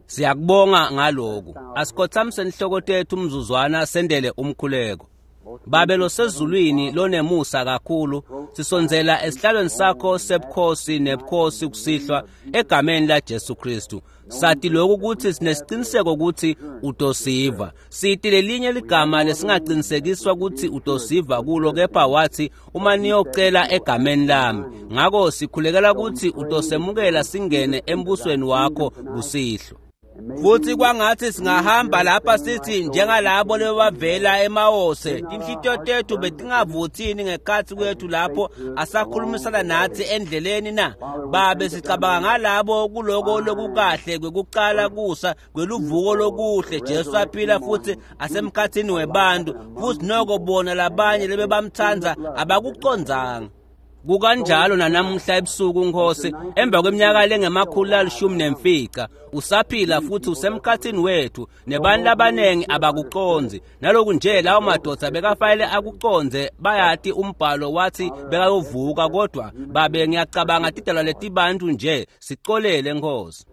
Siyakubonga ngaloku. Asikhothamise inhloko tethu umzuzwana sendele umkhuleko. Babe losezulwini lonemusa kakhulu, sisondzela esihlalweni sakho sebukhosi nebukhosi kusihlwa egameni laJesu Kristu. Sathi lokhu ukuthi sinesiciniseko ukuthi utosiva. Sithi lelinye ligama lesingaqinisekiswa ukuthi utosiva kulo, kepha wathi uma niyocela egameni lami. Ngakho sikhulekela ukuthi utosemukela singene embusweni wakho kusihlwa. Futhi kwangathi singahamba lapha sithi njengalabo lebavela eMawose, tinhlitiyo tethu betingavuthini ngekhathi kwethu lapho asakhulumisana nathi endleleni na. Babe sicabanga ngalabo kuloko lokukahle kwekuqala kusa kweluvuko lokuhle Jesu aphila futhi asemkhathini webantu, futhi noko bona labanye lebebamtsandza abakucondzanga. Kukanjalo nanamuhla ebusuku Nkosi, emva kweminyaka lengama-115 usaphila futhi usemkhathini wethu, nebantu labanengi abakuconzi. Naloku nje lawo madoda bekafanele akuconze, bayati umbhalo wathi bekayovuka, kodwa babe ngiyacabanga tidalwa letibantu nje, sicolele Nkosi.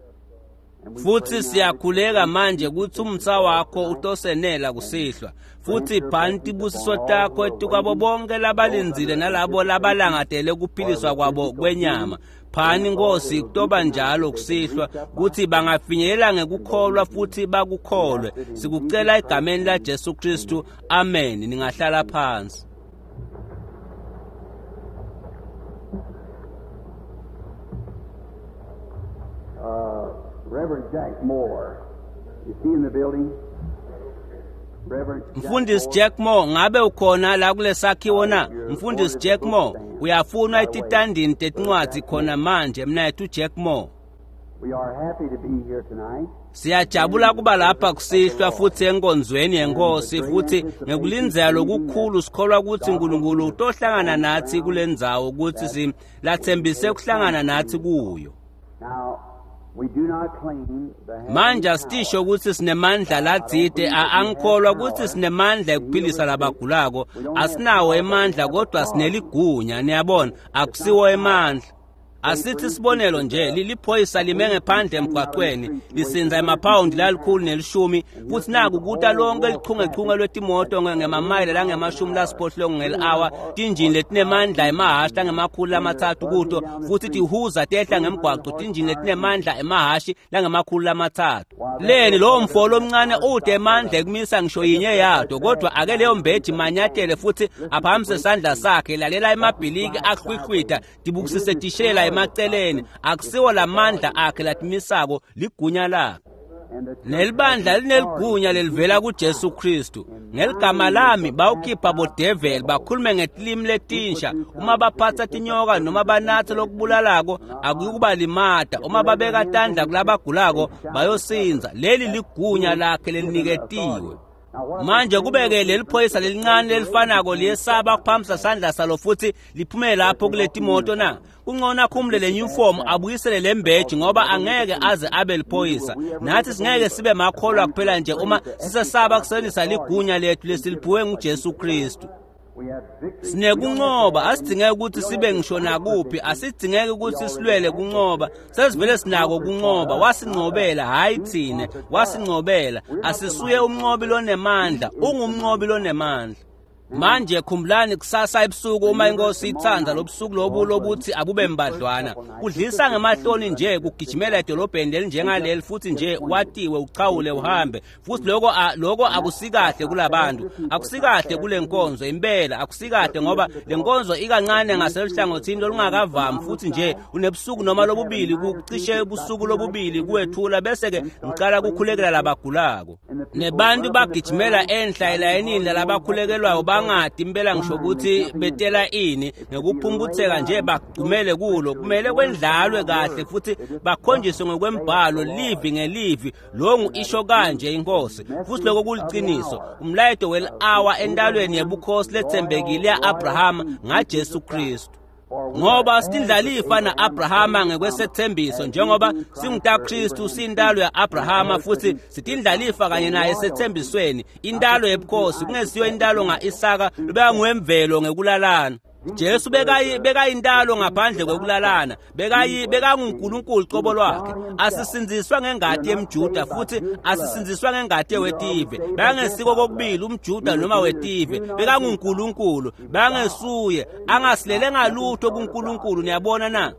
Futhi siyakhuleka manje ukuthi umsa wakho utosenela kusihlwa, futhi phani tibusiso takho etukwabo bonke labalindzile nalabo labalangatele ukuphiliswa kwabo kwenyama. Phani Nkosi kutoba njalo kusihlwa ukuthi bangafinyelela ngekukholwa futhi bakukholwe. Sikucela egameni laJesu Kristu, amen. Ningahlala phansi. Reverend Jack Moore, is he in the building? Mfundisi Jack Moore, ngabe ukhona la kulesakhiwo na? Mfundisi Jack Moore, uyafunwa etitandini tetincwadzi khona manje, mnayethu Jack Moore. We are happy to be here tonight. Siyajabula kuba lapha kusihlwa futhi enkonzweni yenkosi, futhi ngekulindzela lokukhulu sikholwa ukuthi uNkulunkulu utohlangana nathi kule ndzawo ukuthi silathembise ukuhlangana nathi kuyo. Now, we do not claim the Manje asitisho ukuthi sinemandla latsite, angikholwa ukuthi sinemandla ekuphilisa labagulako. Asinawo emandla kodwa sineligunya, niyabona, akusiwo emandla. Asithi sibonelo nje, liliphoyisa lime ngephandle emgwaqweni lisinza emaphawundi la110, futhi naku kuta lonke lichungechunge lwetimoto ngemamayela langama-80 ngeli-hour, tinjini letinemandla emahhashi langama-300 kuto, futhi tihuza tehla ngemgwaqo tinjini letinemandla emahhashi langama-300. Leni lowo mfo lomncane ude emandla ekumisa ngisho yinye yato, kodwa ake leyo mbeji manyatele futhi aphakamise isandla sakhe, lalela emabhiliki ahlwihlwitha, tibukisise tishela emaceleni. Akusiwo lamandla akhe latimisako, ligunya lakhe. Nelibandla lineligunya lelivela kuJesu Kristu. Ngeligama lami bawukhipha bodeveli, bakhulume ngetilimi letinsha. Uma baphatha tinyoka noma banathe lokubulalako akuyukubalimata. Uma babeka tandla kulabagulako bayosinza. Leli ligunya lakhe leliniketiwe. Manje kubeke leli phoyisa lelincane lelifanako liyesaba ukuphakamisa sandla salo futhi liphume lapho kule timoto na? Kungcono akhumule le uniform abuyisele le mbeji, ngoba angeke aze abe liphoyisa. Nathi singeke sibe makholwa kuphela nje uma sisesaba kusebenzisa ligunya lethu lesiliphiwe nguJesu Kristu. Sinekuncoba, asidingeke ukuthi sibe ngisho nakuphi, asidingeke ukuthi silwele kuncoba. Sesivele sinako kuncoba, wasincobela, hayi thine, wasincobela. Asisuye umnqobi lonemandla, ungumnqobi lonemandla. Manje khumbulani kusasa ebusuku uma inkosi ithanda, lobusuku lobu lobuthi abube mbadlwana. Kudlisa ngemahloni nje kugijimela edolobheni lelinjengaleli futhi nje watiwe uchawule uhambe. Futhi lokho akusikahle kulabantu, akusikahle kule nkonzo impela, akusikahle ngoba le nkonzo ikancane ngaseluhlangothini olungakavami, futhi nje unebusuku noma lobubili, kucishe ubusuku lobubili kuwethula, bese ke ngicala kukhulekela labagulako. Nebantu bagijimela enhla elayinini lalabakhulekelwayo bangadi impela ngisho ukuthi betela ini, ngekuphumputheka nje bagcumele kulo. Kumele kwendlalwe kahle futhi bakhonjiswe ngokwembhalo livi ngelivi, longu isho kanje inkosi. Futhi lokho kuliqiniso, umlayeto wel-hour entalweni yebukhosi lethembekile ya-Abrahama ngaJesu Kristu. Ngoba sitindlalifa na-Abrahama ngekwesethembiso, njengoba singutaKristu siyintalo ya-Abrahama futhi sitindlalifa kanye naye esethembisweni, intalo yebukhosi, kungesiyo intalo nga-Isaka lobekangwemvelo ngekulalana. Jesu bekayintalo ngaphandle kwekulalana, bekanguNkulunkulu qobo lwakhe. Asisindziswa ngengati yemJuda futhi asisindziswa ngengati yewetive. Bekangesiko kokubili umJuda noma wetive, bekanguNkulunkulu, bekangesuye, angasilele ngalutho kuNkulunkulu. Niyabona na?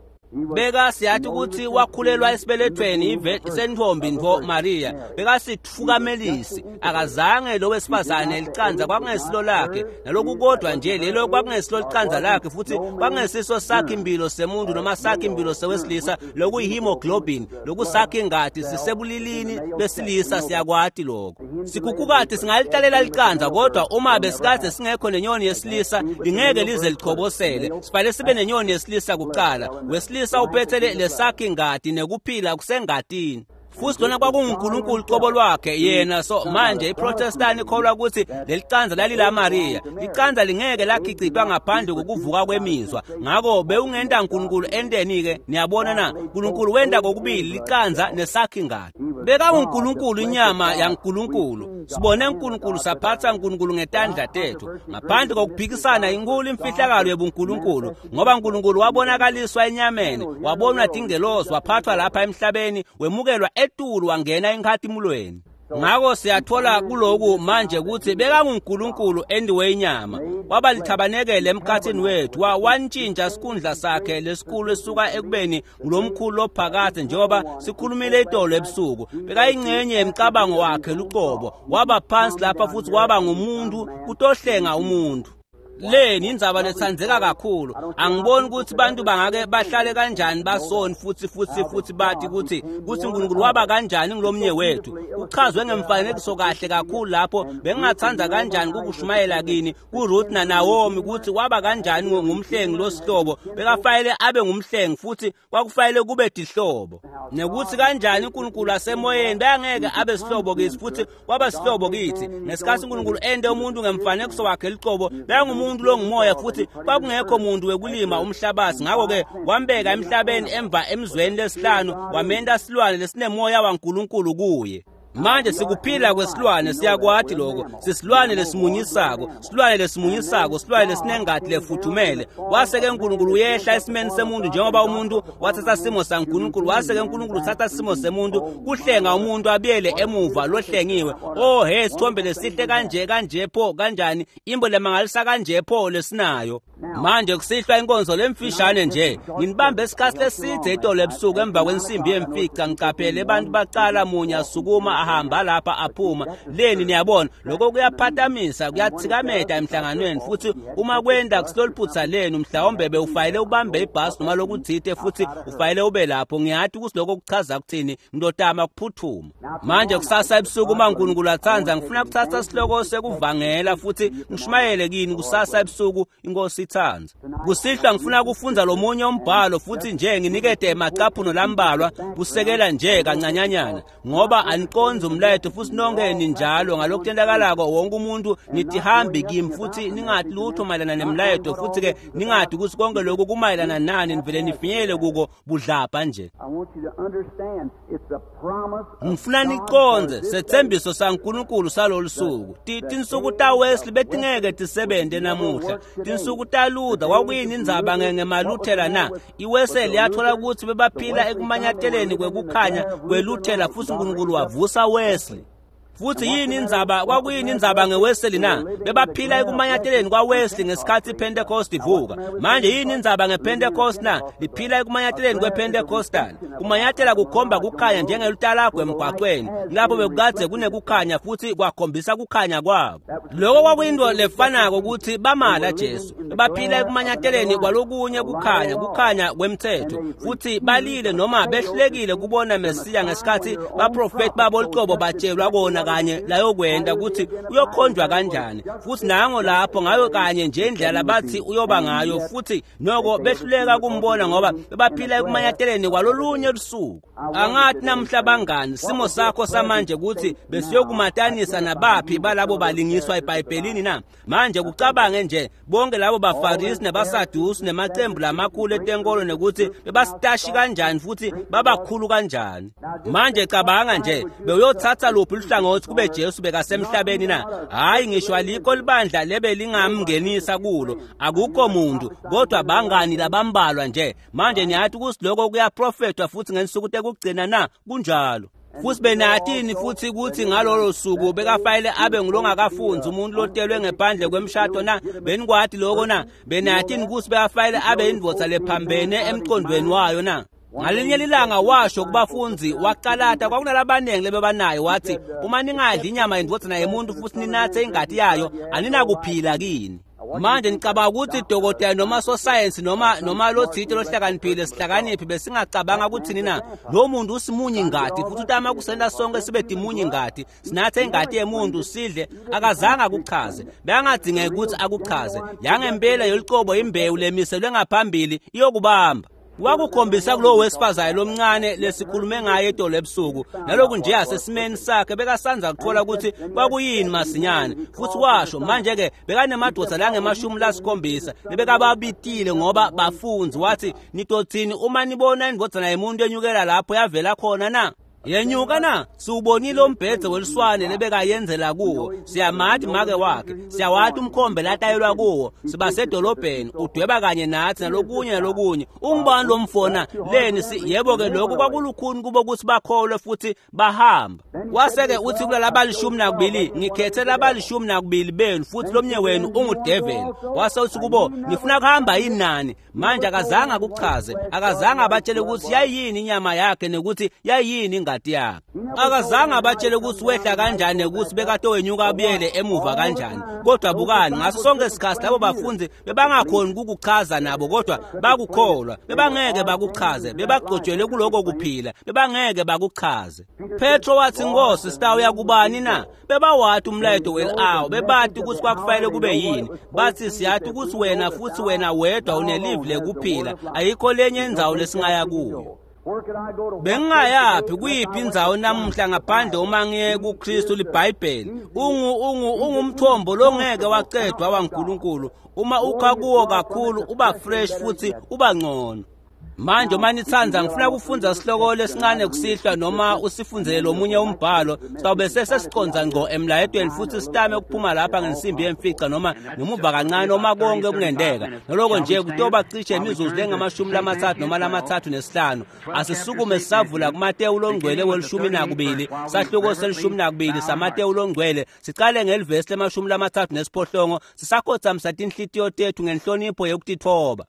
Beka siyathi ukuthi wakhulelwa esibelethweni sentombi ntfo Maria. Bekasitfukamelisi, akazange lo wesifazane licanza kwakungesilo lakhe, naloku kodwa nje lelo kwakungesilo licanza lakhe, futhi kwakungesiso sakhe impilo semuntu noma sakhe impilo sewesilisa, lokuyihemoglobin, lokusakhe ingati sisebulilini besilisa. Siyakwati lokho. Sikhukhukati singalitalela licanza, kodwa uma besikade singekho nenyoni yesilisa lingeke lize lichobosele. Sifanele sibe nenyoni yesilisa kuqala. Wesilisa uphethe lesakhe ingati nekuphila kusengatini. Futhi lona kwakunguNkulunkulu qobo lwakhe yena. So manje iProtestant ikholwa ukuthi lelicanza lalila Maria. Licanza lingeke lakhicitwa ngaphandle kokuvuka kwemizwa. Ngakho bewungenta uNkulunkulu enteni ke? Niyabona na? uNkulunkulu wenta kokubili licanza nesakhe ingati. BekanguNkulunkulu, inyama yaNkulunkulu. Sibone uNkulunkulu, saphatha uNkulunkulu ngetandla tethu ngaphandle kokuphikisana. Inkulu imfihlakalo yebuNkulunkulu, ngoba uNkulunkulu wabonakaliswa enyameni, wabonwa tingelosi, waphathwa lapha emhlabeni, wemukelwa etulu, wangena enkhatimulweni. Ngakho siyathola kuloku manje ukuthi bekanguNkulunkulu endiwe inyama, waba lithabanekele emkhathini wethu, wantshintsha isikhundla sakhe lesikhulu esuka ekubeni ngulomkhulu ophakade, njengoba sikhulumile itolo ebusuku. Bekayingcenye yemcabango wakhe luqobo, waba phansi lapha futhi waba ngumuntu kutohlenga umuntu. Leni indzaba letsandzeka kakhulu. Angiboni ukuthi bantu bangake bahlale kanjani basoni futhi futhi futhi bathi ukuthi uNkulunkulu waba kanjani ngilomnye wethu. Kuchazwe ngemfanekiso kahle kakhulu lapho. Bengingathanda kanjani kukushumayela kini kuRuth naNaomi ukuthi waba kanjani ngumhlengi losihlobo. Bekafanele abe ngumhlengi futhi kwakufanele kube dihlobo, nekuthi kanjani uNkulunkulu asemoyeni bengeke abe sihlobo kithi futhi waba sihlobo kithi. Ngesikhathi uNkulunkulu ende umuntu ngemfanekiso wakhe liqobo, bengumuntu longumoya futhi kwakungekho muntu wekulima umhlabathi. Ngakho-ke wambeka emhlabeni emva emzweni lesihlanu, wamenta silwane lesinemoya waNkulunkulu kuye. Manje sikuphila kwesilwane, siyakwati lokho. Sisilwane lesimunyisako, silwane lesimunyisako, silwane lesinengati lefuthumele. Wase-ke uNkulunkulu uyehla esimeni semuntu, njengoba umuntu wathatha simo saNkulunkulu, wase-ke uNkulunkulu uthatha simo semuntu kuhlenga umuntu abuyele emuva lohlengiwe. Oh he, sithombe lesihle kanje kanje pho kanjani, imbo lemangalisa kanje pho lesinayo. Manje kusihlwa inkonzo lemfishane nje, nginibambe isikhathi leside itolo ebusuku emva kwensimbi yemfica. Ngicaphele abantu baqala munye asukuma ahamba lapha aphuma. Leni niyabona lokho kuyaphatamisa, kuyathikameta emhlanganweni. Futhi uma kwenda kusiloliphutha lenu, mhlawumbe bewufayele ubambe ibhasi noma lokuthite futhi ufayele ube lapho. Ngiyathi ukuthi lokho kuchaza kuthini, ngidotama kuphuthuma. Manje kusasa ebusuku uma uNkulunkulu athanda, ngifuna kuthatha isihloko sekuvangela futhi ngishumayele kini kusasa ebusuku, inkosi ithanda. Kusihlwa ngifuna kufundza lomunye umbhalo futhi nje nginikete emacaphuno lambalwa kusekela nje kancanyanyana, ngoba aniqondzi umlayeto futhi nonke ninjalo ngalokutendakalako. Wonke umuntu nitihambi kimi futhi ningathi lutho mayelana nemlayeto, futhi-ke ningathi ukuthi konke lokhu kumayelana nani, nivele nifinyelele kuko budlabha nje. Ngifuna niqondze sethembiso saNkulunkulu salolu suku. Tinsuku taWesley betingeke tisebente namuhla. Tinsuku taLuther kwakuyini indzaba ngemaLuthela na? IWesley yathola ukuthi bebaphila ekumanyateleni kwekukhanya kweLuthela, futhi uNkulunkulu wavusa Wesley. Futhi yini indzaba, kwakuyini indzaba ngeWesley na? Bebaphila ekumanyateleni kwaWesley ngesikhathi iPentecost ivuka. Manje yini indzaba ngePentecost na? Liphila ekumanyateleni kwePentecostal. Kumanyatela kukhomba kukhanya njengelutalagwe emgwaqweni, lapho bekukade kunekukhanya futhi kwakhombisa kukhanya kwabo. Lokho kwakuyinto lefanako ukuthi bamala Jesu. Bebaphila ekumanyateleni kwalokunye kukhanya, kukhanya kwemthetho, futhi balile noma behlulekile kubona Mesiya ngesikhathi baprofeti babo luqobo batshelwa kona kanye layokwenda ukuthi uyokhonjwa kanjani. Futhi nango lapho ngayo kanye nje indlela bathi uyoba ngayo, futhi noko behluleka kumbona ngoba bebaphila ekumanyateleni kwalolunye lusuku. Angathi namhla bangani, simo sakho samanje ukuthi besiyokumatanisa nabaphi balabo balingiswa eBhayibhelini na? Manje kucabange nje bonke labo baFarisi nabaSadusi nemacembu lamakhulu etenkolo nekuthi bebasitashi kanjani futhi babakhulu kanjani. Manje cabanga nje bewuyothatha luphi luhlangothi hlangothi kube Jesu bekasemhlabeni na? Hhayi, ngisho alikho libandla lebe lingamngenisa kulo, akukho muntu, kodwa bangani labambalwa nje. Manje niyathi ukuthi lokho kuyaprofethwa futhi ngensuku tekugcina na? Kunjalo. Futhi benathini futhi ukuthi ngalolo suku bekafanele abe ngulongakafunzi umuntu lotelwe ngephandle kwemshado na? Benikwati lokho na? Benathini ukuthi bekafanele abe indvodza lephambene emqondweni wayo na? Ngalinye lilanga washo kubafundi waqalata kwakunalabaningi lebebanayo, wathi uma ningadli inyama yendvodzana yemuntu futhi ninathe ingati yayo, aninakuphila kini. Manje ngicabanga ukuthi dokotela noma sosayensi noma lothite lohlakaniphile sihlakaniphi besingacabanga ukuthini na? Lo muntu usimunye ingati futhi utama kusenta sonke sibe timunye ingati, sinathe ingati yemuntu sidle. Akazange akuchaze, bekangadingeki ukuthi akuchaze. Yangempela yolucobo imbewu lemiselwe ngaphambili iyokubamba. Wakukhombisa kulowo wesifazane lomncane lesikhulume ngaye edolo ebusuku, naloku nje asesimeni sakhe bekasanza kuthola ukuthi kwakuyini masinyane. Futhi washo manje-ke bekanemadoda langama-70 lebekababitile ngoba bafunzi. Wathi nitothini uma nibona indvodzana yemuntu enyukela lapho yavela khona na? Yenyuka na? Siwubonile umbhedze weliswane lebekayenzela kuwo, siyamati make wakhe, siyawati umkhombe latayelwa kuwo, sibasedolobheni, udweba kanye nathi nalokunye nalokunye. Ungubani lo mfona leni? Yebo-ke lokhu kwakulukhuni kubo ukuthi bakholwe futhi bahamba. Wase-ke uthi kulala 12, ngikhethe laba 12 benu futhi lomnye wenu ungudeveli. Wase uthi kubo, nifuna kuhamba yini nani? Manje akazange akuchaze, akazange abatshele ukuthi yayiyini inyama yakhe nekuthi yayiyini ingati yakhe. Akazange abatshele ukuthi wehla kanjani nekuthi bekade wenyuka abuyele emuva kanjani. Kodwa bukani, ngaso sonke isikhathi labo bafundi bebangakhoni ukukuchaza nabo, kodwa bakukholwa. Bebangeke bakuchaze, bebagcotshelwe kuloko kuphila, bebangeke bakuchaze. Petro wathi, Nkosi, sitawuya kubani na? Bebawati umlayeto wel-awa, bebati ukuthi kwakufanele kube yini. Bathi siyathi ukuthi wena futhi wena wedwa unelivi lekuphila, ayikho lenye indzawo lesingaya kuyo. Bengingayaphi kuyiphi indzawo namuhla ngaphandle uma ngiye kuKristu? LiBhayibheli ungumthombo longeke wacedwa waNkulunkulu. Uma ukha kuwo kakhulu uba fresh futhi uba ngcono. Manje uma nithanda, ngifuna ukufundza sihloko lesincane kusihlwa, noma usifundzele lomunye umbhalo, sawube sesesiconza ngqo emlayetweni futhi sitame ukuphuma lapha ngensimbi yemfica noma ngemuva kancane uma konke kungenteka. Naloko nje kutoba cishe imizuzu lengama-30 noma 35. Asisukume sisavula kuMatewu longcwele we-12, sahluko se-12 saMatewu longcwele, sicale ngelivesi lema-38 sisakhothamisa tinhlitiyo tethu ngenhlonipho yekutitfoba.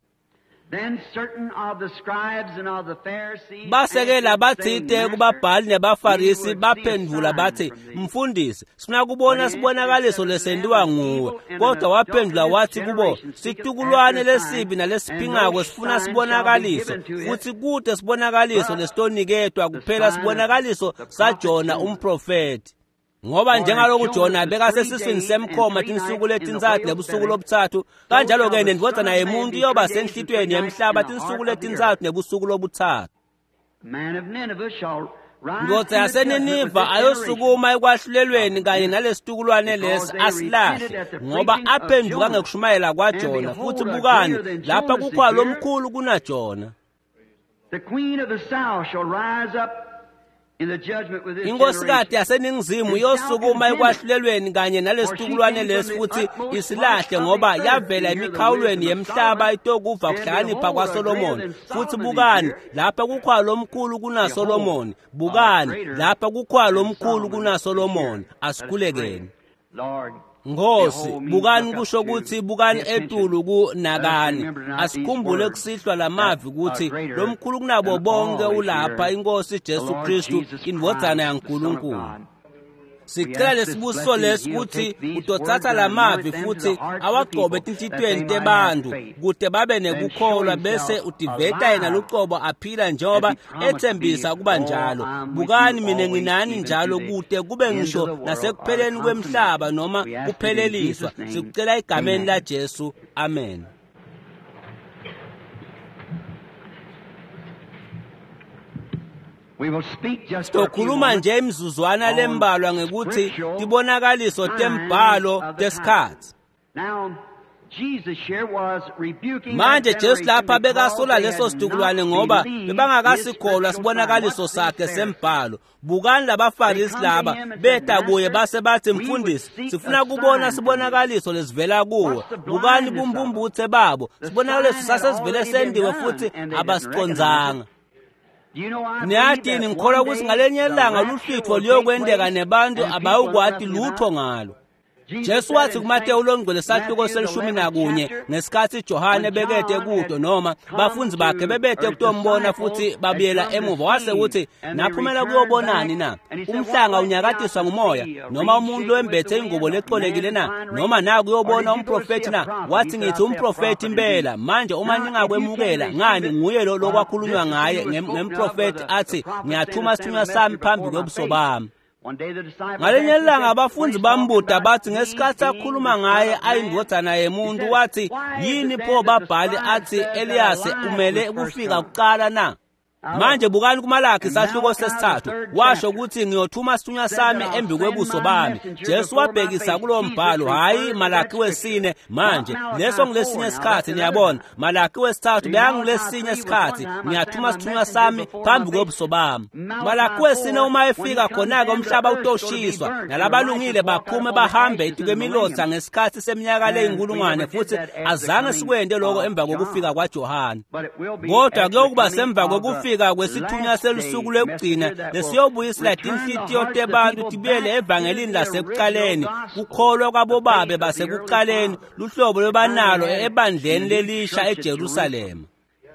Base-ke labatsite kubabhali nebafarisi baphendvula bathi, Mfundisi, sifuna kubona sibonakaliso lesentiwa nguwe. Kodwa waphendvula wathi kubo, situkulwane lesibi nalesiphingako sifuna sibonakaliso, futhi kute sibonakaliso lesitoniketwa kuphela sibonakaliso saJona umprofethi. Ngoba njengaloku Jona bekasesiswini semkhoma tinsuku letintsatfu nebusuku lobuthathu, kanjalo-ke nendvodzana yemuntu iyoba senhlitiyweni yemhlaba tinsuku letintsatfu nebusuku lobuthathu. Ndvodza yaseNiniva ayosukuma ekwahlulelweni kanye nalesitukulwane lesi asilahle, ngoba aphenduka ngekushumayela kwaJona, futhi bukani, lapha kukhona lomkhulu kunaJona. The queen of the south shall rise up Inkosikazi yaseningizimu iyosukuma ekwahlulelweni kanye nalesitukulwane lesi futhi isilahle, ngoba yavela emikhawulweni yemhlaba itokuva kuhlakanipha kwaSolomoni, futhi bukani, lapha kukhona lomkhulu kunaSolomoni. Bukani, lapha kukhona lomkhulu kunaSolomoni. Asikhulekeni. Nkosi, bukani kusho ukuthi bukani etulu kunakani. Asikhumbule kusihlwa lamavi ukuthi lomkhulu kunabo bonke ulapha, iNkosi Jesu Kristu, indvodzana yaNkulunkulu. Sicela lesibusiso lesi ukuthi utothatha lamavi futhi awagcobe etinhlitiyweni tebantu kute babe nekukholwa, bese utiveta yena lucobo aphila njengoba ethembisa kuba njalo. Bukani, mina nginani njalo kute kube ngisho nasekupheleni kwemhlaba noma kupheleliswa. Sikucela egameni laJesu, amen. Sitokhuluma nje imizuzwana lembalwa ngekuthi tibonakaliso tembhalo tesikhatsi. Manje Jesu lapha bekasola leso situkulwane ngoba bebangakasikholwa sibonakaliso sakhe sembhalo. Bukani labaFarisi laba beta kuye base bathi, mfundisi, sifuna kubona sibonakaliso lesivela kuwe. Bukani bumbumbuthe babo, sibonakaliso sasesivele sendiwe futhi abasicondzanga. Niyatini, ngikholwa ukuthi ngalenye ilanga luhlwitho luyokwenteka nebantu abayukwati lutho ngalo. Jesu wathi kuMateyu longcwele sahluko se-11 ngesikhathi Johane bekete kuto noma bafundzi bakhe bebete kutombona futhi babuyela emuva, wase uthi, naphumela kuyobonani na? Umhlanga unyakatiswa ngumoya noma umuntu wembethe ingubo lexolekile na? Noma na kuyobona umprofethi na? Wathi, ngithi umprofethi impela. Manje uma ningakwemukela ngani, nguye lo lokwakhulunywa ngaye ngemprofethi athi, ngiyathuma isithunywa sami phambi kwebuso bami. Ngalenye ilanga abafundi bambuda bathi ngesikhathi akhuluma ngaye ayindvodzana yemuntu, wathi, yini pho babhali athi Eliyase umele ukufika kuqala na? Manje bukani kuMalakhi sahluko 3, washo ukuthi ngiyothuma isithunywa sami embi kwebuso bami. Jesu wabhekisa kulo mbhalo, hayi Malakhi 4. Manje leso ngilesinye isikhathi, niyabona. Malakhi 3 beyangilesinye isikhathi, ngiyathuma isithunywa sami phambi kwebuso bami. Malakhi 4 uma efika khona-ke umhlaba utoshiswa nalabalungile baphume bahambe etikwemilotha ngesikhathi seminyaka leyinkulungwane, futhi azange sikwente lokho emva kokufika kwaJohane, kodwa kuyokuba semva kokufika kwesithunywa selusuku lwekugcina lesiyobuyisela tinhlitiyo tebantu tibuyele evangelini lasekuqaleni, kukholwa kwabobabe basekuqaleni, luhlobo lwebanalo ebandleni lelisha eJerusalema.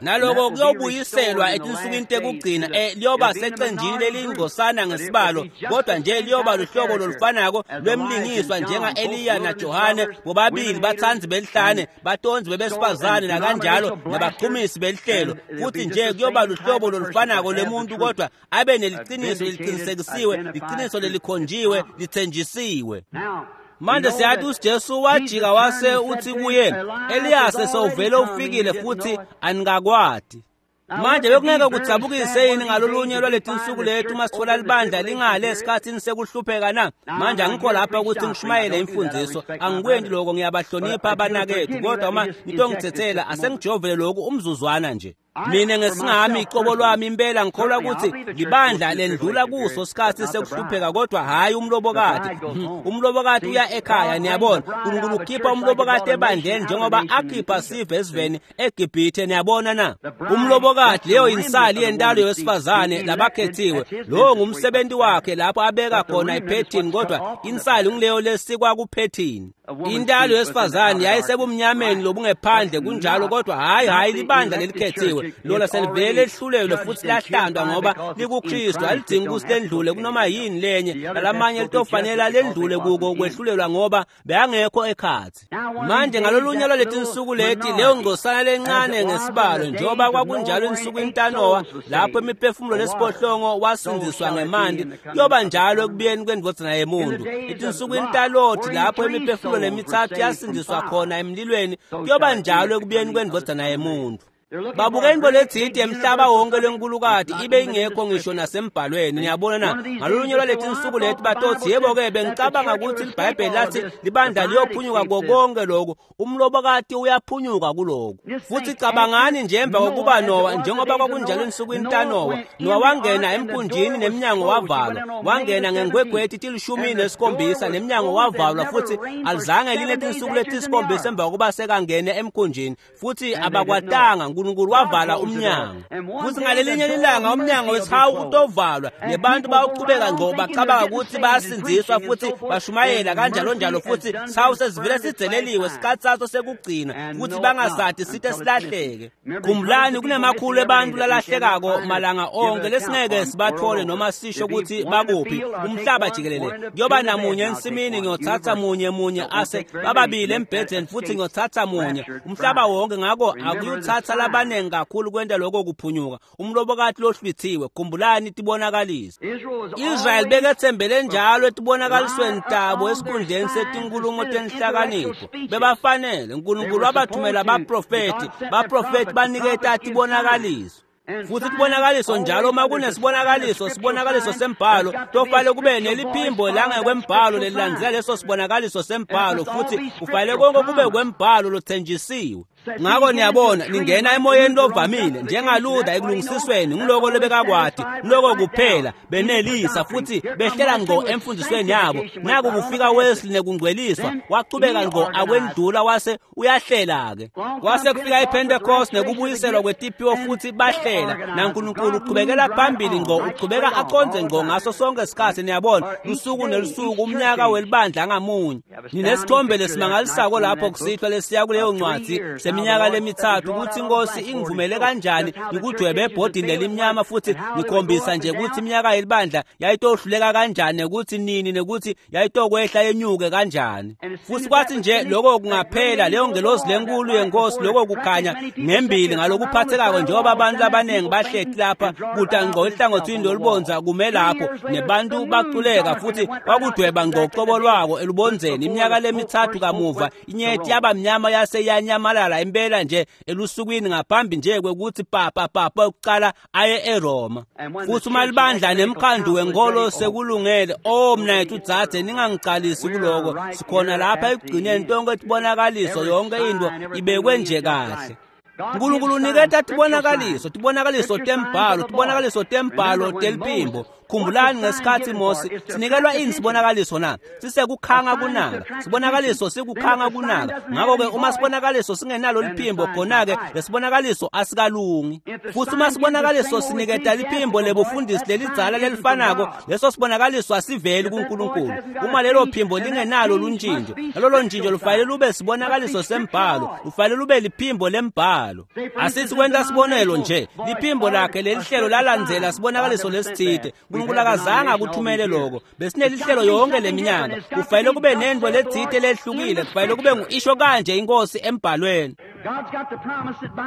Naloko kuyobuyiselwa etinsukwini tekugcina, liyoba secenjini leliyingcosana ngesibalo, kodwa nje liyoba luhlobo lolufanako lwemlingiswa njenga-Eliya naJohane, bobabili batsandzi belihlane, batonzi bebesifazane nakanjalo, nabachumisi belihlelo. Futhi nje kuyoba luhlobo lolufanako lwemuntu, kodwa abe neliqiniso leliqinisekisiwe, liqiniso lelikhonjiwe, lithenjisiwe. Manje siyathi uJesu wajika wase uthi kuye, Eliyase sewuvele ufikile futhi aningakwati. Manje bekungeke kudzabukise yini ngalolunye lwaletinsuku lethu uma sithola libandla lingale esikhathini sekuhlupheka na? Manje angikho lapha ukuthi ngishumayele imfundiso, angikwendi lokho, ngiyabahlonipha abanakethu, kodwa uma nitongithethela asengijovele lokhu umzuzwana nje. Mina ngesingami icobo lwami impela ngikholwa ukuthi libandla lendlula kuso sikhathi sekuhlupheka, kodwa hayi umlobokati. Umlobokati uya ekhaya, niyabona. uNkulunkulu ukhipha umlobokati ebandleni njengoba akhipha sive esiveni eGibhithe, niyabona na? Umlobokati leyo insali yentalo yowesifazane labakhethiwe, lowo ngumsebenzi wakhe lapho abeka khona iphethini, kodwa insali nguleyo lesikwa kuphethini. Intalo yesifazane yayisebumnyameni lobungephandle, kunjalo, kodwa hayi libandla lelikhethiwe, lona selivele lehlulelwe futhi lahlandwa ngoba likuKristu. Alidingi ukuthi lendlule kunoma yini lenye, nalamanye litofanele lendlule kuko kwehlulelwa ngoba beyangekho ekhathi. Manje ngalolunye lwaletinsuku leti, leyo ngcosana lencane ngesibalo, njengoba kwakunjalo ensukwini taNowa lapho imiphefumulo lesiphohlongo wasindiswa ngemanti, kuyoba njalo ekubuyeni kwendvodzana yemuntu. Etinsukwini taLothi lapho imiphefumulo lemithathu yasindiswa khona emlilweni, kuyoba njalo ekubuyeni kwendvodzana yemuntu. Babuke into letsite emhlaba wonke lenkulukati ibe ingekho ngisho nasembhalweni, niyabona na? Ngalolunye lwaletinsuku leti batothi, yebo-ke bengicabanga ukuthi iBhayibheli lathi libandla liyophunyuka konke lokhu, umlobokati uyaphunyuka kulokhu. Futhi cabangani nje emva kokuba Nowa, njengoba kwakunjalo ensukwini taNowa, Nowa wangena emkhunjini nemnyango wavalwa, wangena ngengwegweti 17 nemnyango wavalwa, futhi alizange line tinsuku letisikhombisa emva kokuba sekangene emkhunjini, futhi abakwatanga. uNkulunkulu wavala umnyango. Futhi ngalelinye ilanga umnyango wesihawu utovalwa, nebantu bayaqhubeka ngqo bacabanga ukuthi bayasindziswa futhi bashumayela kanjalo njalo, futhi sihawu sesivele sidzeleliwe sikhathi saso sekugcina, futhi bangasadi sithe silahleke. Khumbulani, kunemakhulu ebantu lalahlekako malanga onke lesingeke sibathole noma sisho ukuthi bakuphi umhlaba jikelele. Kuyoba namunye ensimini, ngiyothatha munye munye ase bababili embhedeni, futhi ngiyothatha munye umhlaba wonke. Ngakho akuyuthatha labanengi kakhulu kwenta lokho kuphunyuka. Umlobokati lohlwithiwe, khumbulani tibonakaliso. Israyeli bekethembele njalo etibonakalisweni tabo esikhundleni setinkulumo tenhlakanipho. Bebafanele, uNkulunkulu wabathumela baprofeti, baprofeti baniketa tibonakaliso. Futhi tibonakaliso njalo uma kunesibonakaliso, sibonakaliso sembhalo, tofanele kube neliphimbo langekwembhalo lelilandzela leso sibonakaliso sembhalo, futhi kufanele konke kube kwembhalo lothenjisiwe. Ngako niyabona, ningena emoyeni lovamile njengaLuther ekulungisisweni, ngiloko lebekakwati, ngiloko kuphela benelisa futhi behlela ngqo emfundisweni yabo. Naku kufika Wesley nekungcweliswa, wachubeka ngqo akwendlula wase uyahlela-ke. Kwase kufika iPentecost nekubuyiselwa kwetiphiwo futhi bahlela, naNkulunkulu uchubekela phambili ngqo, uchubeka aconze ngqo ngaso sonke isikhathi. Niyabona, lusuku nelusuku, umnyaka welibandla ngamunye. Ninesithombe lesimangalisako lapho kusihlwa lesiya kuleyo ncwadi seminyaka lemithathu, ukuthi inkosi ingivumele kanjani ngikudwebe ebhodini lelimnyama futhi ngikhombisa nje ukuthi iminyaka yelibandla yayitohluleka kanjani, nekuthi nini, nekuthi yayitokwehla yenyuke kanjani. Futhi kwathi nje lokho kungaphela, leyo ngelozi lenkulu yenkosi, lokho kukhanya ngembili ngalokuphathekako, njengoba abantu abaningi bahleti lapha kuda ngqo ehlangothini lolubonza kume lapho nebantu baculeka, futhi kwakudweba ngqo ucobo lwako elubonzeni. Iminyaka lemithathu kamuva inyeti yaba mnyama yase iyanyamalala impela nje elusukwini ngaphambi nje kwekuthi papa ukuqala aye eRoma. Futhi uma libandla nemkhandu wenkolo sekulungele, oh mnayethu dzadze, ningangicalisi kuloko, sikhona lapha ekugcineni, tonke tibonakaliso, yonke into ibekwe nje kahle. Nkulunkulu uniketa tibonakaliso, tibonakaliso tembhalo, tibonakaliso tembhalo teliphimbo. Khumbulani ngesikhathi Mose sinikelwa ini sibonakaliso na? Sisekukhanga kunaka. Sibonakaliso sikukhanga kunaka. Ngakho-ke uma sibonakaliso singenalo liphimbo, khona-ke lesibonakaliso asikalungi. Futhi uma sibonakaliso siniketa liphimbo lebufundisi lelidzala lelifanako, leso sibonakaliso asiveli kuNkulunkulu. Uma lelo phimbo lingenalo luntshintsho, nalolo ntshintsho lufanele lube sibonakaliso sembhalo, lufanele lube liphimbo lembhalo. Asithi kwenta sibonelo nje, liphimbo lakhe lelihlelo lalandzela sibonakaliso lesithide. uNkulunkulu akazange akuthumele lokho. Besinelihlelo yonke leminyaka. Kufanele kube nento letsite lehlukile, kufanele kube ngu-isho kanje inkosi embhalweni.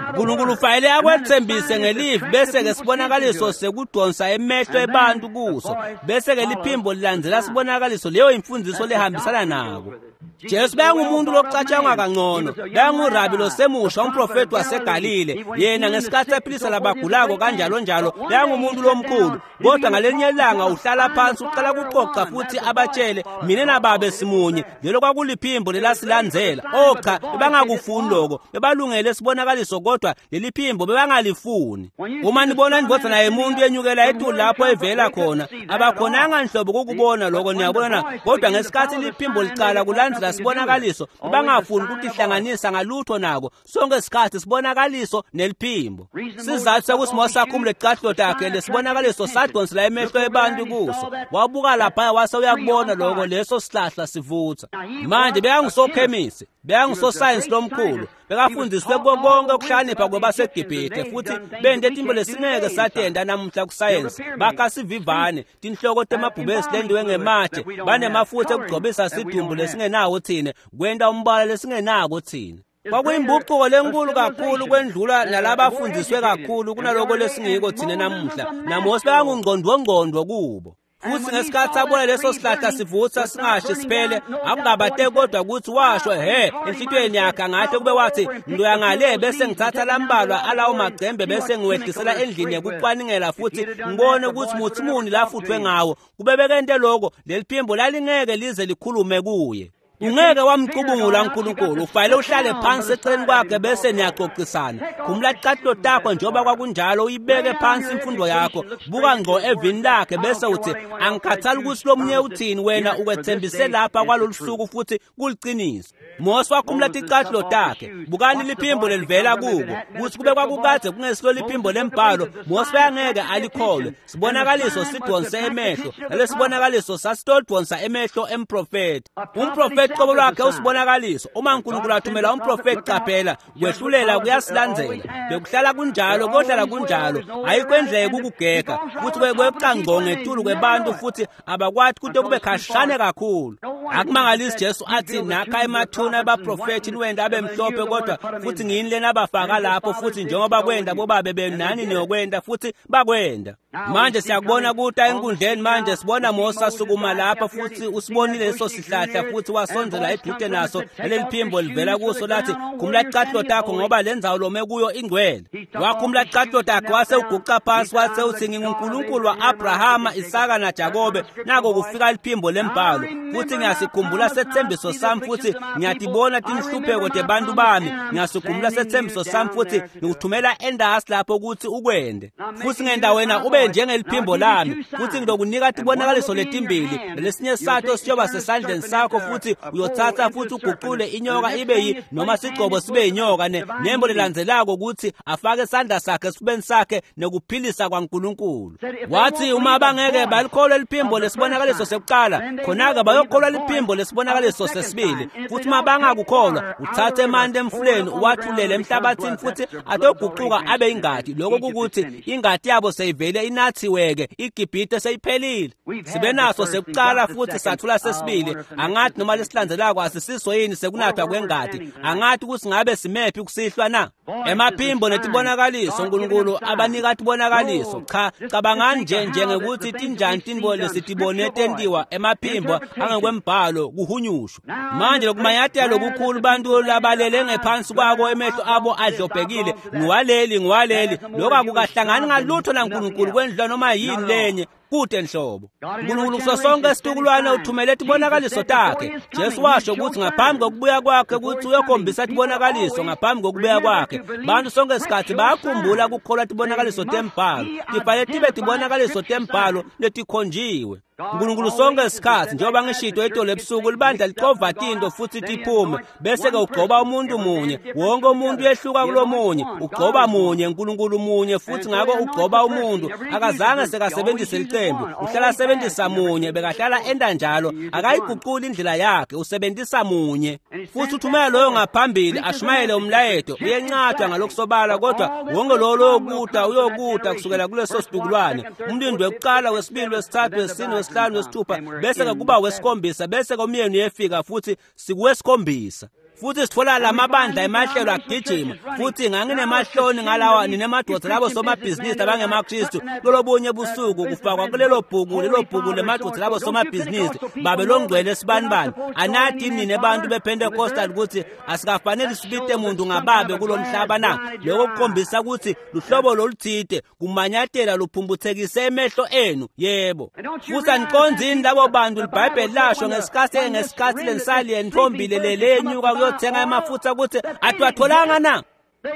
uNkulunkulu ufanele akwethembise ngelivi, bese-ke sibonakaliso sekudonsa emehlo ebantu kuso, bese-ke liphimbo lilandzela sibonakaliso, leyo imfundiso lehambisana nako. Jesu bekangumuntu lokucatshangwa kangcono, bekangurabi losemusha, umprofeti waseGalile. Yena ngesikhathi ephilisa labagulako kanjalo njalo, bekangumuntu lomkhulu. Kodwa ngalenye ilanga uhlala phansi uqala kuxoxa futhi abatshele, mina nababe simunye. Lelo kwakuliphimbo lelasilandzela. Oh cha, bebangakufuni lokho, bebalungele sibonakaliso, kodwa leli phimbo bebangalifuni. Uma nibona indvodzana yemuntu yenyukela etulu lapho evela khona, abakhonanga nhlobo kukubona lokho, niyabona na? Kodwa ngesikhathi liphimbo licala kulandzela sibonakaliso, bangafuni ukutihlanganisa ngalutho nako. Sonke isikhathi sibonakaliso neliphimbo. Sizathu sokuthi Mose akhumule icathulo takhe, lesibonakaliso sadonsela emehlo ebantu kuso. Wabuka laphaya wase uyakubona lokho, leso sihlahla sivutha. Manje bekangusokhemisi, bekangusosayensi lomkhulu, bekafundiswe konke ukuhlakanipha kwabaseGibhithe, futhi bente tinto lesingeke satenda namuhla kusayensi. Bakha sivivane, tinhloko temabhubesi lendiwe ngematshe, banemafutha ekugcobisa sidumbu lesingenawo thina, kwenta umbala lesingenako thina. Kwakuyimbucuko lenkulu kakhulu kwendlula nalabafundiswe kakhulu kunaloko lesingiko thina namuhla. NaMose bekangungqondwongqondo kubo. Futhi ngesikhathi abona leso sihlahla sivutha singashi siphele, akungabate kodwa ukuthi washo he enhlitiyweni yakhe, angahle kube wathi ngiya ngale bese ngithatha lambalwa alawo magcembe bese ngiwehlisela endlini yokucwaningela futhi ngibone ukuthi muthi muni lafuthwe ngawo. Kube bekente lokho, leli phimbo lalingeke lize likhulume kuye. Ungeke wamcubungula uNkulunkulu, ufanele uhlale phansi eceleni kwakhe bese niyaxoxisana. Khumula icathulo takho njengoba kwakunjalo, uyibeke phansi imfundo yakho, buka ngqo evini lakhe bese uthi angikhathali ukuthi lomunye uthini, wena ukwethembise lapha kwalolu suku futhi kuliciniso. Mose wakhumula ticathulo takhe, bukani liphimbo lelivela kubo, kuthi kube kwakukade kungesilo liphimbo lembhalo, Mose bekangeke alikholwe. Sibonakaliso sidonse emehlo, nalesibonakaliso sasitodonsa emehlo emprofeti. Umprofeti qobo lwakhe usibonakaliso. Uma uNkulunkulu athumela umprofeti, qaphela, kwehlulela kuyasilandzela. Bekuhlala kunjalo, kohlala kunjalo. Ayikho indlela yokukugega, futhi kweqa ngqo ngetulu kwebantu, futhi abakwati kude kube khashane kakhulu. Akumangalisi Jesu athi nakha emathuna abaprofethi niwenda abe mhlophe, kodwa futhi ngiyini lena abafaka lapho, futhi njengoba kwenda bobabe benu nani niyokwenda, futhi bakwenda. Manje siyakubona kuta enkundleni manje, sibona Mose asukuma lapha futhi usibonile leso sihlahla futhi wasondzela edude naso, leli phimbo livela kuso lathi khumula ticathulo takho ngoba le ndzawo lome kuyo ingcwele. Wakhumula ticathulo takhe wase uguca phansi wase uthi nginguNkulunkulu wa-Abrahama, Isaka naJakobe. Nako kufika liphimbo lembhalo, futhi ngiyasikhumbula sethembiso sami, futhi ngiyatibona tinhlupheko tebantu bami, ngiyasikhumbula sethembiso sami, futhi ngikuthumela endasi lapho ukuthi ukwende, futhi ngenda wena ube njengeliphimbo lami, futhi ngizokunika tibonakaliso letimbili, lesinye sato siyoba sesandleni sakho, futhi uyothatha futhi uguqule inyoka ibe yi noma sigcobo sibe yinyoka, nembo lelandzelako ukuthi afake isandla sakhe esifubeni sakhe nekuphilisa kwaNkulunkulu. Wathi uma bangeke balikholwe liphimbo lesibonakaliso sekuqala, khona-ke bayokholwa liphimbo lesibonakaliso sesibili, futhi uma bangakukholwa uthathe emanti emfuleni uwathulele emhlabathini futhi atoguquka abe ingadi. Lokho kukuthi ingadi yabo seyivele inathiweke, iGibhite seyiphelile. Sibe naso sekuqala futhi sathula sesibili. Angathi noma lesilandzelako asisiso yini sekunathwa kwengadi, angathi ukuthi ngabe simephi kusihlwa na. Emaphimbo netibonakaliso, uNkulunkulu abanika tibonakaliso. Cha, cabangani nje njengekuthi tinjani tintfo lesitibone tentiwa emaphimbo angekwembhalo kuhunyushwa. Manje lokumanyathela lokukhulu bantu labalele ngephansi kwako, emehlo abo adlobhekile, ngiwaleli ngiwaleli, lokho akukahlangani ngalutho naNkulunkulu kwendlula noma yini lenye kude nhlobo. uNkulunkulu kuso sonke isitukulwane uthumele tibonakaliso takhe. Jesu washo ukuthi ngaphambi kokubuya kwakhe ukuthi uyokhombisa tibonakaliso ngaphambi kokubuya kwakhe. Bantu sonke isikhathi bayakhumbula ukukholwa tibonakaliso tembhalo, tifanele tibe tibonakaliso tembhalo letikhonjiwe. uNkulunkulu sonke isikhathi, njengoba ngishito itolo ebusuku, libandla licova tinto futhi tiphume, bese-ke ugcoba umuntu munye, wonke umuntu uyehluka kulomunye, ugcoba munye, uNkulunkulu munye, futhi ngako ugcoba umuntu. Akazange sekasebenzise licembu, uhlala asebenzisa munye, bekahlala enda njalo, akayiguquli indlela yakhe, usebenzisa munye, futhi uthumela loyo ngaphambili ashumayele umlayeto. Uyencatshwa ngalokusobala, kodwa wonke lowo loyokuta uyokuta kusukela kuleso situkulwane, umlindi wekuqala, wesibili, wesithathu, wesine, wesihlanu, wesithupha, bese-ke kuba wesikhombisa, bese-ke umyeni uyefika futhi sikuwesikhombisa. Futhi sithola lamabandla emahlelo agijima, futhi nganginemahloni ngalawa ninemadoda labo somabhizinisi abangemaKristu lolobunye busuku kufakwa kulelo bhuku, lelo bhuku lemadoda labo somabhizinisi babe longcwele esibanibani. Anathi nine bantu bePentecostal ukuthi asikafanele sibite muntu ngababe kulomhlaba na? Lokho kukhombisa ukuthi luhlobo loluthide kumanyatela luphumbuthekise emehlo enu. Yebo, futhi aniqonzi yini labo bantu iBhayibheli lasho ngesikhathi ngesikhathi lensali yentombi lelenyuka kuyothenga emafutha ukuthi atiwatholanga na?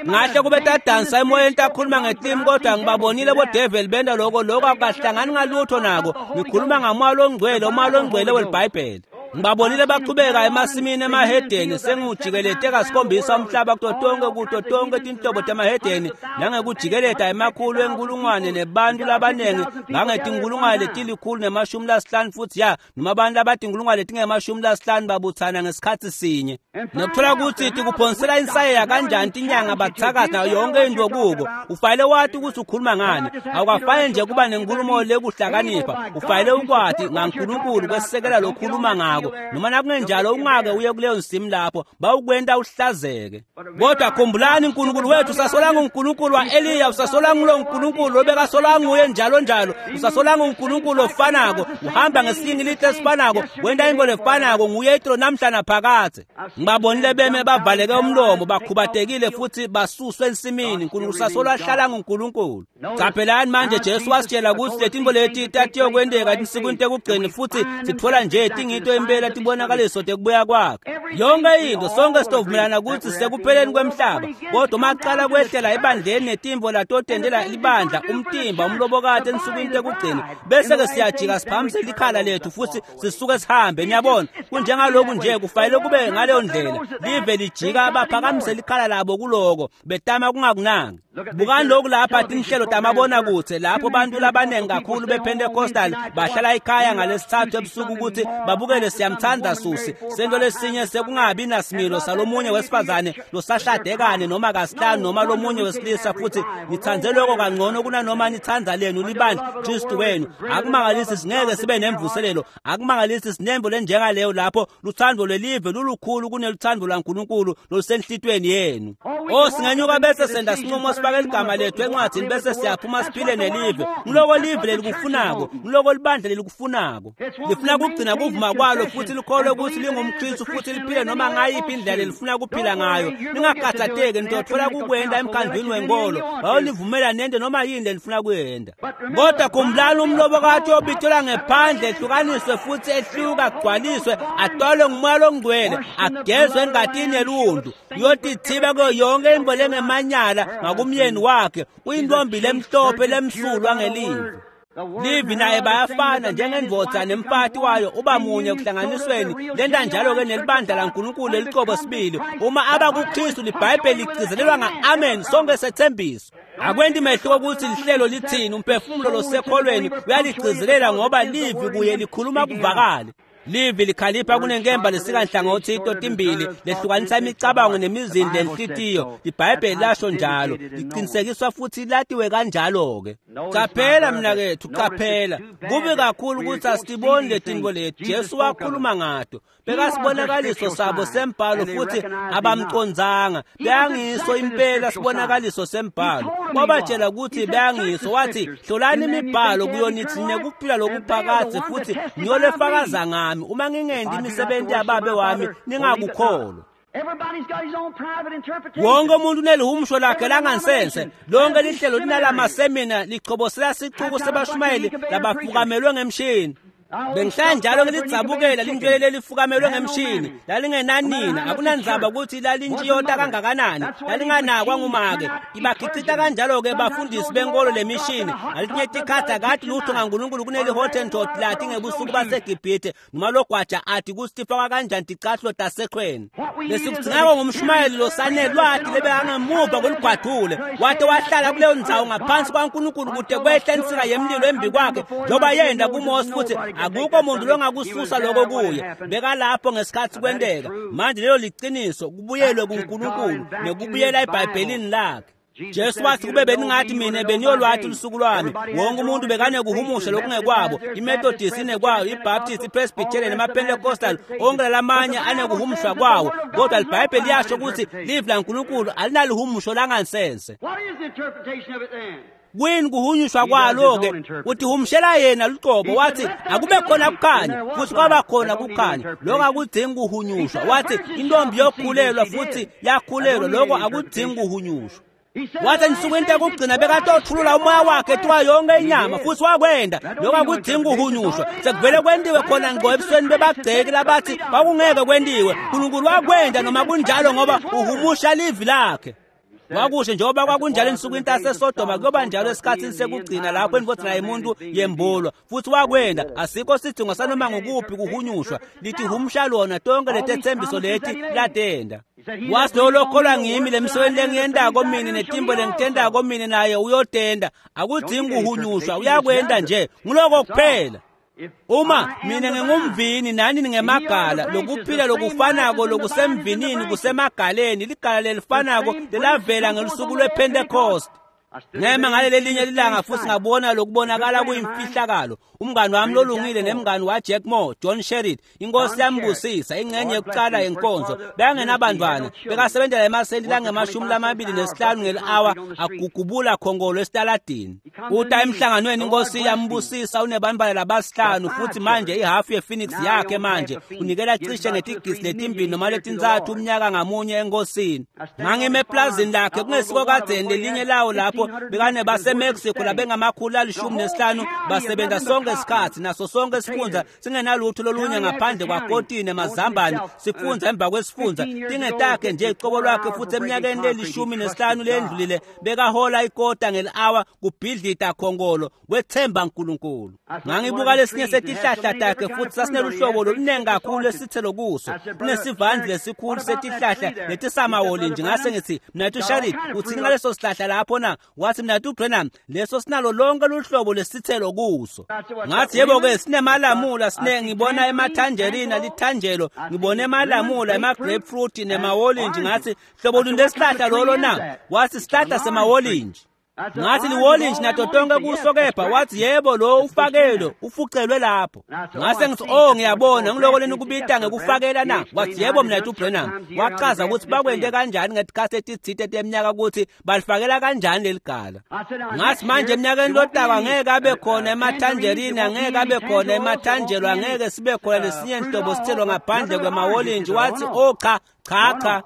Ngahle kube tadansa emoyeni takhuluma ngeklimi, kodwa ngibabonile bodeveli benda lokho, lokho akukahlangani ngalutho nako. Ngikhuluma ngamoya longcwele, umoya longcwele welibhayibheli. Ngibabonile baqhubeka emasimini emahedeni, sengiwujikelete kasikhombisa umhlaba kuto tonke kuto tonke tinhlobo temahedeni, nangekujikeleta emakhulu enkulungwane nebantu labaningi ngangetinkulungwane letilikhulu nemashumi lasihlanu, futhi ya noma abantu abatinkulungwane letingemashumi lasihlanu babuthana ngesikhathi sinye. Nokuthola ukuthi tikuphonsela insayeya kanjani tinyanga bathakathi nayo yonke into kuko. Ufanele wati ukuthi ukhuluma ngani, awukafanele nje kuba nenkulumo lekuhlakanipha, ufanele ukwati ngaNkulunkulu kwesekela lokhuluma ngako, noma nakungenjalo ungake uye kuleyo nsimu lapho bawukwenta uhlazeke. Kodwa khumbulani, uNkulunkulu wethu usasolanga uNkulunkulu wa-Eliya, usasolanga ulo Nkulunkulu obekasolanga uye njalo njalo, usasolanga uNkulunkulu ofanako, uhamba ngesinye ilithe esifanako, wenta into lefanako, nguye itolo namhla naphakadze. Ngibabonile beme bavaleke umlomo, bakhubatekile futhi basuswe ensimini. uNkulunkulu usasolwa ahlala nguNkulunkulu. Qaphelani manje, Jesu wasitshela ukuthi letinto leti tatiyokwenteka tinsukwini tekugcina, futhi sithola nje tingito impela tibonakaliso tekubuya kwakhe. Yonke into sonke sitovumelana ukuthi sekupheleni kwemhlaba, kodwa uma kuqala kwehlela ebandleni netimvo latotendela libandla umtimba umlobokati ensukwini tekugcina, bese-ke siyajika siphakamise likhala lethu futhi sisuke sihambe. Niyabona, kunjengaloku nje kufanele kube ngaleyo ndlela. Live lijika baphakamise likhala labo kuloko betama kungakunaki. Bukani lokhu lapha tinhlelo tamabonakudze lapho bantu labanengi kakhulu bePentecostal bahlala ekhaya ngalesithathu ebusuku ukuthi babukele Siyamthanda Susi sento lesinye sekungabi nasimilo salomunye wesifazane losashadekane noma kasihlanu noma lomunye wesilisa, futhi nithandze lokho kangcono kunanoma nithanda lenu libandla Kristu wenu. Akumangalisi singeke sibe nemvuselelo, akumangalisi sinembo lenjengaleyo lapho luthando lwelive lulukhulu kuneluthando lwaNkulunkulu lolusenhlitweni yenu. O singenyuka bese senda sinqumo sifake ligama lethu encwadzini bese siyaphuma siphile nelive. Ngiloko live lelikufunako, ngiloko libandla lelikufunako. Lifuna kugcina kuvuma kwalo futhi likholwe ukuthi lingumKristu futhi liphile noma ngayiphi indlela lelifuna kuphila ngayo. Ningakhathatheki, nitothola kukwenda emkhandlwini wenkolo bayolivumela nente noma yini lelifuna kuyenda. Kodwa khumbulani, umlobokati obithelwa ngephandle ehlukaniswe futhi ehluka agcwaliswe atwalwe ngumoya longcwele agezwe engatini yeluntu uyotithiba kuyo yonke imbo lengemanyala ngakumyeni wakhe. Uyintombi lemhlophe lemsulwa ngelive. Livi naye bayafana njengendvodza nemfati wayo uba munye ekuhlanganisweni. Lenta njalo-ke nelibandla laNkulunkulu lelicobo sibili. Uma aba kuKristu libhayibheli ligcizelelwa nga-amen sonke sethembiso. Akwenti mehluko ukuthi lihlelo lithini, umphefumulo losekholweni uyaligcizelela ngoba livi kuye likhuluma kuvakale. Livi likhalipha kunenkemba lesikanhlangothi totimbili lehlukanisa imicabango nemizindlo lenhlitiyo. Libhayibheli lasho njalo, liqinisekiswa futhi latiwe kanjalo-ke. Caphela mnakethu, caphela. Kubi kakhulu ukuthi asitiboni letinto leti. Jesu wakhuluma ngato. Bekasibonakaliso sabo sembhalo futhi abamcondzanga. Beyangiso impela sibonakaliso sembhalo. Wabatshela ukuthi beyangiso, wathi hlolani imibhalo kuyo nithi nekuphila lokuphakadze futhi niyolefakaza ngami. Uma ngingendi imisebenzi yababe wami ningakukholwa. Wonke umuntu unelihumusho lakhe langansense. Lonke lihlelo linalamasemina lichobosela sicuku sebashumayeli labafukamelwe ngemshini. Bengihlala njalo ngilidzabukela lintwele lelifukamelwe ngemshini lalingenanina. Akunandzaba ukuthi lalintshiyota kangakanani, lalinganakwa ngumake. Ibakhicita kanjalo-ke bafundisi benkolo lemishini. Ngaletinye tikhatsi akati lutho ngaNkulunkulu kuneli-Hottentot lati ngebusuku baseGibhithe noma logwaja ati kutsi tifakwa kanjani ticatfulo tasekhweni. Lesikudzingako ngumshumayeli losanelwati lebekangemuva kweligwadule wate wahlala kuleyo ndzawo ngaphansi kwaNkulunkulu kute kwehle insika yemlilo embi kwakhe njengoba yenda kuMose, futhi akukho muntu longakususa lokho kuye. Bekalapho ngesikhathi kwenteka. Manje lelo liciniso, kubuyelwe kuNkulunkulu nekubuyela eBhayibhelini lakhe. Jesu wathi kube beningathi mina beniyolwathi lusuku lwami. Wonke umuntu bekanekuhumusha lokungekwabo. IMethodist inekwayo, iBaptist, iPresbyterian, amaPentecostal, onke lamanye anekuhumushwa kwawo. Kodwa iBhayibheli liyasho ukuthi livi laNkulunkulu alinalihumusho langansense. Kuyini kuhunyushwa kwalo-ke? Utihumushela yena luqobo. Wathi akube khona kukhanya, futhi kwaba khona kukhanya. Lokho akudingi kuhunyushwa. Wathi intombi yokhulelwa, futhi yakhulelwa. Lokho akudingi kuhunyushwa. Wathi ensukwini tekugcina bekatothulula umoya wakhe ethiwa yonke inyama, futhi wakwenda. Lokho akudingi kuhunyushwa, sekuvele kwentiwe khona ngqo ebusweni bebagceki labathi kwakungeke kwentiwe. Nkulunkulu wakwenda noma kunjalo ngoba uhumusha livi lakhe. Wakusho njengoba kwakunjalo ensukwini taseSodoma kuyoba njalo esikhathini sekugcina lapho indvodzana yemuntu yembulwa, futhi wakwenda. Asikho sidingo sanoma ngukuphi kuhunyushwa, lithi humusha lona tonke letethembiso leti latenda. Wathi lowo lokholwa ngimi lemisebenti lengiyentako mine netimbo lengitentako mine naye uyotenda. Akudingi kuhunyushwa, uyakwenda nje, nguloko kuphela. Uma mina ngingumvini nani ningemagala, lokuphila lokufanako lokusemvinini kusemagaleni, ligala lelifanako lelavela ngelusuku lwePentecost. Ngema ngaleli linye lilanga futhi ngabona lokubonakala kuyimfihlakalo. Umngani wami lolungile nemngani waJack Moore, John Sherritt, inkosi yambusisa, ingxenye yokuqala yenkonzo. Bekangenabantwana, bekasebenzela emasenti langama-25 ngeli-hour agugubula khongolo esitaladini. Uta emhlanganweni inkosi yambusisa, unebantwana labasihlanu futhi manje ihafu yePhoenix yakhe manje unikela cishe ngetigisi letimbili noma letintsathu umnyaka ngamunye enkosini. Ngangime eplazini lakhe kungesiko kadzeni lelinye lawo lapho lapho bekanebaseMexico labengama-115 basebenza sonke isikhathi naso sonke isifunza singenalutho lolunye ngaphandle kwakotini emazambane sifunza emva kwesifunza tingetakhe nje icobo lwakhe futhi eminyakeni leli-15 lendlulile bekahola ikota ngeli-awa kubhidlita khongolo wethemba uNkulunkulu. Ngangibuka lesinye setihlahla takhe futhi sasineluhlobo loluningi kakhulu lesithelo kuso kunesivandi lesikhulu setihlahla letisamawolintshi. Ngase ngithi mnathu Sharit, uthini ngaleso sihlahla lapho na? Wathi mnathu Branham, leso sinalo lonke luhlobo lesithelo kuso. Ngathi yebo-ke sinemalamula, sine ngibona emathanjerina lithanjelo, ngibona emalamula, ema-grapefruit nemawolintshi. Ngathi hlobo luni lesihlahla lolo na? Wathi sihlahla semawolintshi. Ngathi liwolintshi nato tonke kuso kepha. Wathi yebo, lo ufakelwe ufucelwe lapho. Ngase ngithi oh ngiyabona, ngiloko leni kubita ngekufakela na? Wathi yebo mnathu Branham. Wachaza ukuthi bakwente kanjani ngetikhathi etitsite teminyaka ukuthi balifakela kanjani leli gala. Ngathi manje eminyakeni lotako angeke abe khona emathanjerini, angeke abe khona emathanjelo, angeke sibe khona lesinye nhlobo sithelo ngaphandle kwemawolintshi. Wathi oh cha cha cha.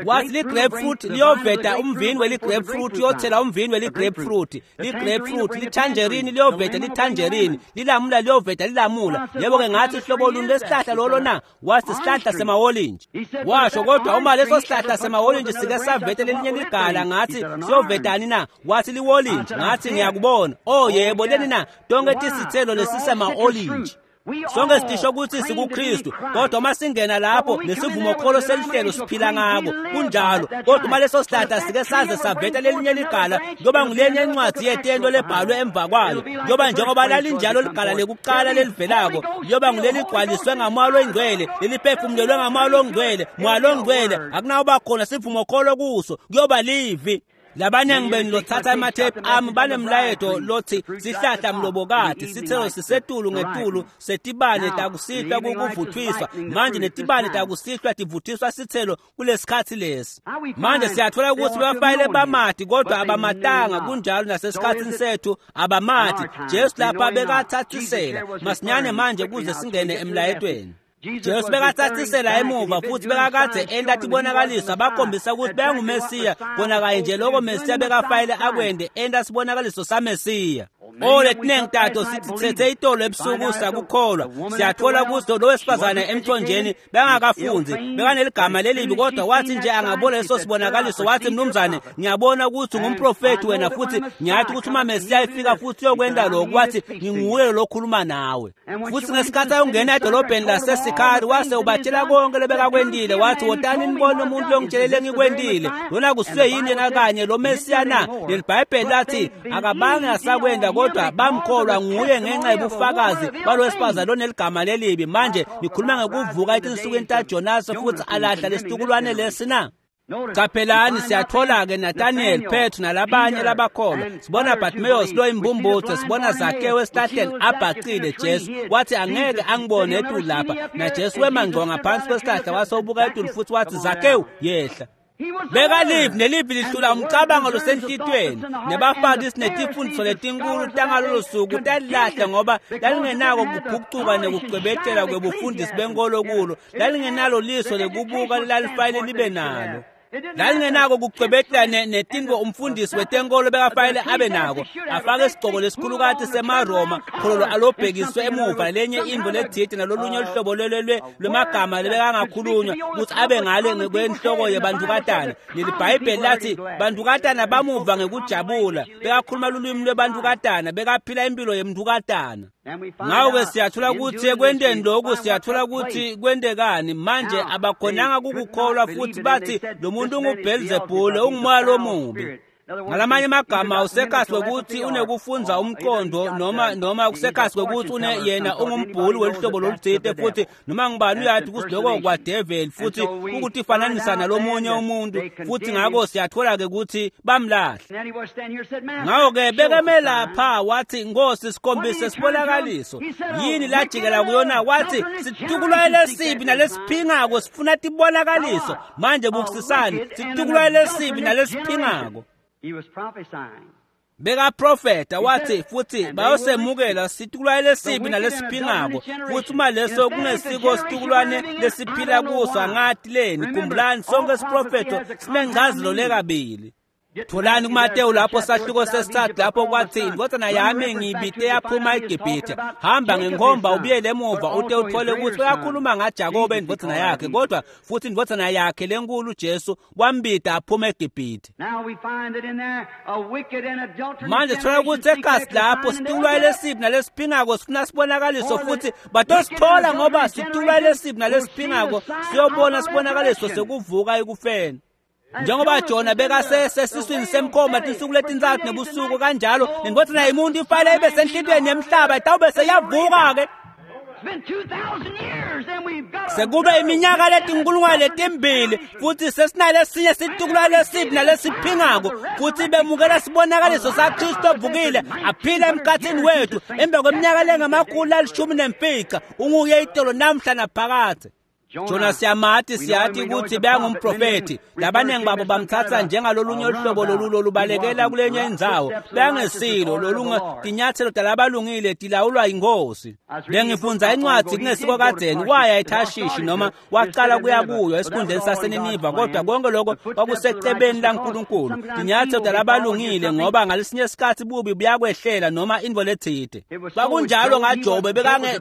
Wathi li-grapefruit liyoveta umvini weli-grapefruit, uyothela umvini weli-grapefruit, li-grapefruit, lithanjerini liyoveta lithanjerini, lilamula liyoveta lilamula. Yebo-ke ngathi hlobo luni lesihlahla lolo na? Wathi sihlahla semawolintshi. Washo kodwa uma leso sihlahla semawolintshi sike saveta lelinye ligala, ngathi siyovetani na? Wathi liwolintshi. Ngathi ngiyakubona. Oh yebo, leni na? Tonke tisithelo lesisema-olintshi. Sonke sitisho ukuthi sikuKristu, kodwa uma singena lapho nesivumokholo selihlelo siphila ngako kunjalo. Kodwa uma leso sihlahla sike saze saveta lelinye ligala, kuyoba ngulenye incwadi yetento lebhalwe emva kwalo, kuyoba njengoba lalinjalo ligala lekuqala lelivelako, kuyoba nguleligcwaliswe ngamoya longcwele, leliphefumulelwe ngamoya longcwele, moya longcwele akunawuba khona sivumokholo kuso, kuyoba livi. Labaningi benu lothatha emathephu ami banemlayeto lothi sihlahla mlobokati, sithelo sisetulu ngetulu setibane takusihlwa kukuvuthwiswa. Manje netibane takusihlwa tivuthiswa sithelo kulesikhathi lesi. Manje siyathola ukuthi bafanele bamati kodwa abamatanga, kunjalo nasesikhathini sethu abamati. Jesu lapha bekathathisela masinyane manje kuze singene emlayetweni. Jesu bekathathisela emuva futhi bekakade enta tibonakaliso abakhombisa ukuthi benguMesiya kona kanye nje loko Mesiya bekafayele akwende enta sibonakaliso saMesiya. Oh letiningi tato sithi thethe itolo ebusuku sakukholwa. Siyathola ukuthi lo wesifazane emthonjeni bengakafunzi, bekaneligama lelibi, kodwa wathi nje angabona leso sibonakaliso wathi mnumzane ngiyabona ukuthi ungumprofethi wena futhi ngiyathi ukuthi uma Mesiya efika futhi uyokwenta lokhu. Wathi nginguye lo okhuluma nawe. Futhi ngesikhathi ayongena edolobheni laseSikari wase ubatshela konke lebekakwentile. Wathi wotani nibone umuntu longitshelele engikwentile, lona kusuye yini yena kanye lo Mesiya na? Leli Bhayibheli lathi akabange asakwenda kodwa bamkholwa nguye ngenxa yobufakazi balowesifazane loneligama lelibi. Manje nikhuluma ngekuvuka etinsukwini taJonase futhi alahla lesitukulwane lesi na? Qaphelani siyathola-ke Nathaniel, Petru nalabanye labakholwa. Sibona Bartimaeus lo imbumbutho, sibona Zakewu esihlahleni abhacile. Jesu wathi angeke angibone etulu lapha, na Jesu wema ngqo ngaphansi kwesihlahla wase ubuka etulu futhi wathi Zakewu yehla. Bekalivi nelivi lihlula umcabango losenhlitweni nebafarisi netifundiso letinkulu tangalolo suku talilahle ngoba lalingenako kuphucuka nekucwebetela kwebufundisi benkolo kulo, lalingenalo liso lekubuka lalifanele libe nalo, lalingenako kucwebetela netinto umfundisi wetenkolo bekafanele abe nako, afake isigcoko lesikhulukati semaRoma khololo alobhekiswe emuva lenye intfo letsite nalolunye luhlobo lwemagama lebekangakhulunywa ukuthi abe ngale ngekwenhloko yebantukatana. Lelibhayibheli lathi bantukatana bamuva ngekujabula, bekakhuluma lulwimi lwebantukatana, bekaphila impilo yemntukatana. Ngako-ke siyathola ukuthi ekwenteni lokhu siyathola ukuthi kwentekani manje. Abakhonanga kukukholwa futhi bathi lo muntu unguBhelzebhule, ungumoya lomubi. Ngalamanye amagama usekhasi kwekuthi unekufunza umqondo noma kusekhasi kwekuthi une yena ungumbhuli welihlobo lolutsite futhi noma ngibani uyathi ukuthi lokho kwadeveli futhi ukutifananisa nalomunye umuntu futhi ngako siyathola-ke ukuthi bamlahle. Ngako-ke bekeme lapha wathi Nkosi sikhombise sibonakaliso. Yini lajikela kuyona? Wathi situkulwane lesibi nalesiphingako sifuna tibonakaliso. Manje bukisisani, situkulwane lesibi nalesiphingako. Bekaprofeta wathi futhi bayosemukela situkulwane lesibi nalesiphingako futhi uma leso kungesiko situkulwane lesiphila kuso angati leni. Khumbulani sonke isiprofetho sinencazelo lekabili. Tholani kuMateyu lapho sahluko sesithathu lapho kwathi indvodzana yami ngiyibite yaphuma eGibhithe. Hamba ngenkhomba ubuyele emuva ute uthole ukuthi uyakhuluma ngaJakobe indvodzana yakhe, kodwa futhi indvodzana yakhe lenkulu Jesu wambida aphuma eGibhithe. Manje sithola ukuthi ekasi lapho situkulwane lesibi nalesiphingako sifuna sibonakaliso, futhi batosithola ngoba situkulwane lesibi nalesiphingako siyobona sibonakaliso sekuvuka ekufeni. Njengoba Jona bekasesiswini semkhoma tinsuku letintsatfu nebusuku, kanjalo nendvodzana yemuntu ifanele ibe senhlitiyweni yemhlaba, itawube seyavuka-ke. Sekube iminyaka letinkulungwane letimbili futhi sesinalesinye situkulwane lesibi nalesiphingako, futhi bemukela sibonakaliso saKristu ovukile aphila emkhathini wethu emva kweminyaka lengama-115. Unguye itolo namhla naphakadze. Jona siyamati, siyati ukuthi bekangumprofethi. Labaningi babo bamthatha njengalolunye uhlobo lolu lolubalekela kulenye indzawo. Bekangesilo lolunye tinyathelo talabalungile tilawulwa yinkosi. Bengifundza incwadzi kungesiko kadzeni, waya eThashishi noma waqala kuya kuyo esikhundleni saseNiniva, kodwa konke lokho kwakusecebeni laNkulunkulu. Tinyathelo talabalungile, ngoba ngalesinye isikhathi bubi buyakwehlela noma intfo letsite. Kwakunjalo ngaJobe,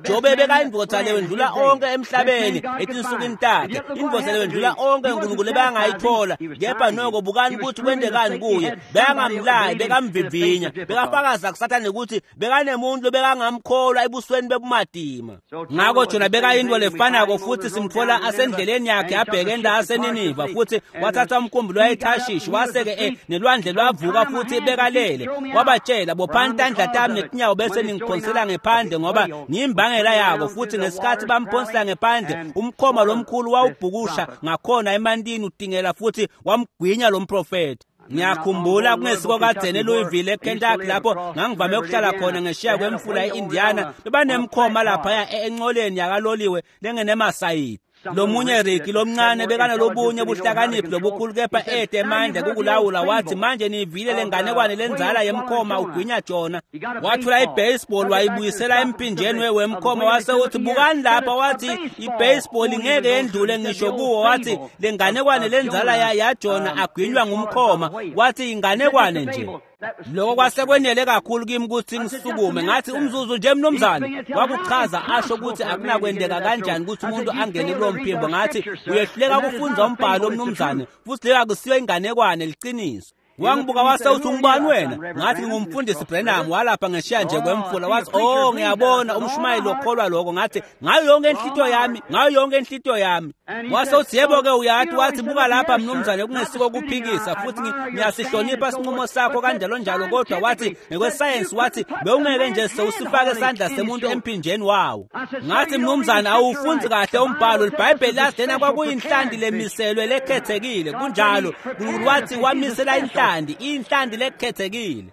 Jobe bekayindvodza lewendlula onke emhlabeni etinsukwini takhe, indvodza lewendlula onke uNkulunkulu ebangayithola. Kepha noko bukani ukuthi kwentekani kuye. Bekangamlayi, bekamvivinya, bekafakaza kuSathane ukuthi bekanemuntu bekangamkholwa ebusweni bebumatima. Ngako Jona bekayintfo lefanako, futhi simtfola asendleleni yakhe abheke la aseNiniva, futhi wathatha umkhumbi lwaya eThashishi, wase-ke nelwandle lwavuka futhi bekalele. Wabatshela, bophani tandla tami netinyawo bese ningiphonsela ngephandle, ngoba ngiyimbangela yako. Futhi ngesikhathi bamphonsela ngephandle, umkhoma lomkhulu wawubhukusha ngakhona emantini utingela, futhi wamgwinya lo mprofethi. Ngiyakhumbula kungesiko kadzeni eLouisville eKentucky lapho ngangivame ukuhlala khona ngeshiya kwemfula e-Indiana, bebanemkhoma laphaya encoleni yakaloliwe lengenemasayidi. Lomunye Ricky lomncane bekanalobunye buhlakaniphi lobukhulu, kepha ede emandla kukulawula. Wathi, manje nivile lenganekwane lenzala yemkhoma ugwinya Jona. Wathula ibaseball wayibuyisela emphinjeni wemkhoma, wase uthi, bukani lapha. Wathi ibaseball ngeke yendlule ngisho kuwo. Wathi lenganekwane lenzala yaJona agwinywa ngumkhoma. Wathi inganekwane nje. Lokho kwasekwenele kakhulu kimi ukuthi ngisukume. Ngathi, umzuzu nje mnumzane. Wakuchaza asho ukuthi akunakwendeka kanjani ukuthi umuntu angene kulo mphimbo. Ngathi, uyehluleka ukufundza umbhalo mnumzane, futhi leyo akusiyo inganekwane, liqiniso. Wangibuka wase uthi, ungubani wena? Ngathi, ngingumfundisi Branham walapha ngeshiya nje kwemfula. Wathi, oh ngiyabona umshumayeli okholwa lokho. Ngathi, ngayo yonke inhlitiyo yami, ngayo yonke inhlitiyo yami. Wase uthi, yebo-ke uyathi. Wathi, buka lapha mnumzane, kungesiko kuphikisa, futhi ngiyasihlonipha isinqumo sakho kanjalo njalo, kodwa wathi ngokwesayensi, wathi bewungeke nje sewusifake isandla semuntu emphinjeni wawo. Ngathi, mnumzane, awufundi kahle umbhalo. IBhayibheli lathi lena kwakuyinhlanti lemiselwe lekhethekile. Kunjalo, uNkulunkulu wathi wamisela inhlanti, inhlanti lekhethekile.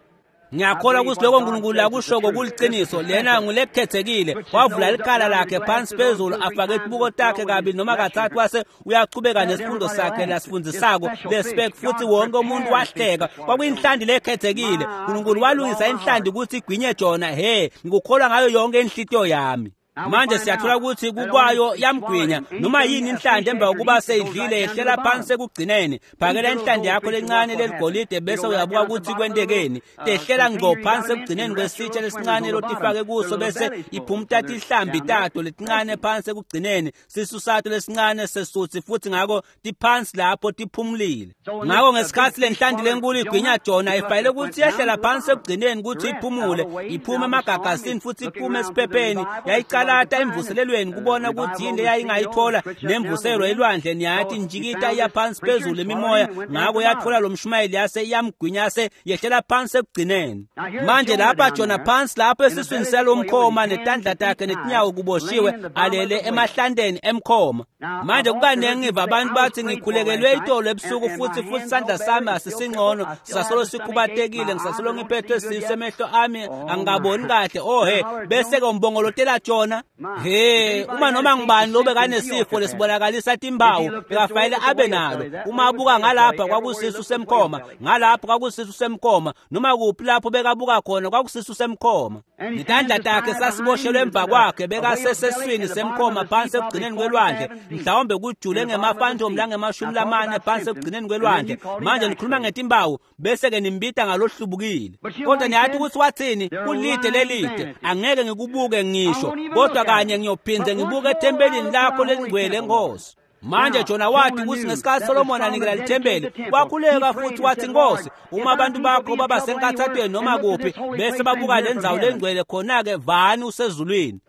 Ngiyakholwa ukuthi lokho uNkulunkulu akushoko kuliciniso. Lena ngulekhethekile. Wavula ikhala lakhe phansi phezulu, afake tibuko takhe kabili noma kathathu, wase uyachubeka nesifundo sakhe lasifundisako lespek, futhi wonke umuntu wahleka. Kwakuyinhlanti lekhethekile. uNkulunkulu walungisa inhlanti ukuthi igwinye Jona. He, ngikukholwa ngayo yonke inhlitiyo yami. Manje siyathola ukuthi kukwayo yamgwinya noma yini inhlanti emva kokuba seyidlile yehlela phansi ekugcineni. Phakela inhlanti yakho lencane leligolide bese uyabuka ukuthi kwentekeni. Tehlela ngqo phansi ekugcineni kwesitsha lesincane lotifake kuso, bese iphumta tihlambi tato letincane phansi ekugcineni, sisu sato lesincane sesuthi, futhi ngako tiphansi lapho tiphumulile. Ngako ngesikhathi lenhlanti lenkulu igwinya Jona, ifanele ukuthi yehlela phansi ekugcineni ukuthi iphumule, iphume emagagasini futhi iphume esiphepheni. Yayicalata emvuselelweni kubona ukuthi yini leyayingayithola nemvuselo elwandle. Niyathi njikita iya phansi phezulu imimoya, ngako yathola lo mshumayeli yase iyamgwinya, yase yehlela phansi ekugcineni. Manje lapha Jona phansi lapho esiswini salomkhoma, netandla takhe netinyawo kuboshiwe, alele emahlanteni emkhoma. Manje kukaningi ngiva abantu bathi, ngikhulekelwe itolo ebusuku, futhi isandla sami asisingcono, sisasolo sikhubatekile, ngisasolo ngiphethwe sisu, emehlo ami angikaboni kahle. Oh he, bese-ke umbongolotela Jona. Niyabona na? He, uma noma ngubani lobekanesifo lesibonakalisa timpawu bekafanele abe nalo. Uma abuka ngalapha kwakusisu semkhoma, ngalapha kwakusisu semkhoma, noma kuphi lapho bekabuka khona kwakusisu semkhoma. Netandla takhe sasiboshelwe emva kwakhe, bekaseseswini semkhoma phansi ekugcineni kwelwandle, mhlawumbe kujule ngemafantomu lange-40 phansi ekugcineni kwelwandle. Manje nikhuluma ngetimpawu bese-ke nimbita ngalohlubukile. Kodwa niyathi ukuthi wathini? Kulide lelide, angeke ngikubuke ngisho, kodwa kanye ngiyophinde ngibuke ethempelini lakho lelingcwele, Nkosi. Manje Jona wathi ukuthi ngesikhathi Solomon anikela lithempeli, wakhuleka futhi wathi, Nkosi, uma abantu bakho baba senkathathweni noma kuphi bese babuka le ndzawo lengcwele, khona-ke vani usezulwini.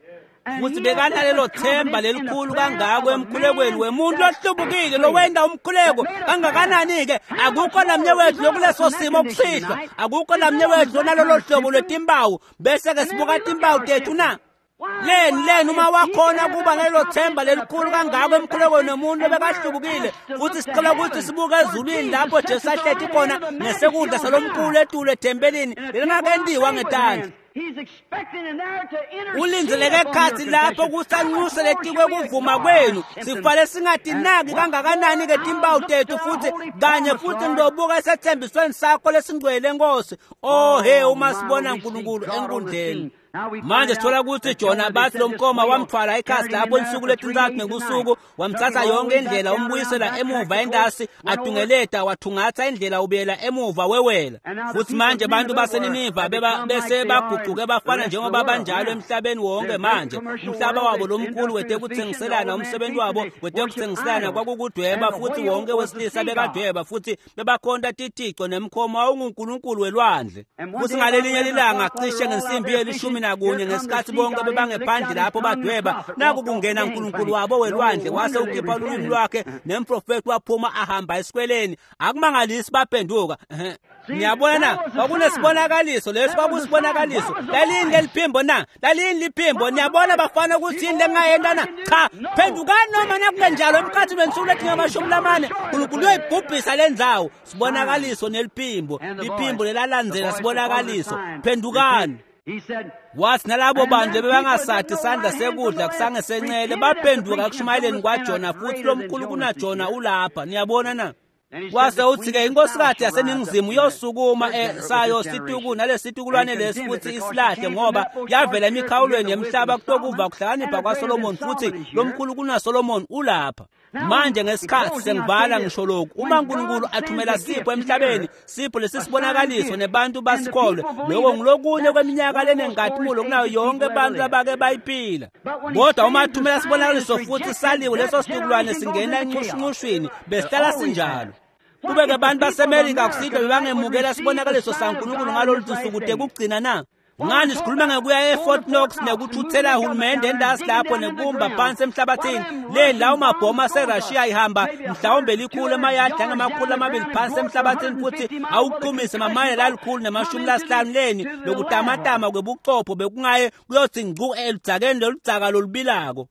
Futhi bekanalelo themba lelikhulu kangako emkhulekweni wemuntu lohlubukile lowenda umkhuleko kangakanani-ke. Akukho namnye wethu lokuleso simo kusihlwa, akukho namnye wethu lonalolo hlobo lwetimpawu, bese-ke sibuka timpawu tethu na? Leni uma wakhona kuba nalelo themba lelikhulu kangako emkhulekweni nomuntu obekahlubukile, futhi sicela ukuthi sibuke ezulwini lapho Jesu ahleti khona ngesekudla salomkhulu etulu ethempelini lelingakentiwa ngetandla. Ulindzeleke ekhatsi lapho kusanxuse letikwe kuvuma kwenu. Sifale singatinaki kangakanani-ke timpawu tethu, futhi kanye futhi ngiyobuka esethembisweni sakho lesingcwele, Nkosi. Oh he, uma sibona uNkulunkulu enkundleni. Manje sithola ukuthi Jona bathi lo mkoma wamthwala ikhasi lapho insuku letintathu nebusuku, wamthatha yonke indlela umbuyisela emuva entasi, atungeleta wathungatha indlela ubuyela emuva wewela. Futhi manje abantu baseNiniva bese baguquke bafana njengoba banjalo emhlabeni wonke manje. Umhlaba wabo lomkhulu wetekuthengiselana, umsebenzi wabo wetekuthengiselana kwakukudweba, futhi wonke wesilisa bekadweba, futhi bebakhonta tithico, nemkhomo wawungunkulunkulu welwandle. Futhi ngalelinye lilanga cishe ngensimbi ye-11 ngesikhathi bonke bebangephandle lapho badweba, naku kungena uNkulunkulu wabo welwandle, wase ukhipha ulwimi lwakhe, nemprofeti waphuma ahamba esikweleni. Akumangalisi baphenduka. Niyabona na? Kwakunesibonakaliso leso, kwakusibonakaliso. Lalini leliphimbo na? Lalini liphimbo? Niyabona bafana ukuthi yini lengayenta na? Cha, phendukani noma nakungenjalo emkhathini wensuku letinge-40 uNkulunkulu uyoyibhubhisa le ndzawo. Sibonakaliso neliphimbo, liphimbo lelalandzela sibonakaliso. Phendukani. Wathi nalabo bantu bebangasathi sandla sekudla kusangesencele baphenduka ekushumayeleni kwaJona, futhi lomkhulu kunaJona ulapha. Niyabona na? Wase uthi-ke inkosikazi yaseNingizimu iyosukuma sayo situku nalesitukulwane lesi futhi isilahle, ngoba yavela emikhawulweni yemhlaba kutokuva kuhlakanipha kwaSolomon, futhi lomkhulu kunaSolomon ulapha. Manje ngesikhathi sengivala ngisho lokhu, uma uNkulunkulu athumela sipho emhlabeni, sipho lesisibonakaliso nebantu basikholwe, lokho ngilokunye kweminyaka lenenkazimulo kunayo yonke abantu abake bayiphila. Kodwa uma athumela sibonakaliso futhi saliwe, leso situkulwane singena enxushunxushwini, besihlala sinjalo. Kube-ke abantu baseMelika kusihlwa bebangemukela sibonakaliso saNkulunkulu ngalolu suku de kugcina na? Ngani sikhuluma ngekuya eFort Knox nekuthuthela hulumende entasi lapho nekumba phansi emhlabathini, le lawo mabhomu aseRussia ihamba mhlawumbe likhulu emayadi angama-200 phansi emhlabathini, futhi awuqumise mamayela 150 leni lokutamatama kwebuchopho bekungaye kuyothi ngcu eludzakeni loludzaka lolubilako.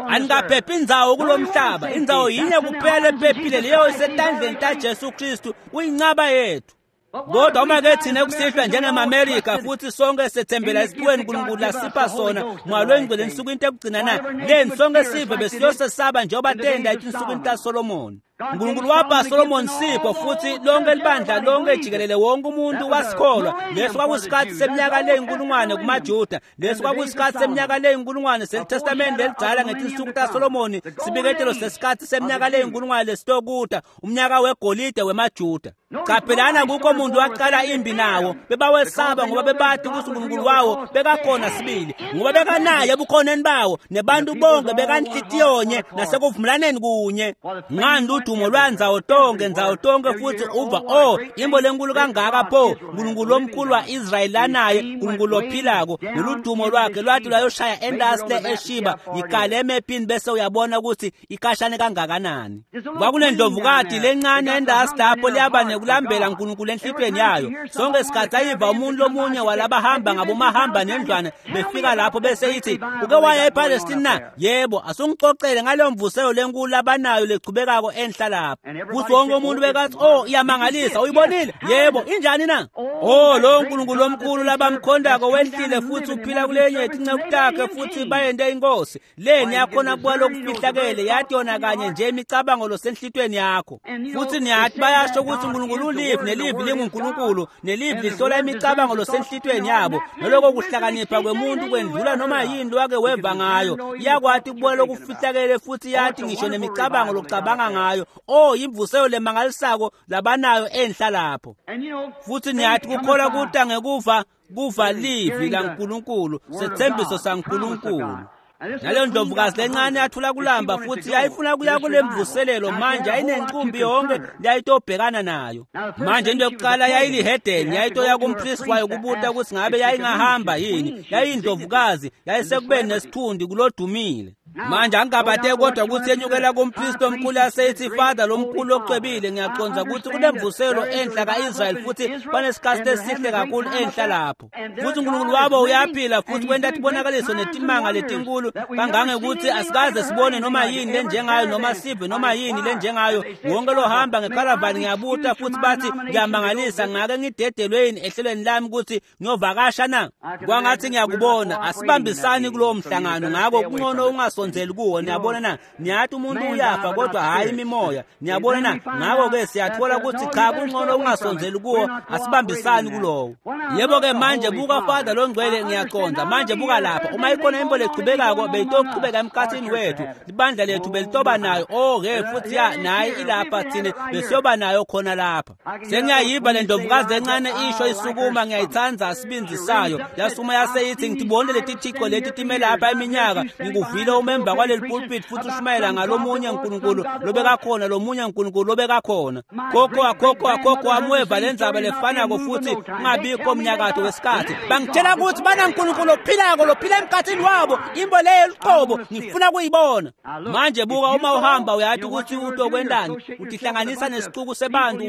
Anikaphephi indzawo kulo mhlaba, indzawo yinye kuphela ephephile, leyo isetandleni taJesu Kristu, uyincaba yethu. Kodwa uma ke thina kusihlwa njengemaMerika futhi sonke sethembela esiphiweni uNkulunkulu lasipha sona mwalwengcwele ensukwini ekugcina na, leni sonke sive besiyosesaba njengoba tenda etinsukwini taSolomon. uNkulunkulu wapha Solomon sipho, futhi lonke libandla lonke jikelele wonke umuntu wasikholwa. Leso kwakusikhathi seminyaka leyinkulungwane kumaJuda, leso kwakusikhathi seminyaka leyinkulungwane selitestamende lelidala ngetinsuku taSolomoni, sibiketelo sesikhathi seminyaka leyinkulungwane lesitokuta, umnyaka wegolide wemaJuda. Qaphelana kukho umuntu waqala imbi nawo, bebawesaba ngoba bebathi ukuthi uNkulunkulu wawo bekakhona sibili, ngoba bekanaye ebukhoneni bawo, nebantu bonke bekanhlitiyonye nasekuvumelaneni kunye. Ngani udumo lwandzawo tonke ndzawo tonke, futhi uva oh imbo lenkulu kangaka pho, uNkulunkulu omkhulu wa-Israyeli lanaye, uNkulunkulu ophilako. Lolu dumo lwakhe lwathi lwayoshaya entasi le eShiba, yikale emephini bese uyabona ukuthi ikashane kangakanani. Kwakunendlovukati lencane entasi lapho liyaba nekulambela uNkulunkulu enhlitweni yayo. Sonke isikhathi ayiva umuntu lomunye walabahamba ngabomahamba nendlwana befika lapho bese ithi, uke waya ePalestine na? Yebo, asungixoxele ngaleyo mvuselo lenkulu abanayo lechubekako enhla lapho. Futhi wonke umuntu bekathi, oh, iyamangalisa, uyibonile? Yebo, injani na? Oh, lo nkulunkulu omkhulu labamkhondako wehlile futhi uphila kulenye tinceku takhe futhi bayente inkosi. Leni yakhona kuba lokufihlakele yathi yona kanye nje imicabango losenhlitweni yakho. Futhi niyathi bayasho ukuthi uNkulunkulu ulive nelive linguNkulunkulu nelive lihlola imicabango losenhlitweni yabo. Naloko kuhlakanipha kwemuntu kwendlula noma yini lwake weva ngayo. Iyakwati ukubona lokufihlakele futhi yathi ngisho nemicabango lokucabanga ngayo. Oh, imvuselo lemangalisako labanayo enhla lapho. Futhi niyathi kukholwa kuta ngekuva kuva livi laNkulunkulu, sethembiso saNkulunkulu. Naleyo ndlovukazi lencane yathula kulamba futhi yayifuna kuya kule mvuselelo. Manje ayinenqumbi yonke yayitobhekana nayo. Manje into yokuqala yayilihedeni, yayitoya kumpristi wayo kubuta ukuthi ngabe yayingahamba yini. Yayiyindlovukazi, yayisekubeni nesithundi kulodumile. Manje angingabate kodwa ukuthi yenyukela kumpristi omkhulu yaseyithi, Father lomkhulu ocwebile, ngiyaqonda ukuthi kunemvuselo enhla ka-Israyeli futhi banesikhathi esihle kakhulu enhla lapho. Futhi uNkulunkulu wabo uyaphila futhi kwenta tibonakaliso netimanga letinkulu kangangekuthi asikaze sibone noma yini lenjengayo noma sive noma yini lenjengayo. Wonke lohamba ngekharavani ngiyabuta futhi bathi ngiyamangalisa, ngake ngidedelwe yini ehlelweni lami ukuthi ngiyovakasha na? Kwangathi ngiyakubona. Asibambisani kulowo mhlangano, ngakho kungcono ungasondzeli kuwo. Niyabona na? Niyathi umuntu uyafa kodwa hhayi imimoya. Niyabona na? Ngakho-ke siyathola ukuthi cha, kungcono ungasondzeli kuwo, asibambisani kulowo. Yebo-ke manje buka Father longcwele, ngiyaqonda. Manje buka lapha, uma ikhona into lechubekako beyitochubeka emkhathini wethu, libandla lethu belitoba nayo. Oh-ke futhi ya naye ilapha, thine besiyoba nayo khona lapha. Sengiyayiva le ndlovukazi encane isho isukuma, ngiyayithanda isibindi sayo. Yasuma yaseyithi, ngitibone leti thixo leti time lapha iminyaka, ngikuvile umemba kwaleli pulpit futhi ushumayela ngalomunye uNkulunkulu lobekakhona, lomunye uNkulunkulu lobekakhona. Khokho akhokho akhokho amweva lendzaba lefanako futhi kungabikho mnyakato wesikhathi. Bangitshela ukuthi banaNkulunkulu ophilako lophila emkhathini wabo, imbo leyo luqobo ngifuna kuyibona. Manje buka, uma uhamba uyathi ukuthi utokwendani, utihlanganisa nesixuku sebantu,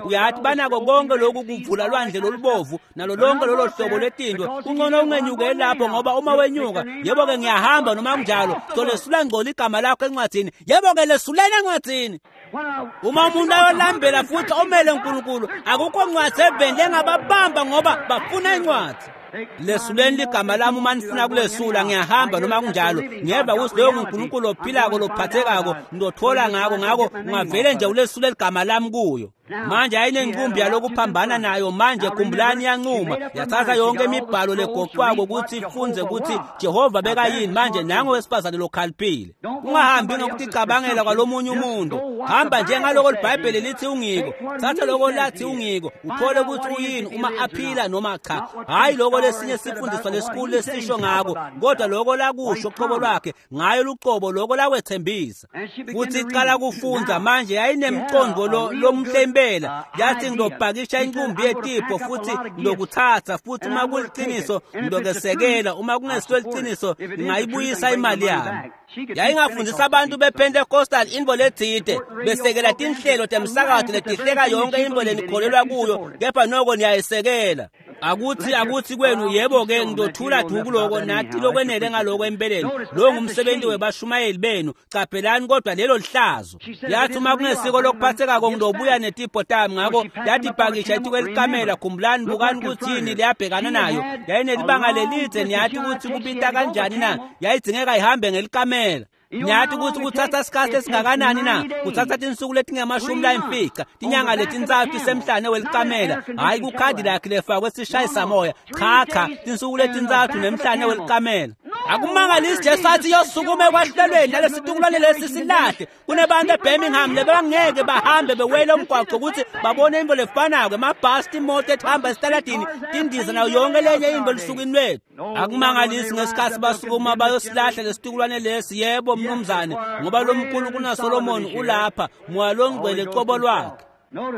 uyathi banako konke lokhu kuvula lwandle lolubovu nalo lonke lolo hlobo lwetinto. Kungcono ungenyukeli lapho, ngoba uma wenyuka, yebo-ke ngiyahamba noma kunjalo, solesula ngcola igama lakho encwadini. Yebo-ke lesuleni encwadini. Uma umuntu ayolambela futhi omele uNkulunkulu, akukho ncwadi eveni lengababamba ngoba bafuna incwadi. Lesuleni ligama lami uma nifuna kulesula, ngiyahamba noma kunjalo. Ngiyeva ukuthi loyo nguNkulunkulu ophilako lophathekako, ngizothola ngako. Ngako ungavele nje ulesule ligama lami kuyo. Manje ayinenqumbi yalokuphambana nayo. Manje khumbulani, yancuma yathatha yonke imibhalo legoqwako ukuthi ifunze ukuthi Jehova bekayini. Manje nango wesifazane lokhaliphile. Ungahambi ngokuticabangela kwalomunye umuntu, hamba njengaloko liBhayibheli lithi ungiko. Thatha loko lathi ungiko, uthole ukuthi uyini uma aphila noma cha. Hhayi loko lesinye sifundiswa lesikhulu lesisho ngako, kodwa loko lakusho qobo lwakhe ngayo luqobo, loko lakwethembisa. Futhi iqala kufunda. Manje yayinemcondo lomhle impela. Yathi ngizopakisha inqumbi yetipho futhi ngizokuthatha, futhi uma kuliqiniso ngizokesekela, uma kungesilo liqiniso ngingayibuyisa imali yami. Yayingafundisa abantu bePentecostal into lethide, besekela tinhlelo temsakazo letihleka yonke into lenikholelwa kuyo, kepha noko niyayisekela. Akuthi kwenu, yebo-ke ngizothula du kuloko, nathi lokwenele ngaloko empeleni. Lo ngumsebenzi webashumayeli benu, caphelani kodwa lelo lihlazo. Yathi uma kungesiko lokuphathekako ngizobuya netipho tami. Ngakho yathi pakisha ithuke elikamela. Khumbulani, bukani ukuthi yini leyabhekana nayo. Yayinelibanga lelide, niyathi ukuthi kubita kanjani na? Yayidingeka ihambe ngelikamela. Niyathi ukuthi kuthatha isikhathi esingakanani na? Kuthatha tinsuku letingamashumi layimfica, tinyanga letintsatfu isemhlane welikamela. Hhayi kukhadi lakhe lefakwe sishayisamoya, cha cha, tinsuku letintsatfu nemhlane welikamela. Akumangalisi Jesu athi yosukuma ekwahlelweni nalesitukulwane lesi silahle. Kunebantu eBirmingham lebangeke bahambe bewele umgwaqo ukuthi babone into lefanako, emabhasi, timoto etihamba esitaladini, tindiza nayo yonke lenye into elusukwini lwethu. Akumangalisi ngesikhathi basukuma bayosilahla lesitukulwane lesi. Yebo mnumzane, ngoba lo mkhulu kunaSolomoni ulapha, moya longcwele qobo lwakhe.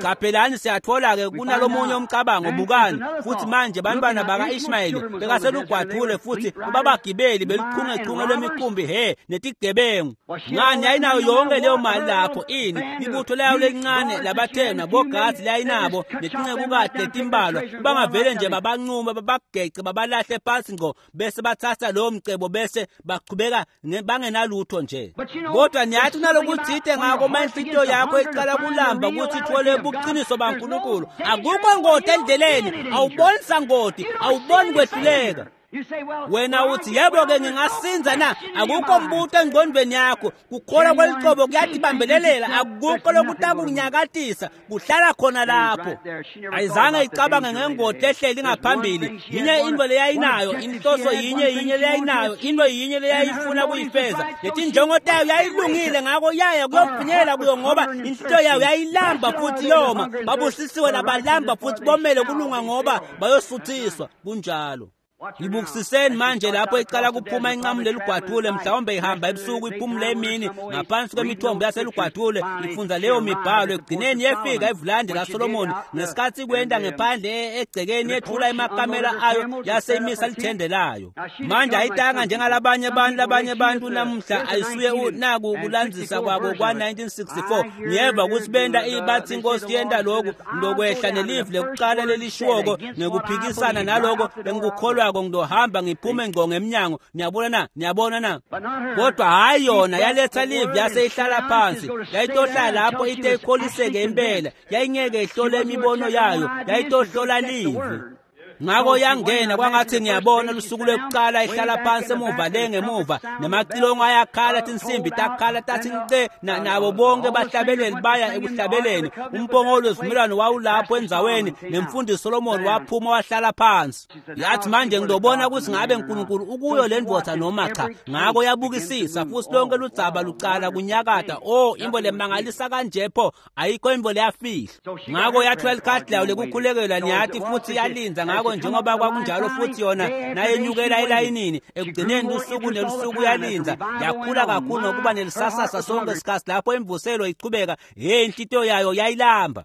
Qaphelani siyathola-ke kunalomunye umcabango bukani futhi manje bantwana baka-Ishmayeli bekaselugwadule futhi babagibeli beluchungechunge lwemikhumbi he netigebengu. Ngani yayinayo yonke leyo mali lapho ini ibutho layo lelincane labathena bogazi layinabo netincekukati letimbalwa bangavele nje babancuma babagece babalahle phansi ngqo bese bathatha lowo mcebo bese bachubeka bangenalutho nje. Kodwa niyathi kunalokuthide ngako uma inhlitiyo yakho iqala kulamba ukuthi ithole buqiniso baNkulunkulu akukho ngoti endleleni awuboni sangoti awuboni kwehluleka. Wena uthi yebo-ke ngingasinza na akukho mbuto engqondweni yakho kukholwa kwelicobo kuyatibambelelela akukho lokutakunyakatisa kuhlala khona lapho. Ayizange icabange ngengoti ehleli ngaphambili yinye into leyayinayo inhloso yinye yinye leyayinayo into yinye leyayifuna kuyifeza letinjongo tayo yayilungile ngako yaya kuyofinyelela kuyo ngoba inhlitiyo yayo yayilamba futhi yoma. Babusisiwe labalamba futhi bomele kulunga ngoba bayosuthiswa. Kunjalo. Ngibukisiseni manje lapho iqala kuphuma inqamu lelugwadule mhlawumbe ihamba ebusuku iphumule emini ngaphansi kwemithombo yaselugwadule ifunza leyo mibhalo ekugcineni yefika evulande laSolomoni ngesikhathi kwenda ngephandle egcekeni yethula emakamela ayo yase imisa lithende layo. Manje ayitanga njengalabanye abantu labanye abantu namuhla ayisuye naku kulandzisa kwabo kwa-1964 ngiyeva ukuthi benda bathi inkosi yenda lokhu ndokwehla nelivi lekuqala lelishiwoko ngekuphikisana naloko engikukholwako ngizohamba ngiphume ngqo ngemnyango. Niyabona na? Niyabona na? Kodwa hayi yona yaletha live yase ihlala phansi yayitohlala lapho ite ikholiseke impela yayingeke ihlole imibono yayo yayitohlola live. Ngako yangena kwangathi ngiyabona lusuku lwekuqala ihlala phansi emuva le ngemuva nemacilongo ayakhala tinsimbi takhala tathi nce nabo bonke bahlabeleli baya ekuhlabeleni umpongolo wesivumelwano wawulapho endzaweni nemfundisi Solomon waphuma wahlala phansi. Yathi manje ngizobona ukuthi ngabe uNkulunkulu ukuyo le ndvodza noma cha. Ngako yabukisisa futhi lonke ludzaba lucala kunyakata. Oh imbo lemangalisa kanje pho ayikho imbo leyafihla. Ngako yathola likhadi layo lekukhulekela niyathi futhi yalinza ngako njengoba kwakunjalo futhi yona nayenyukela elayinini ekugcineni usuku nelusuku yalinza yakhula kakhulu nokuba nelisasasa sonke isikhathi lapho imvuselo ichubeka hey inhlitiyo yayo yayilamba.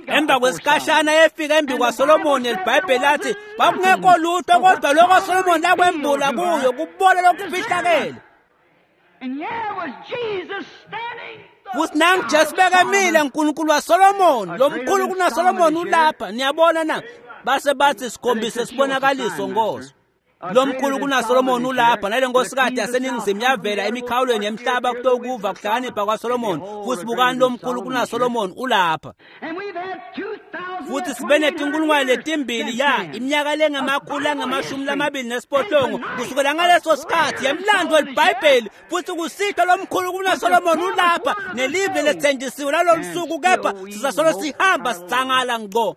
Emva kwesikhashana yefika embi kwaSolomoni eliBhayibheli lathi kwakungekho lutho kodwa lokho Solomoni lakwembula kuyo kubona lokufihlakele. Futhi nangu Jesu bekamile uNkulunkulu waSolomoni lomkhulu kunaSolomoni ulapha. Niyabona na? Base bathi sikhombise sibonakaliso Nkosi. Lomkhulu kunaSolomoni ulapha nale nkosikade yaseningizimu yavela emikhawulweni yemhlaba kutokuva kuhlakanipha kwaSolomoni futhi bukani lomkhulu kunaSolomoni ulapha. Futhi sibe netinkulungwane letimbili ya iminyaka lengamakhulu angamashumi lamabili nesiphohlongo kusukela ngaleso sikhathi yemlando weliBhayibheli futhi kusitho lomkhulu kunaSolomoni ulapha nelive lethenjisiwe lalolu suku kepha sizasolo sihamba sitsangala ngqo.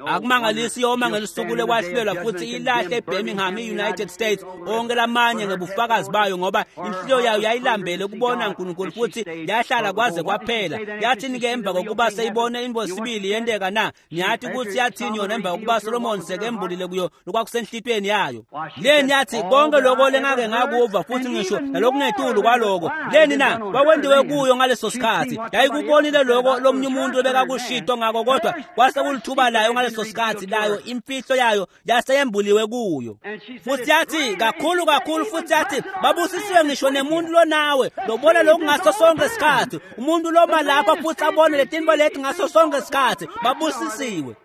Akumangalisi yoma ngelisuku lekwahlulelwa futhi ilahle eBirmingham e-United States onke lamanye ngebufakazi bayo ngoba inhliziyo yayo yayilambele ukubona uNkulunkulu futhi yahlala kwaze kwaphela. Yathini-ke emva kokuba seyibone invosibili yenteka na? Niyathi ukuthi yathini yona emva kokuba Solomon sekembulile kuyo lokwakusenhlitweni yayo? Leni yathi konke lokho lengake ngakuva futhi ngisho nalokungetulu kwaloko. Leni na? Kwakwentiwe kuyo ngaleso sikhathi yayikubonile lokho lomnye umuntu obekakushito ngako kodwa kwase kulithuba layo ngaleso sikhathi layo imfihlo yayo yaseyembuliwe kuyo. Futhi yathi kakhulu kakhulu futhi yathi babusisiwe ngisho nemuntu lonawe lobona lokhu ngaso sonke isikhathi umuntu loma lapha futhi abone letinto leti ngaso sonke isikhathi babusisiwe.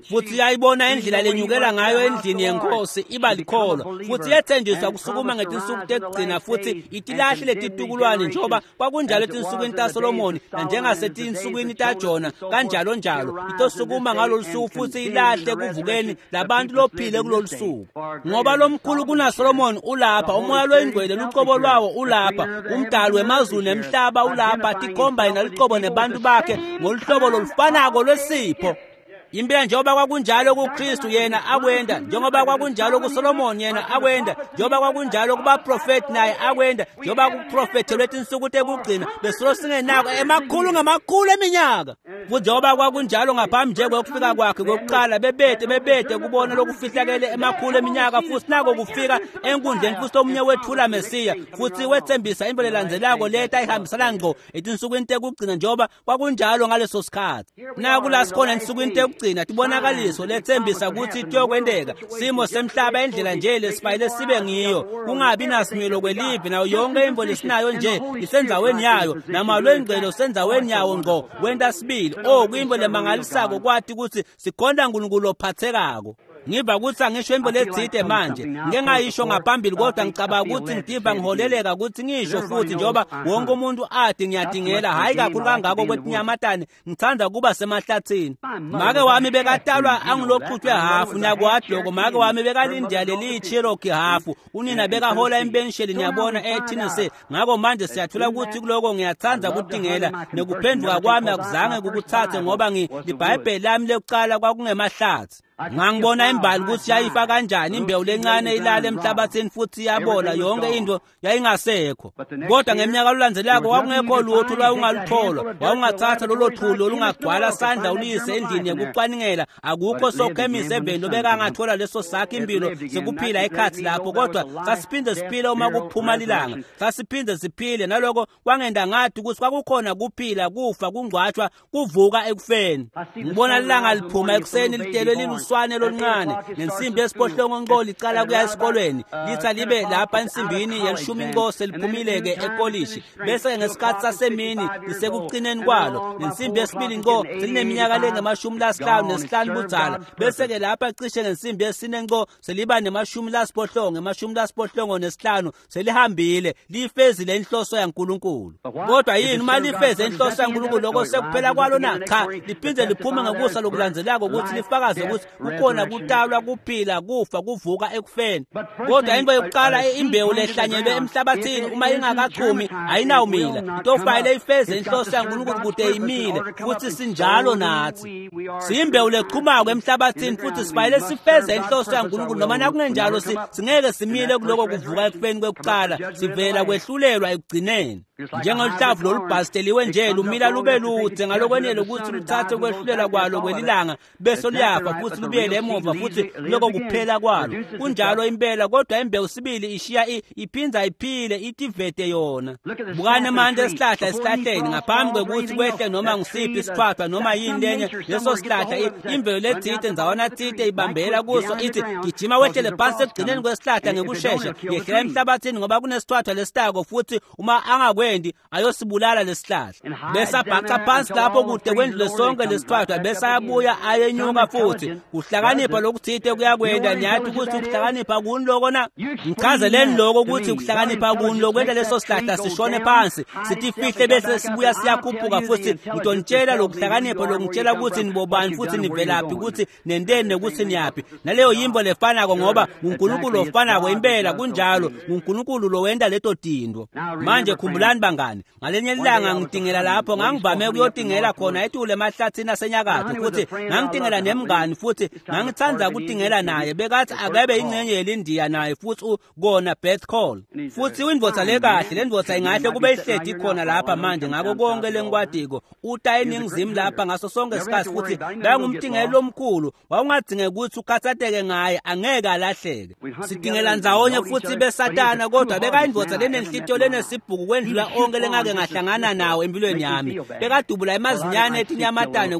Futhi yayibona indlela lenyukela ngayo endlini yenkosi iba likholwa futhi yethenjiswa kusukuma ngetinsuku tekugcina futhi itilahle letitukulwane njengoba kwakunjalo etinsukwini taSolomoni nanjengasetinsukwini taJona kanjalo njalo itosukuma ngalolu suku futhi ilahle kuvukeni labantu lophile kulolu suku ngoba lomkhulu kunaSolomoni ulapha umoya loyingcwele lucobo lwawo ulapha umdali wemazulu nemhlaba ulapha tikhomba yena lucobo nebantu bakhe ngoluhlobo lolufanako lwesipho. Impela njengoba kwakunjalo kuKristu yena akwenda, njengoba kwakunjalo kuSolomon yena akwenda, njengoba kwakunjalo kubaprofeti naye akwenda, njengoba kuprofethelwe tinsuku tekugcina besolo singenako emakhulu ngamakhulu eminyaka. Futhi njengoba kwakunjalo ngaphambi nje kwekufika kwakhe kokuqala, bebete kubona lokufihlakele emakhulu eminyaka, futhi nako kufika enkundleni futhi omunye wethula Mesiya futhi wethembisa imvelo elandzelako leta ihambisana ngqo etinsukwini tekugcina njengoba kwakunjalo ngaleso sikhathi. Naku la sikhona ensukwini tekugcina, tibonakaliso lethembisa ukuthi kuyokwenteka simo semhlaba indlela nje lesifayile sibe ngiyo, kungabi nasimilo kwelivi nayo yonke imvo lesinayo nje isendzaweni yayo, namalwengcelo sendzaweni yawo ngqo kwenta sibili. Oh, kuyimvo lemangalisako kwati ukuthi sikhonta uNkulunkulu ophathekako. Ngiva ukuthi angisho imvo letsite manje, ngike ngayisho ngaphambili, kodwa ngicabanga ukuthi ngitiva ngiholeleka ukuthi ngisho futhi, njengoba wonke umuntu ati ngiyadingela, hhayi kakhulu kangako kwetinyamatane, ngithanda kuba semahlathini. Make wami bekatalwa angiloxutshwe hafu, niyakwati lokho. Make wami bekalindiya leli Cherokee hafu, unina bekahola impensheli, niyabona, eTennessee. Ngakho manje siyathola ukuthi kuloko ngiyathanda kutingela, nekuphenduka kwami akuzange kukuthathe, ngoba libhayibheli lami lekuqala kwakungemahlathi. Ngangibona imbali ukuthi yayifa kanjani imbewu lencane ilala emhlabathini futhi iyabola, yonke into yayingasekho. Kodwa ngeminyaka olulandzelako kwakungekho lutho olwawungalutholwa, wawungathatha lolo thuli olungagcwala sandla uliyise endlini yokucwaningela, akukho sokhemisi eveni lobekangathola leso sakhe impilo sekuphila ekhathi lapho. Kodwa sasiphinde siphile uma kuphuma lilanga, sasiphinde siphile, naloko kwangenda ngathi ukuthi kwakukhona kuphila, kufa, kungcwatshwa, kuvuka ekufeni. Ngibona lilanga liphuma ekuseni litelwe liluswane loluncane nensimbi yesiphohlongo nqo licala kuya esikolweni, litha libe lapha ensimbini yelishumi nqo seliphumile-ke ekolishi, bese ngesikhathi sasemini lisekucineni kwalo, nensimbi yesibili nqo selineminyaka lengama-55 budzala, bese-ke lapha cishe ngensimbi yesine nqo seliba nema-75 selihambile, lifezile inhloso yaNkulunkulu. Kodwa yini uma lifeze inhloso yaNkulunkulu, lokho sekuphela kwalo na? Cha, liphinde liphume ngekusa lokulandzelako ukuthi lifakaze ukuthi kukhona kutalwa, kuphila, kufa, kuvuka ekufeni. Kodwa into yokuqala, imbewu lehlanyelwe emhlabathini uma ingakachumi ayinawumila, itofanele ifeze inhloso yaNkulunkulu kude imile, futhi sinjalo nathi. Siyimbewu lechumako emhlabathini futhi sifanele sifeze inhloso yaNkulunkulu, noma nakungenjalo singeke simile kuloko kuvuka ekufeni kwekuqala, sivela kwehlulelwa ekugcineni. Njengoluhlavu lolubhasteliwe nje lumila lube lude ngalokwenele ukuthi luthathe ukwehlulelwa kwalo kwelilanga bese luyafa futhi lubuyele emuva futhi lokho kuphela kwalo. Kunjalo impela, kodwa imbewu sibili ishiya iphinza iphile itivete yona. Bukani manje esihlahla esihlahleni, ngaphambi kwekuthi kwehle noma ngisiphi isithwathwa noma yini lenye, leso sihlahla imvelo letsite ndzawana tsite ibambela kuso ithi gijima wehlele phansi ekugcineni kwesihlahla ngekushesha, yehlela emhlabathini ngoba kunesithwathwa lesitako, futhi uma angakwendi ayosibulala lesihlahla. Bese abhaca phansi lapho kude kwendlule sonke lesithwathwa, bese ayabuya ayenyuka futhi. Kuhlakanipha lokuthite kuyakwenda. Niyathi ukuthi ukuhlakanipha kuni loko na? Ngichazeleni loko ukuthi ukuhlakanipha kuni lokwenta leso sihlahla sishone phansi sitifihle bese sibuya siyakhuphuka futhi. Ngitonitshela lokuhlakanipha lokungitshela ukuthi nibobani futhi nivelaphi, ukuthi nenteni nekuthi niyaphi. Naleyo yimbo lefanako, ngoba nguNkulunkulu ofanako impela. Kunjalo, nguNkulunkulu lowenta leto tintfo. Manje khumbulani bangani, ngalenye ilanga ngitingela lapho ngangivame ukuyotingela khona etulu emahlathini asenyakatho, futhi ngangitingela nemngani futhi ngangithanda ukutingela naye, bekathi akebe ingcenye yelindiya naye futhi kona Beth Call. Futhi indvodza lekahle, le ndvodza ingahle kube ihledi khona lapha manje ngako konke lengikwadiko, uta eningizimu lapha ngaso sonke isikhathi, futhi bekangumtingeli lomkhulu, wawungadingeki ukuthi ukhathatheke ngaye, angeke alahleke. Sitingela ndzawonye futhi besatana, kodwa bekayindvodza lenenhlitiyo lenesibhuku kwendlula onke lengake ngahlangana nawo empilweni yami. Bekadubula emazinyane etinyamatane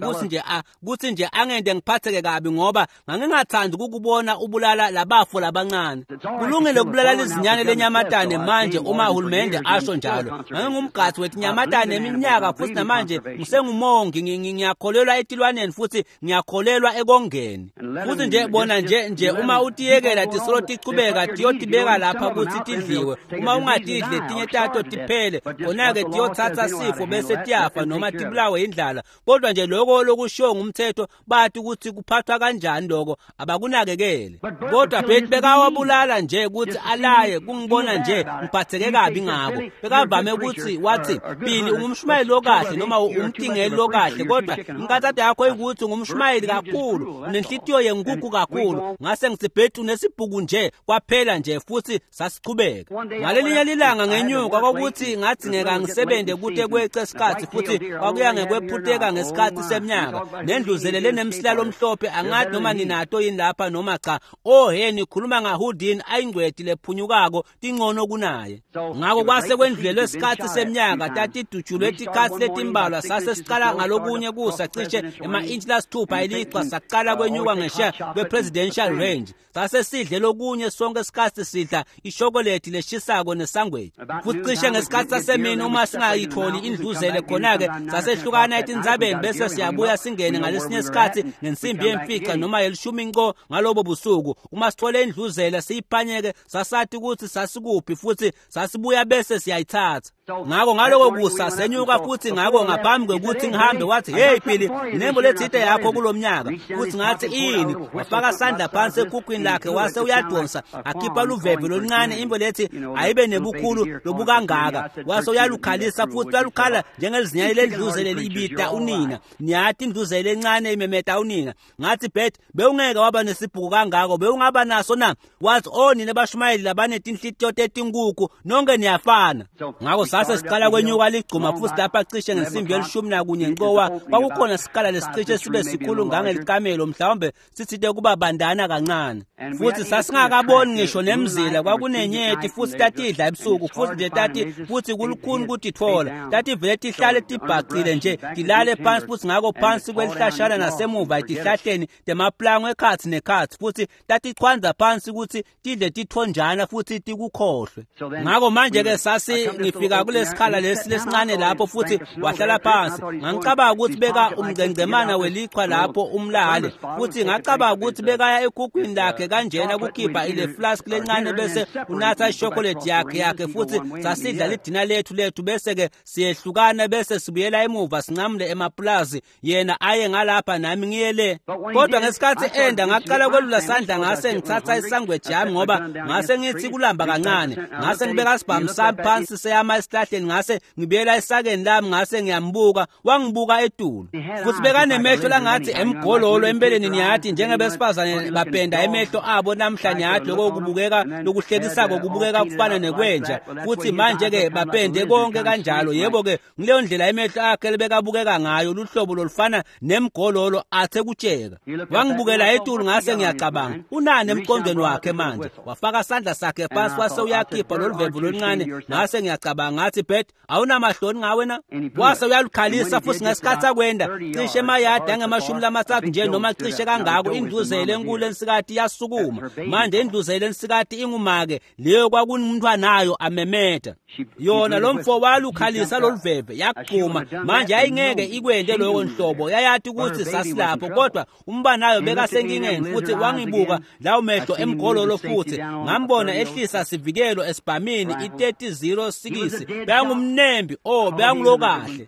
kuthi nje angende ngiphatheke kabi, ngoba ngangingathandi ukukubona ubulala labafo labancane. Kulungile ukubulala izinyane lenyamatane manje uma uhulumende asho njalo. Ngangingumgadzi wetinyamatane eminyaka futhi namanje ngisengumongi, ngiyakholelwa etilwaneni futhi ngiyakholelwa ekongeni. Futhi nje bona nje uma utiyekela tisolo tichubeka tiyotibeka lapha ukuthi tidliwe, uma ungatidli tinye tato tiphele, khona-ke tiyothatha sifo bese tiyafa noma tibulawe indlala. Kodwa nje lokho lokushiwo ngumthetho, bathi ukuthi kuphathwa kanjani lokho abakunakekele. Kodwa Bert bekawabulala nje ukuthi alaye kungibona nje ngiphatheke kabi ngako. Bekavame ukuthi wathi Billy ungumshumayeli lokahle noma umtingeli lokahle, kodwa inkathatho yakho ikuthi ungumshumayeli kakhulu, unenhlitiyo yenkukhu kakhulu. Ngase ngithi Bert unesibhuku nje kwaphela nje, futhi sasichubeka. Ngalelinye lilanga ngenyuka kwakuthi ngathi ngeke ngisebenze kute kweqe isikhathi, futhi kwakuya ngekwephuteka ngesikhathi seminyaka. Nendluzele lenemsilalo omhlophe angathi noma ninato yini lapha noma cha. Oh he, nikhuluma ngaHoudini ayingcweti lephunyukako tingcono kunaye. Ngako kwase kwendlulelwe isikhathi seminyaka, tatidutshulwe tikhathi letimbalwa. Sase siqala ngalokunye kusa cishe ema-intshi lasithupha elichwa, saqala kwenyuka ngesheya kwe-presidential range. Sase sidle lokunye sonke isikhathi sidla ishokoledi leshisako nesangweji. Futhi cishe ngesikhathi sasemini uma singayitholi indluzele khona-ke sasehlukana etindzabeni, bese siyabuya singene ngalesinye isikhathi ngensimbi yemfica noma yelishumi nco ngalobo busuku. Uma sithole indluzele siyiphanyeke, sasathi ukuthi sasikuphi, futhi sasibuya bese siyayithatha. Ngako ngaloko kusa senyuka futhi. Ngako ngaphambi kwekuthi ngihambe wathi, hey Billy, nembo lethite yakho kulomnyaka. Futhi ngathi ini? Wafaka sandla phansi ekhukhwini lakhe wase uyadonsa akhipha luveve loluncane, imbo lethi ayibe nebukhulu lobukangaka, wase uyalukhalisa futhi lwalukhala njengelizinyane lendluzele libita unina. Niyathi indluzele encane imemeta unina. Ngathi Bert, bewungeke waba nesibhuku kangako, bewungaba naso na? Wathi oh nina bashumayeli labanetinhlitiyo tetinkukhu nonke niyafana. Ngako sase siqala kwenyuka ligcuma futhi lapha cishe ngensimbi yelishumi nakunye ncowa kwakukhona sikala lesicishe sibe sikhulu ngangelikamelo, mhlawumbe sithite kuba bandana kancane. Futhi sasingakaboni ngisho nemzila, kwakunenyeti futhi tatidla ebusuku, futhi nje tati futhi kulukhuni kutitfola. Tativele tihlale tibhacile nje tilale phansi, futhi ngako phansi kwelihlashana nasemuva etihlahleni temaplango ekhatsi nekhatsi, futhi tatichwanza phansi ukuthi tidle tithonjana futhi tikukhohlwe. Ngako manje-ke sasi ngifika kulesikhala lesi lesincane lapho, futhi wahlala phansi. Ngangicabanga ukuthi beka umgcengcemana welichwa lapho umlale, futhi ngacabanga ukuthi bekaya ekhukhwini lakhe kanjena kukhipha ile flask lencane bese unatha ishokoledi yakhe, futhi sasidla lidina lethu bese-ke siyehlukana bese sibuyela emuva sincamule emapulazi, yena aye ngalapha nami ngiye le. Kodwa ngesikhathi enda ngaqala kwelula sandla ngase ngithatha isangweji yami, ngoba ngase ngithi kulamba kancane. Ngase ngibeka isibhamu sami phansi seyama esihlahleni, ngase ngibuyela esakeni lami, ngase ngiyambuka. Wangibuka etulu futhi bekanemehlo langathi emgololo empeleni. Niyathi njengebesifazane bapenda emehlo abo namhla, niyathi lokho kubukeka lokuhlekisako kubukeka kufana nekwenja, futhi manje-ke bapende konke kanjalo. Yebo-ke ngileyo ndlela emehlo akhe lebekabukeka ngayo, luhlobo lolufana nemgololo athe kutsheka. Wangibukela etulu, ngase ngiyacabanga unani emqondweni wakhe manje. Wafaka sandla sakhe phansi wase uyakhipha loluvemvu loluncane. Ngase ngiyacabanga ngathi Bert, awunamahloni ngawe na? Wase uyalukhalisa futhi ngesikhathi akwenda cishe emayadi angamashumi lamathathu nje noma cishe kangako, indluzele enkulu ensikati yasukuma. Manje indluzele ensikati ingumake leyo kwakunumntwanayo amemeta yona. Lo mfo walukhalisa loluveve yaqhuma. Manje ayingeke ikwende lokho nhlobo, yayathi ukuthi sasilapho, kodwa umbanayo bekasenkingeni. Futhi wangibuka lawo mehlo emgololo, futhi ngambona ehlisa sivikelo esibhamini i-30-06. Bekangumnembi, oh bekangulokahle.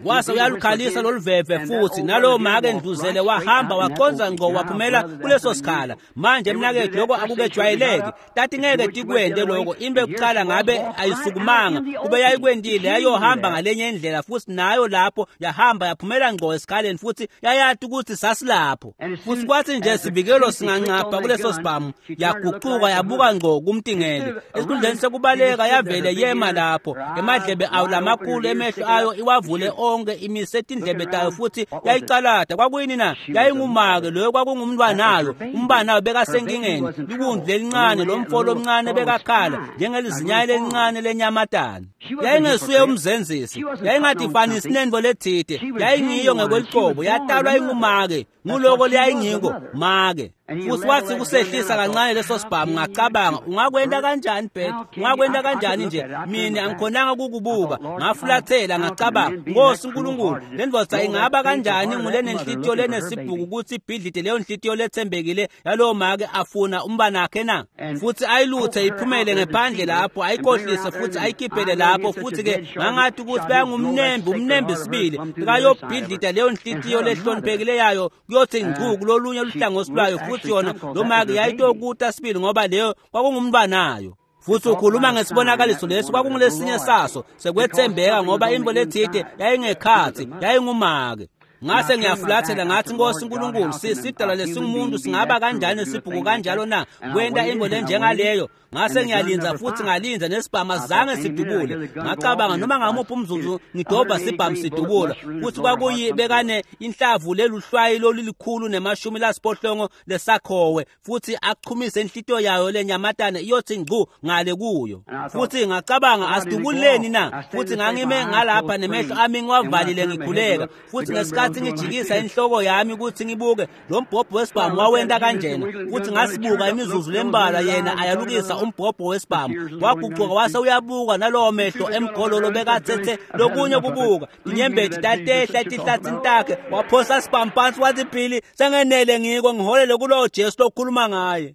Wase uyalukhalisa loluveve futhi nalowo make endluzele wahamba waqonza ngqo waphumela kuleso sikhala. Manje mnakethu, lokho akukejwayeleki, tati ngeke tikwende lokho. Into yokuqala ngabe ayisukumanga, kube yayikwendile yayohamba ngalenye indlela, futhi nayo lapho yahamba yaphumela ngqo esikhaleni, futhi yayathi ukuthi sasilapho. Futhi kwathi nje sivikelo singancapha kuleso sibhamu, yaguquka yabuka ngqo kumtingeli. Esikhundleni sekubaleka yavele yema lapho, emadlebe ayo lamakhulu emehlo ayo iwavule onke, imise tindlebe tayo futhi yayicalada. Kwakuyini na? Yayingumake loyo, kwakungumntwanayo. Umbanayo bekasenkingeni, liwundlu lelincane, lo mfo lomncane bekakhala njengelizinyane lelincane lenyamatane. Yayingesuye umzenzisi, yayingadifanisi nento lethide, yayingiyo ngekwelicebo, yatalwa ingumake, nguloko leyayingiko make. Futhi wathi kusehlisa kancane leso sibhamu, ngacabanga, ungakwenta kanjani Bert? Ungakwenta kanjani nje? Mina angikhonanga ukukubuka. Ngafulathela ngacabanga, Nkosi uNkulunkulu, le ndvodza ingaba kanjani ngulenenhlitiyo lenesibhuku ukuthi ibhidlite leyo nhlitiyo lethembekile yalowo make afuna umbanakhe na? Futhi ayiluthe iphumele ngephandle lapho, ayikhohlise futhi ayikhiphele lapho. Futhi ke ngangathi ukuthi bayangumnembi, umnembi sibili, bekayobhidlita leyo nhlitiyo lehloniphekile yayo kuyothi ngcu kulolunye luhlangothi lwayo. Futhi yona lo make yayitokuta sibili ngoba leyo kwakungumntwanayo. Futhi ukhuluma ngesibonakaliso lesi kwakungulesinye saso sekwethembeka, ngoba imbo lethide yayingekhathi, yayingumake. Ngase ngiyafulathela ngathi, Nkosi uNkulunkulu, sidalwa lesingumuntu singaba kanjani sibhuku kanjalo na kwenta imbo lenjengaleyo? Ngase ngiyalinza futhi ngalinza, nesibhamu azange sidubule. Ngacabanga, noma ngamuphi umzuzu ngidobha sibhamu sidubula. Futhi kwakuyibekane inhlavu leluhlwayi lolulikhulu nemashumi lasiphohlongo lesakhowe, futhi achumise inhlitiyo yayo lenyamatane iyothi ngcu ngale kuyo. Futhi ngacabanga, asidubuleni na? Futhi ngangime ngalapha nemehlo ami ngiwavalile ngikhuleka. Futhi ngesikhathi ngijikisa inhloko yami ukuthi ngibuke lo mbhobho wesibhamu wawenta kanjena, futhi ngasibuka imizuzu lembalwa, yena ayalukisa umbhobho wesibhamu, waguquka wase uyabuka nalowo mehlo emgololo bekathethe lokunye kubuka, inyembezi tatehla etihlathini takhe, waphosa sibhamu phansi wathi, Billy, sengenele ngiko, ngiholele kulowo Jesu lokhuluma ngaye.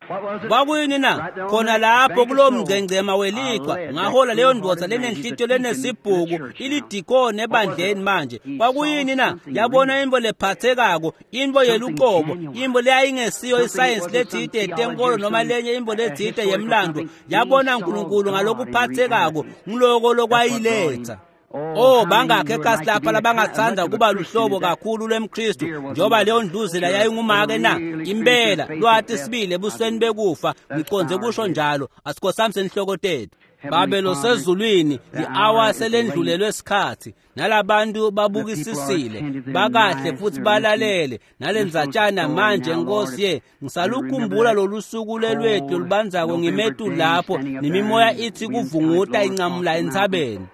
Kwakuyini na? Khona lapho kulowo mngcengcema welichwa ngahola leyo ndvodza lenenhlitiyo lenesibhuku, ilidikoni ebandleni manje. Kwakuyini na? Yabona imbo lephathekako, imbo yeluqobo, imbo leyayingesiyo isayensi lethide yetenkolo noma lenye imbo lethide yemlando. Yabona uNkulunkulu ngalokuphathekako, ngiloko lokwayiletha. Oh, bangakhe ekhasi lapha labangathanda kuba luhlobo kakhulu lwemKristu njengoba leyo ndluzela yayingumake na? Impela lwati sibili ebusweni bekufa, ngiconze kusho njalo. Asikhosamse senhloko tethu. Babe losezulwini, li-awa selendlulelwe sikhathi, nalabantu babukisisile bakahle futhi balalele nalendzatshana manje. Nkosi ye, ngisalukhumbula lolu suku lelwethu lolubanzako ngimetu lapho nemimoya ithi kuvunguta incamula entsabeni.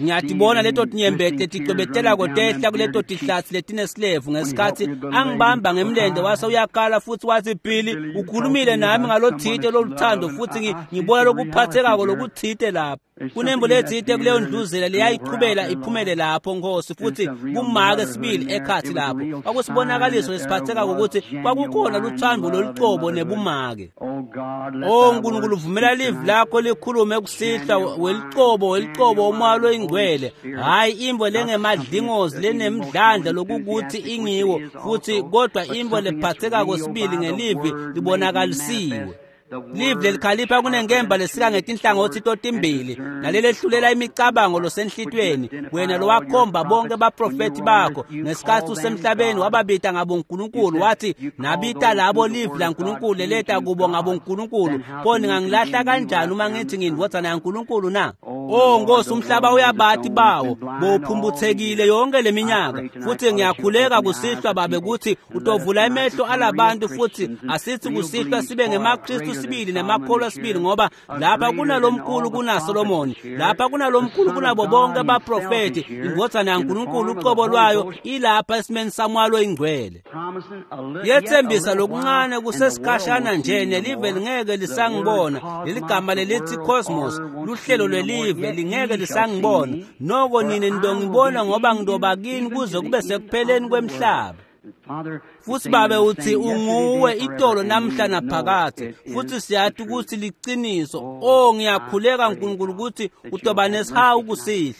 Ngiyatibona leto tinyembeti leticwebetelako tehla kuleto tihlathi letinesilevu ngesikhathi angibamba ngemlende wase uyakhala futhi wathi, Billy, ukhulumile nami ngalothite loluthando, futhi ngibona lokuphathekako lokuthite lapha. Kunembo lethite kuleyo ndluzela leyayichubela iphumele lapho, Nkosi, futhi kumake sibili ekhathi lapho. Kwakusibonakaliso lesiphathekako ukuthi kwakukhona luthando lolucobo nebumake. Oh Nkulunkulu, vumela livi lakho likhulume kusihlwa, welicobo welicobo umoya loyingcwele, hhayi imbo lengemadlingozi lenemdlandla lokukuthi ingiwo futhi, kodwa imbo lephathekako sibili ngelivi libonakalisiwe. Livi lelikhalipha kunenkemba lesika ngetinhlangothi totimbili, nalelehlulela imicabango losenhlitweni. Wena lowakhomba bonke baprofethi bakho ngesikhathi usemhlabeni, wababita ngabonkulunkulu, wathi nabita labo livi laNkulunkulu leleta kubo ngabonkulunkulu, pho ningangilahla kanjani uma ngithi ngiyindvodzana yaNkulunkulu na? Oh Nkosi, umhlaba uyabati bawo bowuphumbuthekile yonke leminyaka. Futhi ngiyakhuleka kusihlwa Babe ukuthi utovula emehlo alabantu, futhi asithi kusihlwa sibe ngemaKristu sibili nemakholwa sibili, ngoba lapha kunalomkhulu kunaSolomoni, lapha kunalomkhulu kunabo bonke abaprofethi, indvodzana yaNkulunkulu ucobo lwayo ilapha esimeni samwalo ingcwele. Yethembisa lokuncane kusesikhashana nje, nelive lingeke lisangibona. Leligama lelithi cosmos, luhlelo lwelive, lingeke lisangibona. Noko nine nidongibona, ngoba ngidoba kini kuze kube sekupheleni kwemhlaba. Futhi Babe uthi unguwe itolo namhla naphakade, futhi siyathi ukuthi liqiniso. Oh, ngiyakhuleka Nkulunkulu ukuthi utoba nesihawu kusihlwa.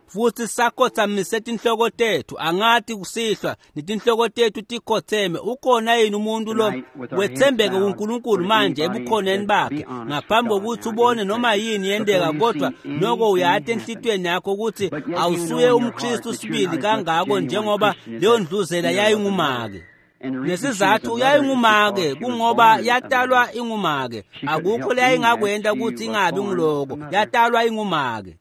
Futhi sakhothamise tinhloko tethu, angathi kusihlwa netinhloko tethu tikhotheme, ukhona yini umuntu lo wethembeke kuNkulunkulu manje ebukhoneni bakhe ngaphambi kokuthi ubone noma yini yenteka, kodwa noko uyati enhlitiyweni yakho ukuthi awusuye umKristu sibili kangako njengoba leyo ndluzela yayingumake. Nesizathu yayingumake kungoba yatalwa ingumake, akukho leyayingakwenta ukuthi ingabi ngiloko, yatalwa ingumake.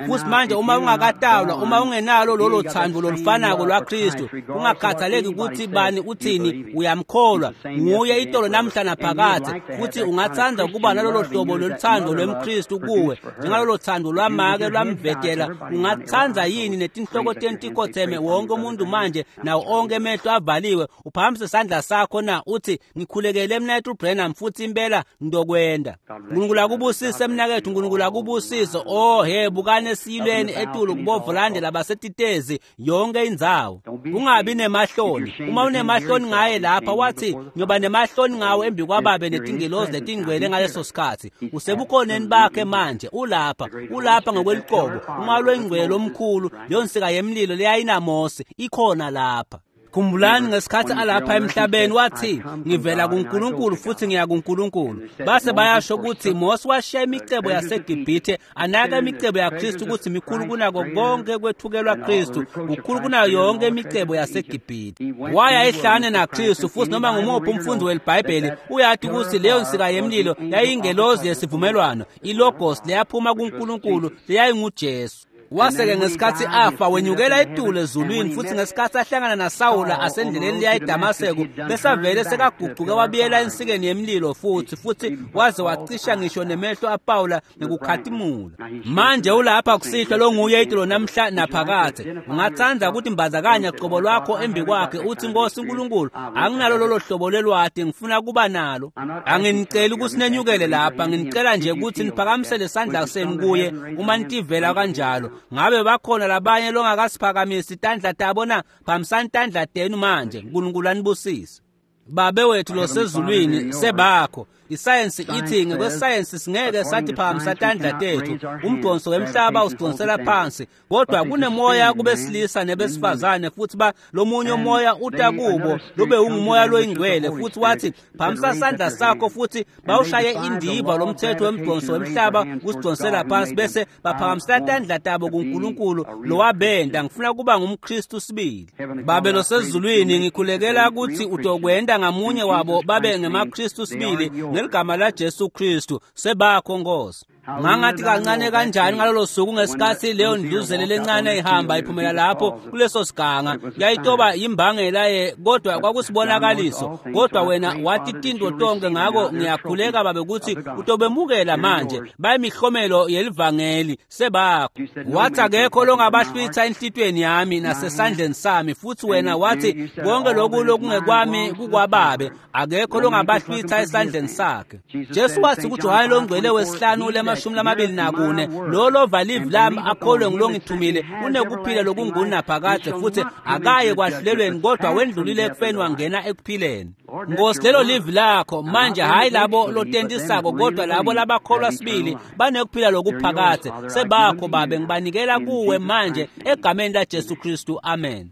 Futhi manje uma ungakatawulwa, uma ungenalo lolo thando lolufanako lwaKristu, ungakhathaleki ukuthi bani uthini, uyamkholwa nguye itolo namhla naphakadze, futhi ungathanda ukuba nalolo hlobo loluthando lwemKristu kuwe njengalolo thando lwamake lwamvetela, ungathanda yini netinhloko tentikhotheme wonke umuntu manje nawo onke emehlo avaliwe, uphakamise isandla sakho na uthi ngikhulekele mnaketfu Branham futhi impela ngidokwenda. Nkulunkulu akubusise mnaketfu, Nkulunkulu akubusise. Oh he, bukani esiyilweni etulu kubovolande labasetitezi yonke indzawo. Ungabi nemahloni. Uma unemahloni ngaye lapha, wathi ngiyoba nemahloni ngawe embi kwababe netingelozi letingcwele ngaleso sikhathi. Usebukhoneni bakhe manje, ulapha, ulapha ngokweluqobo. Umoya lwengcwele omkhulu, leyo nsika yemlilo leyayinaMose ikhona lapha. Khumbulani ngesikhathi alapha emhlabeni wathi ngivela kuNkulunkulu futhi ngiya kuNkulunkulu. Base bayasho ukuthi Mose washiya imicebo yaseGibhithe anaka imicebo yaKristu ukuthi mikhulu kunako konke kwethukelwa Kristu, kukhulu kunayo yonke imicebo yaseGibhithe. Waya ehlane naKristu, futhi noma ngumuphi umfundi weBhayibheli uyathi ukuthi leyo nsika yemlilo yayingelozi yesivumelwano, ilogos leyaphuma kuNkulunkulu leyayinguJesu. Waseke ngesikhathi afa wenyukela etulu ezulwini, futhi ngesikhathi ahlangana naSawula asendleleni leya eDamaseko, besavele sekaguquke wabuyela ensikeni yemlilo futhi waze wacisha ngisho nemehlo aPawula ngekukhatimula. Manje ulapha kusihlwa longuye itolo namhla naphakadze. Ungathanda ukuthi mbazakanya qobo lwakho embi kwakhe uthi Nkosi uNkulunkulu, anginalo lolo hlobo lelwati, ngifuna kuba nalo. Anginiceli ukuthi nenyukele lapha, nginicela nje ukuthi niphakamisele isandla senu kuye uma nitivela kanjalo. Ngabe bakhona labanye longakasiphakamisi tandla tabo na? Phakamisani tandla tenu manje. Nkulunkulu anibusise. Babe wethu losezulwini, sebakho. Isayensi ithi ngekwesayensi singeke sathi phakamisa tandla tethu, umdonso wemhlaba usidonsela phansi, kodwa kunemoya kubesilisa nebesifazane, futhi ba lomunye umoya uta kubo lube ungumoya loyingcwele, futhi wathi phakamisa sandla sakho, futhi bawushaye indiva lomthetho wemdonso wemhlaba usidonsela phansi, bese baphakamisa tandla tabo kuNkulunkulu lowabenda. Ngifuna kuba ngumKristu sibili. Babe losezulwini, ngikhulekela ukuthi utokwenda ngamunye wabo babe ngemaKristu sibili ngeligama la Jesu Kristu. Sebakho Nkosi. Ngangathi kancane kanjani ngalolo suku ngesikhathi leyo ndluzele lencane ihamba iphumela lapho kuleso siganga, yayitoba imbangela ye, kodwa kwakusibonakaliso. Kodwa wena wathi tinto tonke, ngako ngiyakhuleka babe ukuthi utobemukela manje bayimihlomelo yelivangeli sebakho. Wathi akekho longabahlwitha enhlitweni yami nasesandleni sami, futhi wena wathi konke lokhu lokungekwami kukwababe, akekho longabahlwitha esandleni sakhe. Jesu wathi kuJohane longcwele wesihlanu 24, lo lova livi lami akholwe ngilongithumile unekuphila lokungunaphakadze, futhi akaye kwahlulelweni kodwa wendlulile ekufeni wangena ekuphileni. Nkosi, lelo livi lakho manje, hayi labo lotentisako kodwa labo labakholwa sibili banekuphila lokuphakadze. Sebakho babe, ngibanikela kuwe manje egameni la Jesu Kristu, amen.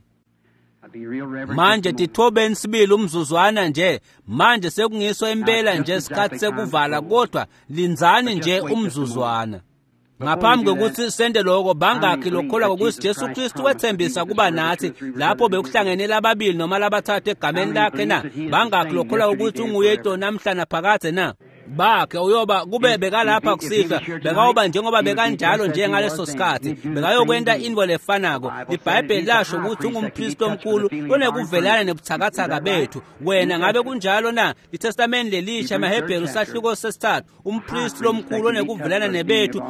Manje tithobeni sibili umzuzwana nje. Manje sekungiso impela nje sikhathi sekuvala, kodwa lindzani nje umzuzwana. Ngaphambi kokuthi sende lokho, bangakhi lokholwa ngokuthi Jesu Kristu wethembisa kuba nathi lapho bekuhlangene lababili noma labathathu egameni lakhe na? Bangakhi lokholwa ukuthi unguye itolo namhla naphakadze na? Bakhe uyoba kube bekalapha kusihlwa, bekayoba njengoba bekanjalo njengaleso sikhathi, bekayokwenta intfo lefanako. IBhayibheli lasho ukuthi ungumpristi omkhulu onekuvelana nebuthakathaka bethu. Wena ngabe kunjalo na? ITestamenti lelisha, amaHebheru sahluko sesithathu, umpristi lomkhulu onekuvelana nebethu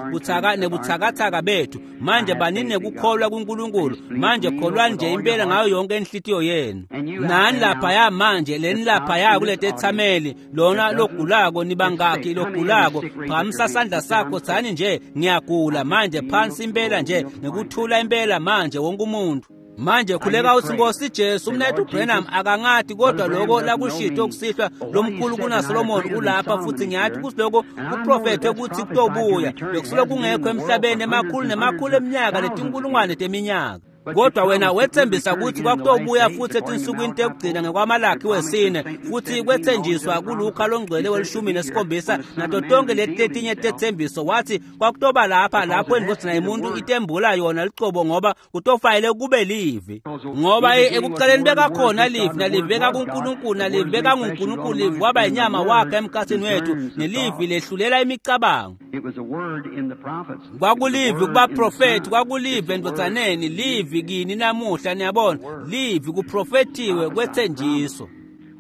nebuthakathaka bethu. Manje banini nekukholwa kuNkulunkulu. Manje kholwani nje impela ngayo yonke inhlitiyo yenu. Nani laphaya manje, leni laphaya kule tethameli, lona logulako, nibangakhi logulako, phakamisa sandla sakho, tsani nje ngiyagula manje, phansi impela nje ngekuthula impela manje wonke umuntu. Manje khuleka uthi Nkosi Jesu, umnethu Branham akangati kodwa lokho lakushito kusihlwa lomkhulu kunaSolomon ulapha, futhi ngiyathi kusiloko kuprofethe ukuthi kutobuya bekusuke kungekho emhlabeni emakhulu nemakhulu eminyaka letinkulungwane teminyaka. Kodwa wena wethembisa ukuthi kwakutobuya futhi etinsukwini tekugcina ngekwaMalakhi wesine, futhi kwethenjiswa kuLuka longcwele welishumi nesikhombisa nato tonke leti letinye tethembiso. Wathi kwakutoba lapha lapho indvodzana yemuntu itembula yona licobo, ngoba kutofanele kube livi. Ngoba ekuqaleni bekakhona livi, nalivi bekakuNkulunkulu, nalivi bekanguNkulunkulu, livi waba inyama wakhe emkhathini wethu, nelivi lehlulela imicabango. Kwakulivi kubaprofethi, kwakulivi endvodzaneni, livi kini namuhla. Niyabona, livi kuprofethiwe kwethenjiswa.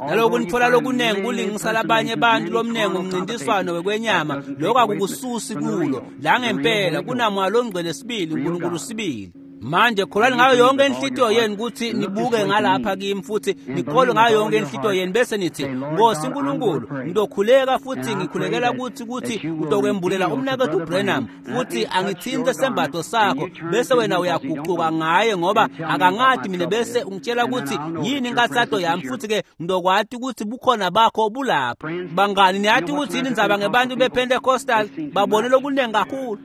Naloku nitfola lokunengi kulingisa labanye bantu lomnengi umncintiswano wekwenyama, lokho akukususi kulo la ngempela kunamoya longcwele sibili, uNkulunkulu sibili. Manje kholwani ngayo yonke inhlitiyo yenu ukuthi nibuke ngalapha kimi, futhi nikholwe ngayo yonke inhlitiyo yenu, bese nithi, Nkosi Nkulunkulu, ngizokhuleka futhi ngikhulekela ukuthi utokwembulela umnakethu Branham, futhi angithinte sembatho sakho, bese wena uyaguquka ngaye ngoba akangadi mina, bese ungitshela ukuthi yini inkathato yami, futhi ke ngizokwati ukuthi bukhona bakho bulapha. Bangani, niyathi ukuthi yini indzaba ngebantu bePentecostal? Babone lokunengi kakhulu.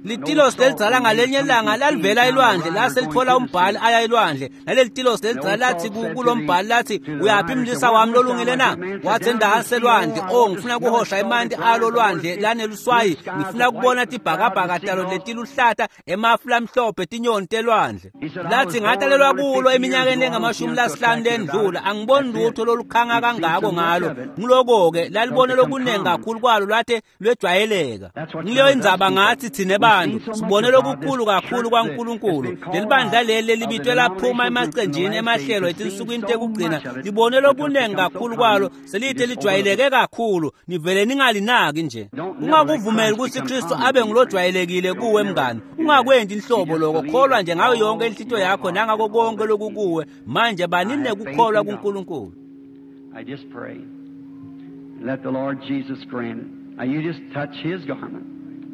Litilosi lelidzala ngalenye ilanga lalivela elwandle, lase lithola umbhali aya elwandle. Naleli tilosi lelidzala lathi kulombhali, lathi, uyaphi mlisa wami lolungile na? Wathi, endansi elwandle. Oh, ngifuna kuhosha emanti alo lwandle laneluswayi, ngifuna kubona tibhakabhaka talo letiluhlata, emafu lamhlophe, tinyoni telwandle. Lathi, ngatalelwa kulo eminyakeni engamashumi lasihlanu lendlula, angiboni lutho lolukhanga kangako ngalo. Ngiloko-ke lalibone lokunengi kakhulu kwalo, lwathe lwejwayeleka. Ngileyo indzaba ngathi thine bantu sibone lokukhulu kakhulu kwaNkulunkulu. Leli bandla leli lelibitwe laphuma emacenjini emahlelo etinsukwini tekugcina, libone lokunengi kakhulu kwalo, selide lijwayeleke kakhulu, nivele ningalinaki nje. Ungakuvumeli ukuthi Kristu abe ngulojwayelekile kuwe mngani. Ungakwenti inhlobo lokho, kholwa nje ngayo yonke inhlitiyo yakho nangako konke lokukuwe. Manje banini nekukholwa kuNkulunkulu. I just pray. Let the Lord Jesus grant it. Now you just touch his garment.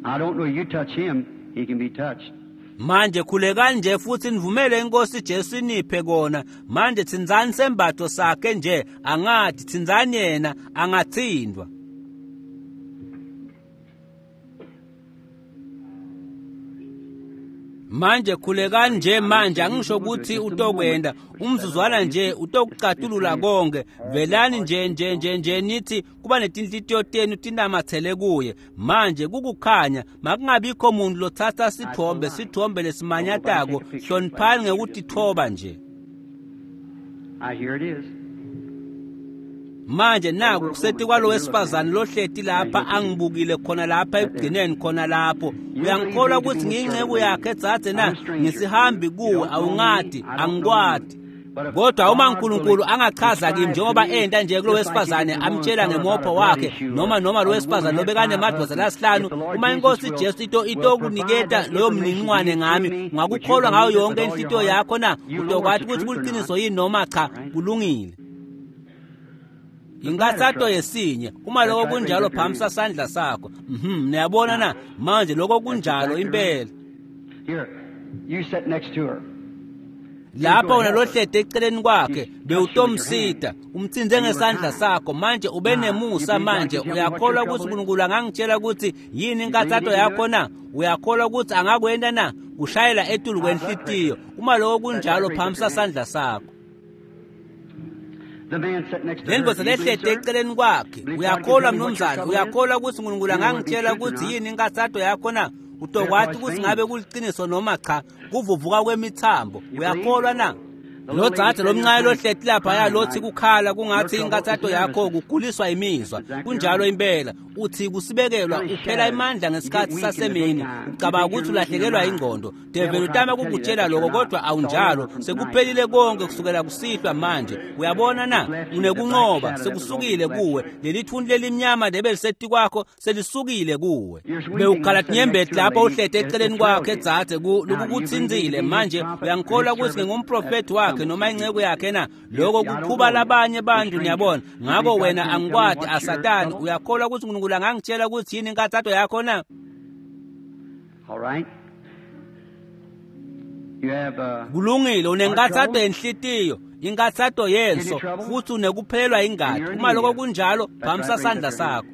I don't know, you touch him, he can be touched. Manje khulekani nje futhi nivumele inkosi Jesu iniphe kona. Manje thinzani sembatho sakhe nje, angathi thinzani yena, angathindwa. Manje khulekani nje manje, angisho ukuthi utokwenda umzuzwana nje, utokucatulula konke. Velani nje nje nje nje nithi kuba netinhlitiyo tenu tinamathele kuye. Manje kukukhanya, makungabikho muntu lothatha sithombe lesimanyatako. Hloniphani ngekutithoba nje. I hear it is. Manje naku kuseti kwalo wesifazane lohleti lapha angibukile khona lapha ekugcineni khona lapho. Uyangikholwa ukuthi ngiyinceku yakhe dzadze na? Ngisihambi kuwe, awungadi, angikwadi. Kodwa uma uNkulunkulu angachaza kimi njengoba enta nje kulo wesifazane amtshela ngemopho wakhe, noma lo wesifazane lobekanemadvodza lasihlanu, uma inkosi Jesu itokuniketa loyo mniningwane ngami, ungakukholwa ngayo yonke inhlitiyo yakho na? Utokwathi ukuthi kuliqiniso yini noma cha. Kulungile. Inkathato yesinye, uma lokho kunjalo phamisa sandla sakho. Niyabona na? Manje lokho kunjalo impela. Here, you sit next to her. Lapha wena lohlede eceleni kwakhe, bewutomsita, umthinze ngesandla sakho. Manje ube nemusa. Manje uyakholwa ukuthi uNkulunkulu angangitshela ukuthi yini inkathato yakho na? Uyakholwa ukuthi angakwenta na? Kushayela etulu kwenhlitiyo. Uma lokho kunjalo phamisa sandla sakho. The man sat next to her. Lendvodza Do you believe, lehlede sir? eceleni kwakhe, uyakholwa mnumzane? Uyakholwa ukuthi uNkulunkulu angangitshela ukuthi yini inkathato yakho na? Utokwathi ukuthi ngabe kuliqiniso noma cha. Kuvuvuka kwemithambo, uyakholwa na? Lo dzadze lomncane lohleti laphaya lothi kukhala kungathi inkathato yakho kuguliswa imizwa. Kunjalo impela. Uthi kusibekelwa, uphela imandla ngesikhathi sasemini, ucabanga ukuthi ulahlekelwa ingqondo. Develi utama kukutshela lokho, kodwa awunjalo. Sekuphelile konke kusukela kusihlwa manje. Uyabona na? Unekunqoba, sekusukile kuwe. Leli thunti lelimnyama lebelisetu kwakho selisukile kuwe. Bewukhala tinyembeti lapho uhlete eceleni kwakhe dzadze, lokukuthinzile. Manje uyangikholwa ukuthi ngingumprofethi wakhe noma inceku yakhe na? Lokho kukhuba labanye bantu, niyabona. Ngakho wena angikwadi asatani. Uyakholwa ukuthi uNkulunkulu angangitshela ukuthi yini inkathato yakho na? All right. You have Kulungile, unenkathato yenhlitiyo, inkathato yenso, futhi unekuphelelwa ingadi. Uma lokho kunjalo phamisa sandla sakho.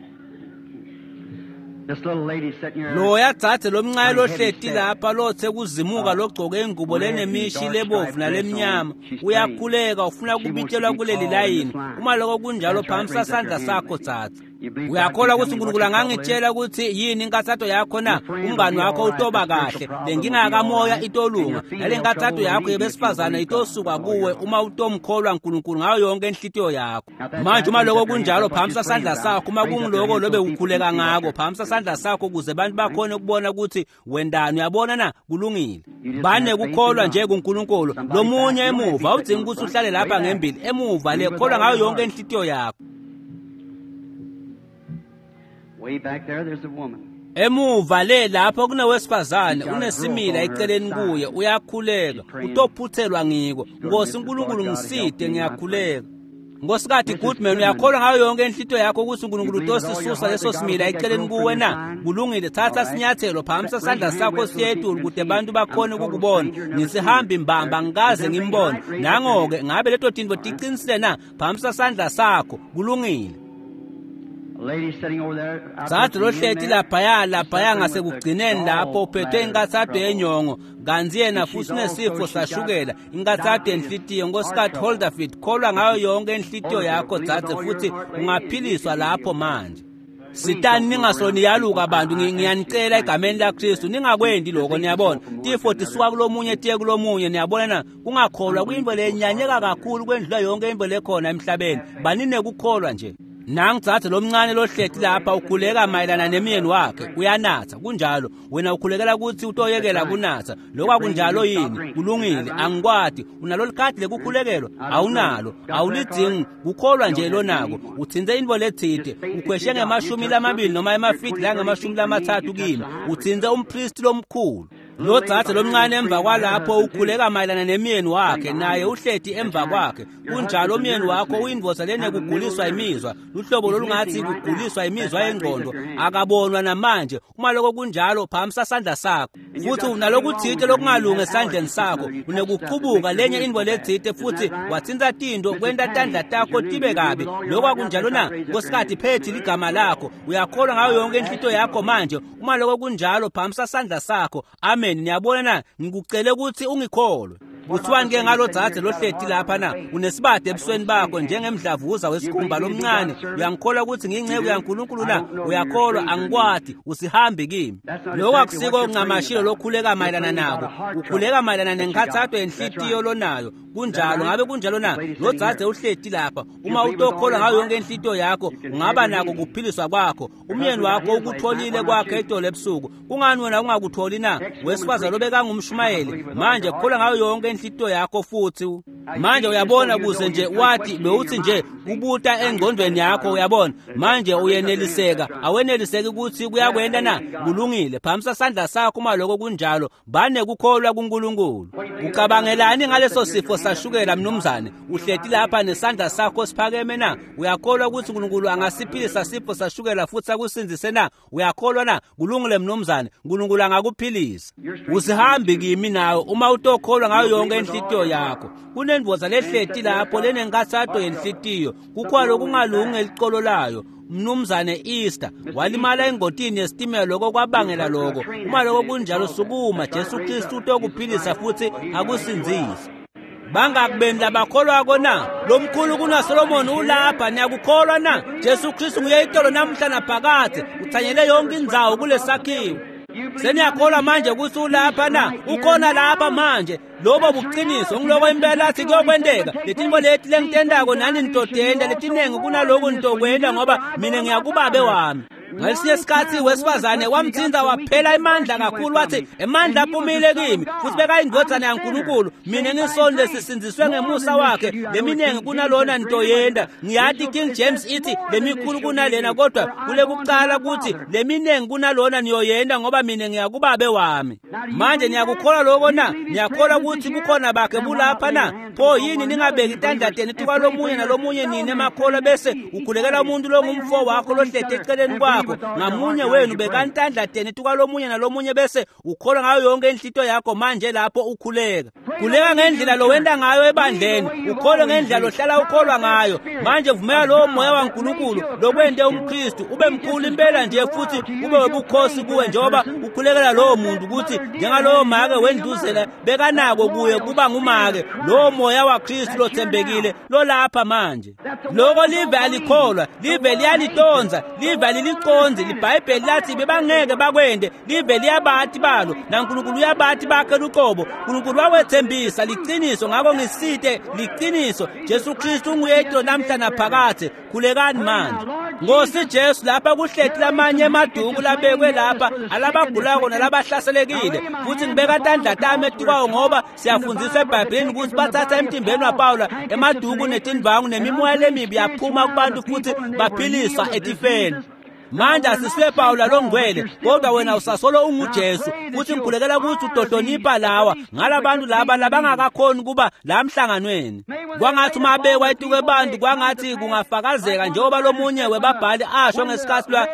Loya dzadze lomncane lohleti lapha lotse kuzimuka logcoke ingubo lenemishi lebovu nalemnyama uyakhuleka ufuna kubitelwa kuleli layini. Uma loko kunjalo phamisa sandla sakho dzadze. Uyakholwa ukuthi uNkulunkulu angangitshela ukuthi yini inkathato yakho na? Umngani wakho utoba kahle, lenkinga kamoya itolunga, nale nkathato yakho yebesifazane itosuka kuwe uma utomkholwa uNkulunkulu ngayo yonke inhlitiyo yakho. Manje uma lokho kunjalo phamisa sandla sakho. Uma kungiloko lobe ukhuleka ngako phamisa sandla sakho ukuze abantu bakhone ukubona ukuthi wendani. Uyabona na? Kulungile. Banekukholwa nje kuNkulunkulu. Lomunye emuva awudzingi ukuthi uhlale lapha ngembili, emuva le kholwa ngayo yonke inhlitiyo yakho. Emuva le lapho kunowesifazane unesimila eceleni kuye uyakhuleka utophuthelwa ngiko. Nkosi uNkulunkulu ngiside ngiyakhuleka. Nkosikazi Goodman uyakholwa ngayo yonke inhlitiyo yakho ukuthi uNkulunkulu utosisusa leso simila eceleni kuwe na? Kulungile, thatha sinyathelo phamisa sandla sakho siyetulu kude abantu bakhone ukukubona. Ngisihambi mbamba ngikaze ngimbone. Nango-ke ngabe leto tintfo tiqinisile na? Phamisa sandla sakho. Kulungile. Dzadze lohleti laphaya laphaya ngasekugcineni lapho uphethwe inkathato yenyongo kantsi yena futhi unesifo sashukela inkathato yenhlitiyo. Nkosikazi Holderfield kholwa ngayo yonke inhlitiyo yakho dzadze futhi ungaphiliswa lapho manje. Sitani ningasoniyaluka bantu, ngiyanicela egameni laKristu ningakwendi lokho. Niyabona tifo tisuka kulomunye tiye kulomunye. Niyabona na? Kungakholwa kuyintfo lenyanyeka kakhulu kwendlula yonke intfo lekhona emhlabeni. Baninekukholwa nje. Nangu dzadze lomncane lohleti lapha ukhuleka mayelana nemyeni wakhe uyanatha. Kunjalo, wena ukhulekela ukuthi utoyekela kunatha. Lokho akunjalo yini? Kulungile, angikwati. Unalo likhadi lekukhulekelwa? Awunalo, awulidzingi. Kukholwa nje lonako. Utsintse intfo letsite, ukhweshe nge-20 noma emafidi lange-30 kimi. Utsintse umpristi lomkhulu. Lo dzadze lomncane emva kwalapho ukhuleka mayelana nemyeni wakhe, naye uhleti emva kwakhe. Kunjalo, umyeni wakho uyindvodza lenekuguliswa imizwa, luhlobo lolungathi kuguliswa imizwa yengqondo, akabonwa namanje. Uma lokho kunjalo phamisa sandla sakho. Futhi unalokuthite lokungalungi esandleni sakho, unekuchubuka lenye intfo letsite futhi watsinta tinto kwenta tandla takho tibe kabi. Lokho akunjalo na? Nkosikazi Phethi ligama lakho. Uyakholwa ngayo yonke inhlitiyo yakho manje? Uma lokho kunjalo phamisa sandla sakho. Amen. Niyabona na? Ngikucele ukuthi ungikholwe. Kuthiwani ke ngalo dzadze lohleti lapha na? Unesibade ebusweni bakho njengemdlavuza wesikhumba lomncane. Uyangikholwa ukuthi ngiyinceku yaNkulunkulu na? Uyakholwa? Angikwati, usihambi kimi. Lokho akusiko ncamashilo lokhuleka mayelana nako. Ukhuleka mayelana nenkathato yenhlitiyo lonayo. Kunjalo, ngabe kunjalo na? Lo dzadze uhleti lapha. Uma utokholwa ngayo yonke inhlitiyo yakho, ungaba nako kuphiliswa kwakho. Umyeni wakho ukutholile kwakhe itolo ebusuku. Kungani wena ungakutholi na? Wesifazane lobekangumshumayeli. Manje kholwa ngayo yonke inhlitiyo yakho futhi. Manje uyabona kuze nje wathi bewuthi nje kubuta engqondweni yakho, uyabona. Manje uyeneliseka, aweneliseki ukuthi kuyakwenda na? Kulungile, phamisa sandla sakho uma lokho kunjalo. Banekukholwa kuNkulunkulu. Ucabangelani ngaleso sifo sashukela mnumzane? Uhleti lapha nesandla sakho siphakeme na? Uyakholwa ukuthi uNkulunkulu angasiphilisa sifo sashukela futhi akusindzise na? Uyakholwa na? Kulungile mnumzane, uNkulunkulu angakuphilisa. Usihambi kimi nawe uma utokholwa ngayo yonke inhlitiyo yakho. Kunendvodza lehleti lapho lenenkathato yenhlitiyo, kukhona lokungalungi elicolo layo. Mnumzane Easter walimala engotini yesitimela, lokho kwabangela lokho. Uma lokho kunjalo sukuma, Jesu Kristu utokuphilisa futhi akusindzise. Bangakubeni labakholwako na? Lomkhulu kunaSolomoni ulapha, niyakukholwa na? Jesu Kristu nguye itolo namuhla naphakadze, uthanyele yonke indzawo kulesakhiwo. Seniyakholwa manje ukuthi ulapha na? Ukhona lapha manje. Lobo buqiniso ngiloko impela athi kuyokwenteka. Letintfo leti lengitentako nani nitotenta, letinengi kunaloku nitokwenta ngoba mina ngiyakubabe wami. Ngalesinye isikhathi wesifazane wamthinta waphela emandla kakhulu, wathi emandla aphumile kimi futhi bekayindvodzana yaNkulunkulu. Mina ngisoni lesisindziswe ngemusa wakhe, leminengi kunalona nitoyenta. Ngiyati King James ithi lemikhulu kunalena, kodwa kule kucala kuthi leminengi kunalona niyoyenta ngoba mina ngiyakubabe wami. Manje niyakukholwa lokho na? Niyakholwa ukuthi bukhona bakhe bulapha na? Pho yini ningabeki itandla tenu tukwalomunye nalomunye nini emakholwa bese ukhulekela umuntu longumfo wakho lohleti eceleni kwakho? yakho. Ngamunye wenu bekani tandla tenu etukwalomunye nalomunye bese ukholwa ngayo yonke inhlito yakho manje lapho ukhuleka. Khuleka ngendlela lowenta ngayo ebandleni, ukholwe ngendlela lohlala ukholwa ngayo. Manje vumela lowo moya waNkulunkulu lokwente umKristu ube mkhulu impela nje futhi ube webukhosi kuwe njengoba ukhulekela lowo muntu ukuthi njengalowo make wendluzela bekanako kuye kuba ngumake lowo moya waKristu lothembekile lolapha manje. Loko live alikholwa, live liyalitonza, live aliliconzi. LiBhayibheli lathi bebangeke bakwende, live liyabati balo naNkulunkulu uyabati bakhe luqobo. Nkulunkulu wakwethembisa liqiniso, ngakho ngisite liqiniso. Jesu Kristu unguyedwa namhla naphakathe. Khulekani manje. Nkosi Jesu, lapha kuhleti lamanye emaduku labekwe lapha alabagulako nalabahlaselekile, futhi ngibeka tandla tami etukwawo ngoba siyafundziswa eBhayibhelini ukuthi bathatha emtimbeni waPawula emaduku netindvangu nemimoya lemibi yaphuma kubantu futhi baphiliswa etifeni. Manje asisiwe Pawula longcwele, kodwa wena usasolo unguJesu, futhi ngikhulekela ukuthi utohlonipha lawa ngalabantu laba labangakakhoni kuba la mhlanganweni. Kwangathi uma bekwa etuke bantu, kwangathi kungafakazeka njengoba lomunye webabhali asho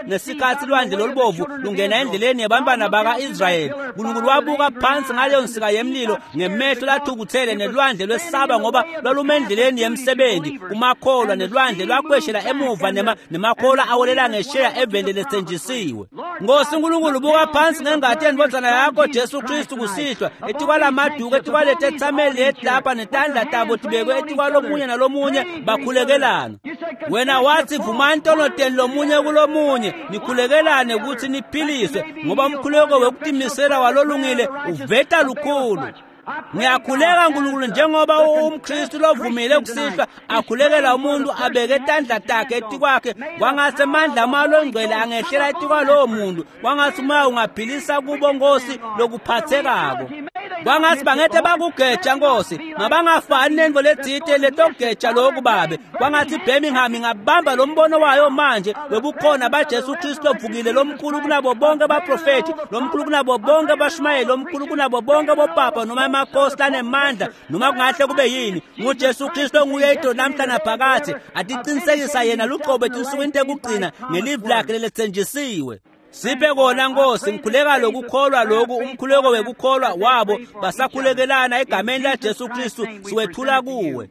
ngesikhathi lwandle lolubovu lungena endleleni yabantwana baka-Israyeli. Nkulunkulu wabuka phansi ngaleyo nsika yemlilo ngemehlo lathukuthele, nelwandle lwesaba ngoba lwalume endleleni yemsebenzi kumakholwa, nelwandle lwakweshela emuva nemakholwa awelela ngesheya eveni lethenjisiwe. Nkosi Nkulunkulu, buka phansi ngengati yendvodzana yakho Jesu Kristu kusihlwa etikwalamaduku, etikwaletetsameli leti lapha netandla tabo tibekwe etikwalomunye nalomunye bakhulekelana. Wena wathi vumani tono tenu lomunye kulomunye nikhulekelane ukuthi niphiliswe, ngoba umkhuleko wekutimisela walolungile uveta lukhulu. Ngiyakhuleka Nkulunkulu njengoba umKristu lovumile kusihlwa akhulekela umuntu abeke tandla takhe etikwakhe, kwangathi amandla amalongcwele angehlela etikwalowo muntu, kwangathi umoya ungaphilisa kubo Nkosi lokuphathekako. Kwangathi bangete bakugeja Nkosi, mabangafani nento letsite letogeja lokhu babe. Kwangathi Birmingham ingabamba lo mbono wayo manje webukhona baJesu Kristu ovukile, lomkhulu kunabo bonke abaprofethi, lomkhulu kunabo bonke abashumayeli, lomkhulu kunabo bonke bopapa noma amakhosi lanemandla noma kungahle kube yini. NguJesu Kristu onguye idolo namhla naphakathe, atiqinisekisa yena luqobo etinsukwini tekugcina ngelivi lakhe lelethenjisiwe. Siphe kona Nkosi, ngikhuleka lokukholwa loku, umkhuleko wekukholwa wabo basakhulekelana egameni laJesu Kristu siwethula kuwe.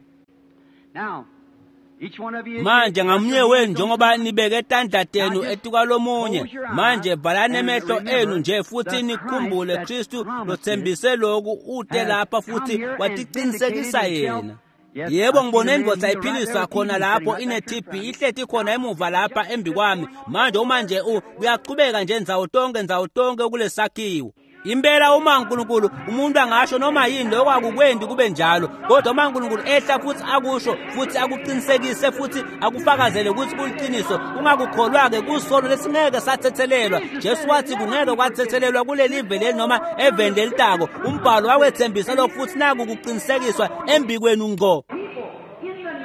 Manje ngamunye wenu njengoba nibeke tandla tenu etukwalomunye, manje valani emehlo enu nje futhi nikhumbule Kristu lothembise loku ute lapha futhi watiqinisekisa yena. Yebo, ngibone indvodza iphiliswa khona lapho ine-TB ihleti khona emuva lapha embi kwami. Manje uma nje uyachubeka nje ndzawo tonke kulesakhiwo. Impela uma uNkulunkulu umuntu angasho noma yini lokho akukwendi kube njalo, kodwa uma uNkulunkulu ehla futhi akusho futhi akuqinisekise futhi akufakazele ukuthi kuliqiniso, ungakukholwa-ke kusono lesingeke sathethelelwa. Jesu wathi kungeke kwathethelelwa kuleli vele noma eveni lelitako. Umbhalo wawethembisa lokho futhi naku kuqinisekiswa embikwenu ngqo.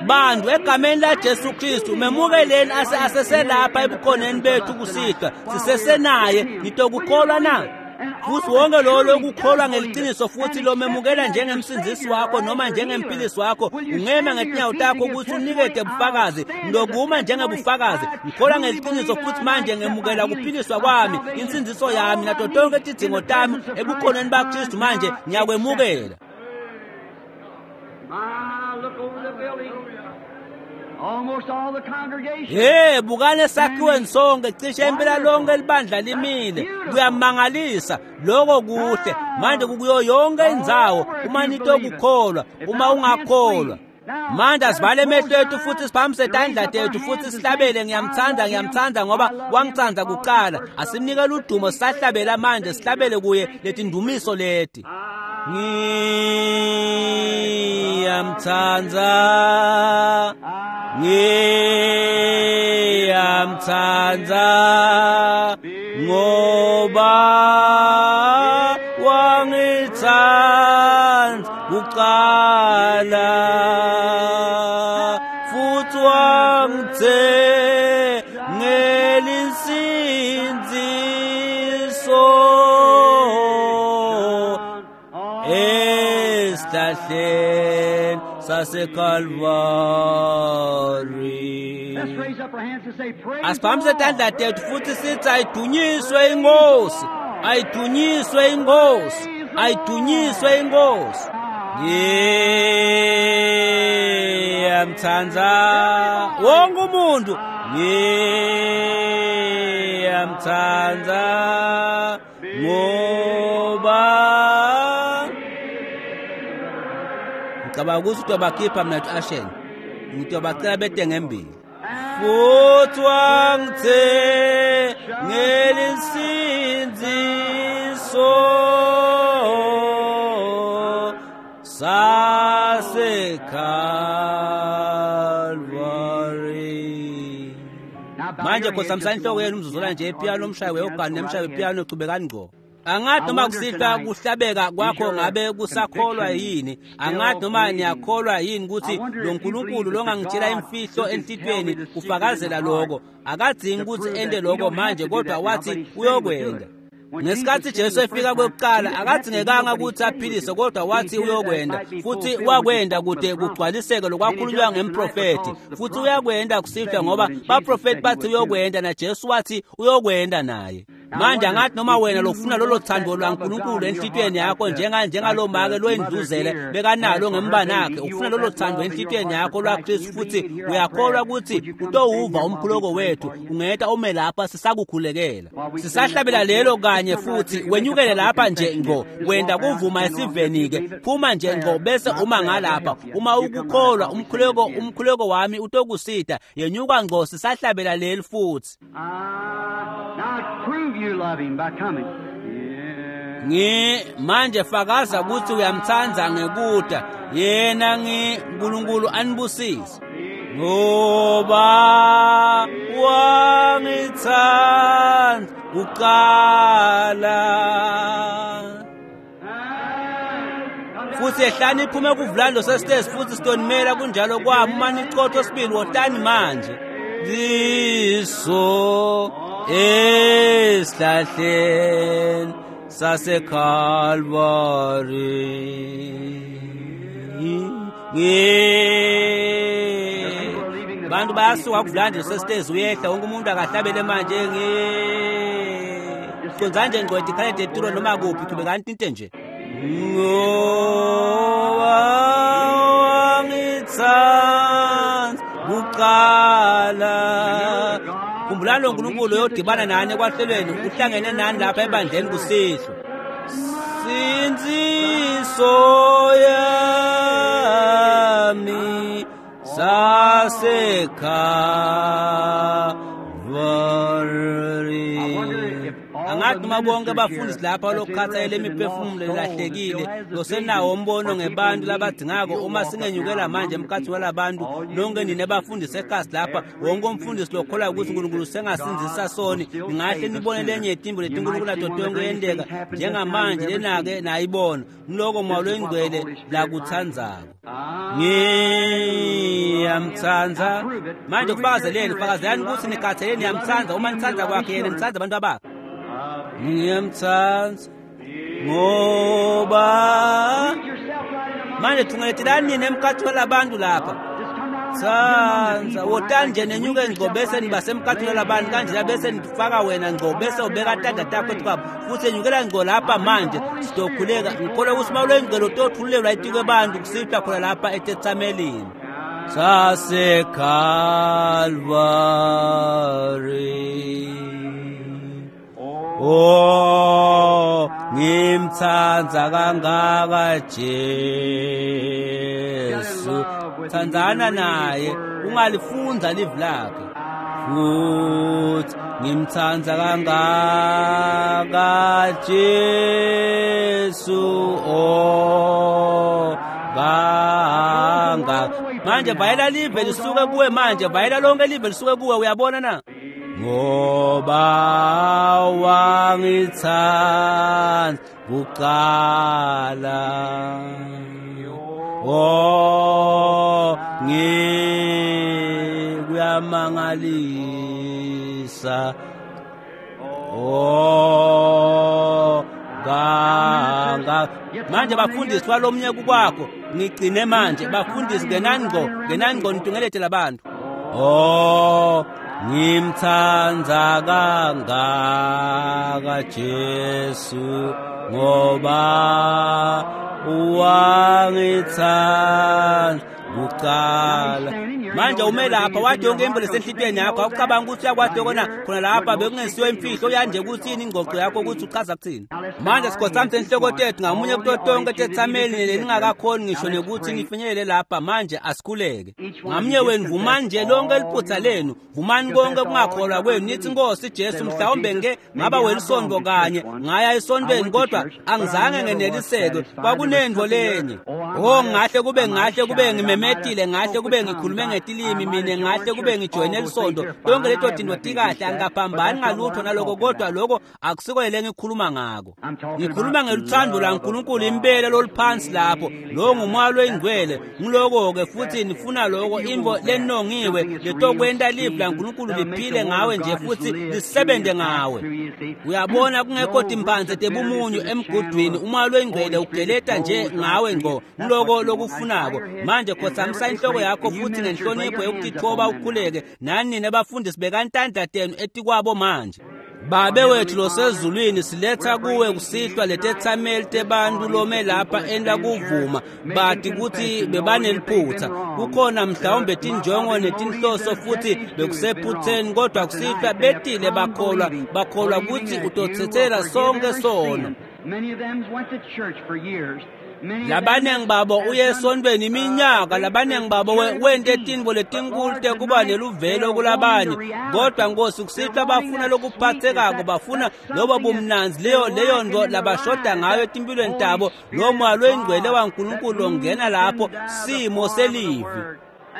Bantu egameni laJesu Kristu memukeleni aseselapha ebukhoneni bethu kusihlwa, sisesenaye. Nitokukholwa na? Futhi wonke lowo lokukholwa ngeliqiniso futhi lomemukela njengemsindzisi wakho noma njengemphilisi wakho, ungema ngetinyawo takho ukuthi unikete bufakazi. Ngilokuma njengebufakazi, ngikholwa ngeliqiniso futhi manje ngemukela kuphiliswa kwami, insindziso yami nato tonke tidzingo tami ebukhoneni baKristu. Manje ngiyakwemukela. Hey, bukane esakhiweni sonke, cishe impela lonke libandla limile. Kuyamangalisa lokho kuhle. Manje kukuyo yonke indzawo uma nitokukholwa, uma ungakholwa. Manje asivale emehlo ethu futhi siphamise tandla tethu futhi sihlabele ngiyamthanda, ngiyamthanda ngoba wangithanda kuqala. Asimnikele udumo sisahlabela manje, sihlabele kuye letindumiso leti. Ngiyamthanda, ngiyamthanda ngoba wangithanda kuqala futhi wangithengela insindziso esihlahleni saseKalvari. Let's raise up our hands and say, Praise the Asiphakamise Lord. tandla tethu futhi sithi ayidunyiswe inkosi, ayidunyiswe inkosi, ayidunyiswe inkosi. Ngiyamthanda wonke umuntu, ngiyamthanda ngoba ngicabanga ukuthi utobakhipha mina to Ashen, ngitobacela bete ngembili. Futhi wangithengela insindiso saseKalvari. Now bow Manje your heads khothamisa just a inhloko moment. yenu umzuzwana nje epiyano umshayi weogani nemshayi Go right wepiyano chubekani ngqo. Angathi noma kusihlwa kuhlabeka kwakho ngabe kusakholwa yini, angathi noma niyakholwa yini ukuthi lo Nkulunkulu longangitshela imfihlo enhlitiyweni kufakazela lokho. Akadzingi ukuthi ente lokho manje kodwa wathi uyokwenda. Ngesikhathi Jesu efika kwekuqala akadzingekanga ukuthi aphilise kodwa wathi uyokwenda, futhi wakwenda kude kugcwaliseke lokwakhulunywa ngemprofethi. Futhi uyakwenda kusihlwa ngoba baprofethi bathi uyokwenda na Jesu wathi uyokwenda naye. Manje angathi noma wena lofuna lolo thando lwaNkulunkulu enhlitiyweni yakho njengalo make loyindluzele bekanalo ngembanakhe, ufuna lolo thando enhlitiyweni yakho lwaKristu futhi uyakholwa ukuthi utowuva umkhuleko wethu, ungeta ume lapha sisakukhulekela. Sisahlabela lelo kanye futhi wenyukele lapha nje ngqo, wenda kuvuma esiveni-ke, phuma nje ngqo bese uma ngalapha. Uma ukukholwa umkhuleko wami utokusida, yenyuka ngqo sisahlabela leli futhi. Now prove you love him by coming. Yeah. Ngi manje fakaza ukuthi uyamthanda ngekuda yena ngi uNkulunkulu anibusise ngoba wangithanda kuqala. Futhi ehlani iphume kuvulando sesitezi futhi sitonimela kunjalo kwami uma nichotho sibili wotani manje liso esihlahleni saseKalvari. Bantu bayasuka kuvulandi sesitezi uyehla wonke umuntu akahlabele manje ngi conza nje ngqo ikhalede eturo noma kuphi chubekani tinte nje ngoba wangithanda kuqala. Khumbulani lo Nkulunkulu uyodibana nani ekwahlelweni, uhlangene nani lapha ebandleni kusihlwa. Sindziso yami saseKalvari. Angathi noma bonke abafundisi lapha lokukhathalela imiphefumulo elahlekile losenawo umbono ngebantu labadingako uma singenyukela manje emkhathini walabantu nonke nina bafundisi ekhasi lapha wonke umfundisi lokholwa ukuthi uNkulunkulu sengasindzisa soni ningahle nibone lenye yetimbo letinkulunkulu nato tonke yenteka njengamanje lenake nayibona ngiloko moya loyingcwele lakutsandzako. Ngiyamtsandza manje kufakazeleni fakazelani ukuthi nikhathaleni niyamtsandza uma nitsandza kwakhe yena nitsandza abantu abakhe. Ngiyamtsandza ngoba manje thungeletelani nina emkhathini walabantu lapha tsandza wotani nje nenyuke ngco bese nibasemkhathini walabantu kanjena bese nifaka wena ngco bese ubeka tandla takho etikabo futhi enyukela ngco lapha manje sizokhuleka. Ngikholwa ukuthi uma uloyingcwele utothululelwa etikwe bantu kusihlwa khona lapha etetsamelini saseKalvari. Oh, ngimtsandza kangaka Jesu. Tsandzana naye, ungalifundza livi lakhe. Futhi ngimtsandza kangaka Jesu. Oh, kangaka. Manje vayela live lisuke kuwe manje, vayela lonke live lisuke kuwe, uyabona na? Ngoba wangithanda kuqala. Oh, kuyamangalisa. Oh, kanga. Manje bafundisi walomnyaka kwakho, ngigcine manje bafundisi ngenani ngqo, ngenani ngqo nitungelete labantu. Oh, ngimthanda kangaka Jesu, ngoba wangithanda kuqala. Manje ume lapha wathi yonke imvo lesenhlitiyweni yakho, awucabanga ukuthi uyakwati kona khona lapha bekungesiyo imfihlo uyanje kuthini ingxoxo yakho ukuthi uchaza kuthini. Manje sikhothamise inhloko tethu ngamunye kuto tonke tethameli leningakakhoni ngisho nekuthi nifinyelele lapha. Manje asikhuleke ngamunye wenu, vumani nje lonke liphutha lenu, vumani konke kungakholwa kwenu, nithi Nkosi Jesu, mhlawumbe ngeke ngaba welisonto kanye ngaya esontweni, kodwa angizange ngeneliseke, kwakunento lenye. Oh, ngahle kube ngimemetile, ngahle kube ngikhulume ngetilimi mina, ngahle kube ngijoyine lisonto, tonke leto tinto tikahle, angikaphambani ngalutho naloko, kodwa lokho akusiko le ngikhuluma ngako. Ngikhuluma ngeluthando laNkulunkulu impela loluphansi lapho, lo ngumoya loyingcwele, ngiloko-ke futhi nifuna loko, imvo lenongiwe letokwenta livi laNkulunkulu liphile ngawe nje futhi lisebenze ngawe. Uyabona, kungekho timphandze tebumunyu emgudwini, umoya loyingcwele ugeleta nje ngawe ngqo, ngiloko lokufunako. Manje khothamisa inhloko yakho futhi ngenhlonipho yokutithoba ukhuleke. Nani nina bafundisi bekantandla tenu etikwabo manje. Babe wethu losezulwini, siletha kuwe kusihlwa letethameli tebantu lome lapha enta kuvuma bati kutsi bebaneliphutha, kukhona mhlawumbe tinjongo netinhloso futhi bekusephutheni, kodwa kusihlwa betile bakholwa kutsi utotsetsela sonke sono. Labanengi babo uye esontweni iminyaka, labanengi babo wente tintfo letinkulu tekuba neluvelo kulabanye, kodwa Nkosi kusihlwa bafuna lokuphathekako, bafuna lobo bumnandzi, leyo nto labashoda ngayo etimpilweni tabo, lo moya loyingcwele waNkulunkulu longena lapho simo selivi.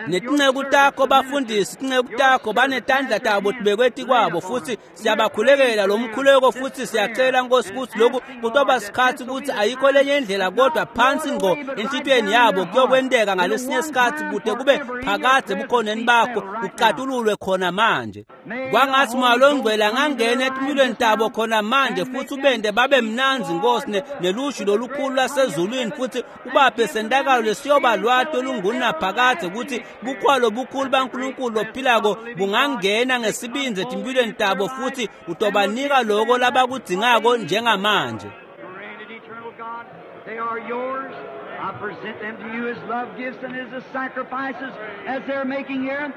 Netinceku takho bafundisi, tinceku takho banetandla tabo tibekwe etikwabo, futhi siyabakhulekela lo mkhuleko, futhi siyacela Nkosi ukuthi lokhu kutoba sikhathi ukuthi ayikho lenye indlela kodwa phansi ngqo enhlitiyweni yabo kuyokwenteka ngalesinye isikhathi kude kube phakadze ebukhoneni bakho kucatululwe khona manje. Kwangathi moya longcwele angangena etimpilweni tabo khona manje futhi ubende babe mnandzi Nkosi nelushu lolukhulu lwasezulwini, futhi ubaphe sentakalo lesiyoba lwati olungunaphakadze ukuthi bukhwalo bukhulu baNkulunkulu lophilako bungangena ngesibindzi etimpilweni tabo futhi utobanika loko labakudzingako njengamanje. They are yours. I present them to you as love gifts and as sacrifices as they're making here.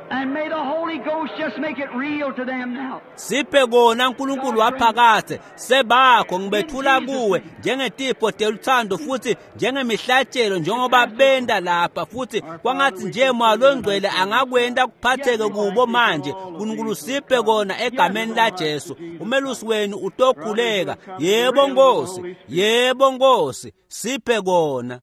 And may the Holy Ghost just make it real to them now. Siphe kona uNkulunkulu waphakathe sebakho, ngibethula kuwe njengetipho teluthando futhi njengemihlatshelo njengoba benda lapha, futhi kwangathi nje moya longcwele angakwenta kuphatheke kubo manje. uNkulunkulu siphe kona egameni la Jesu. Umelusi wenu utokhuleka. Yebo Nkosi, yebo Nkosi, siphe kona.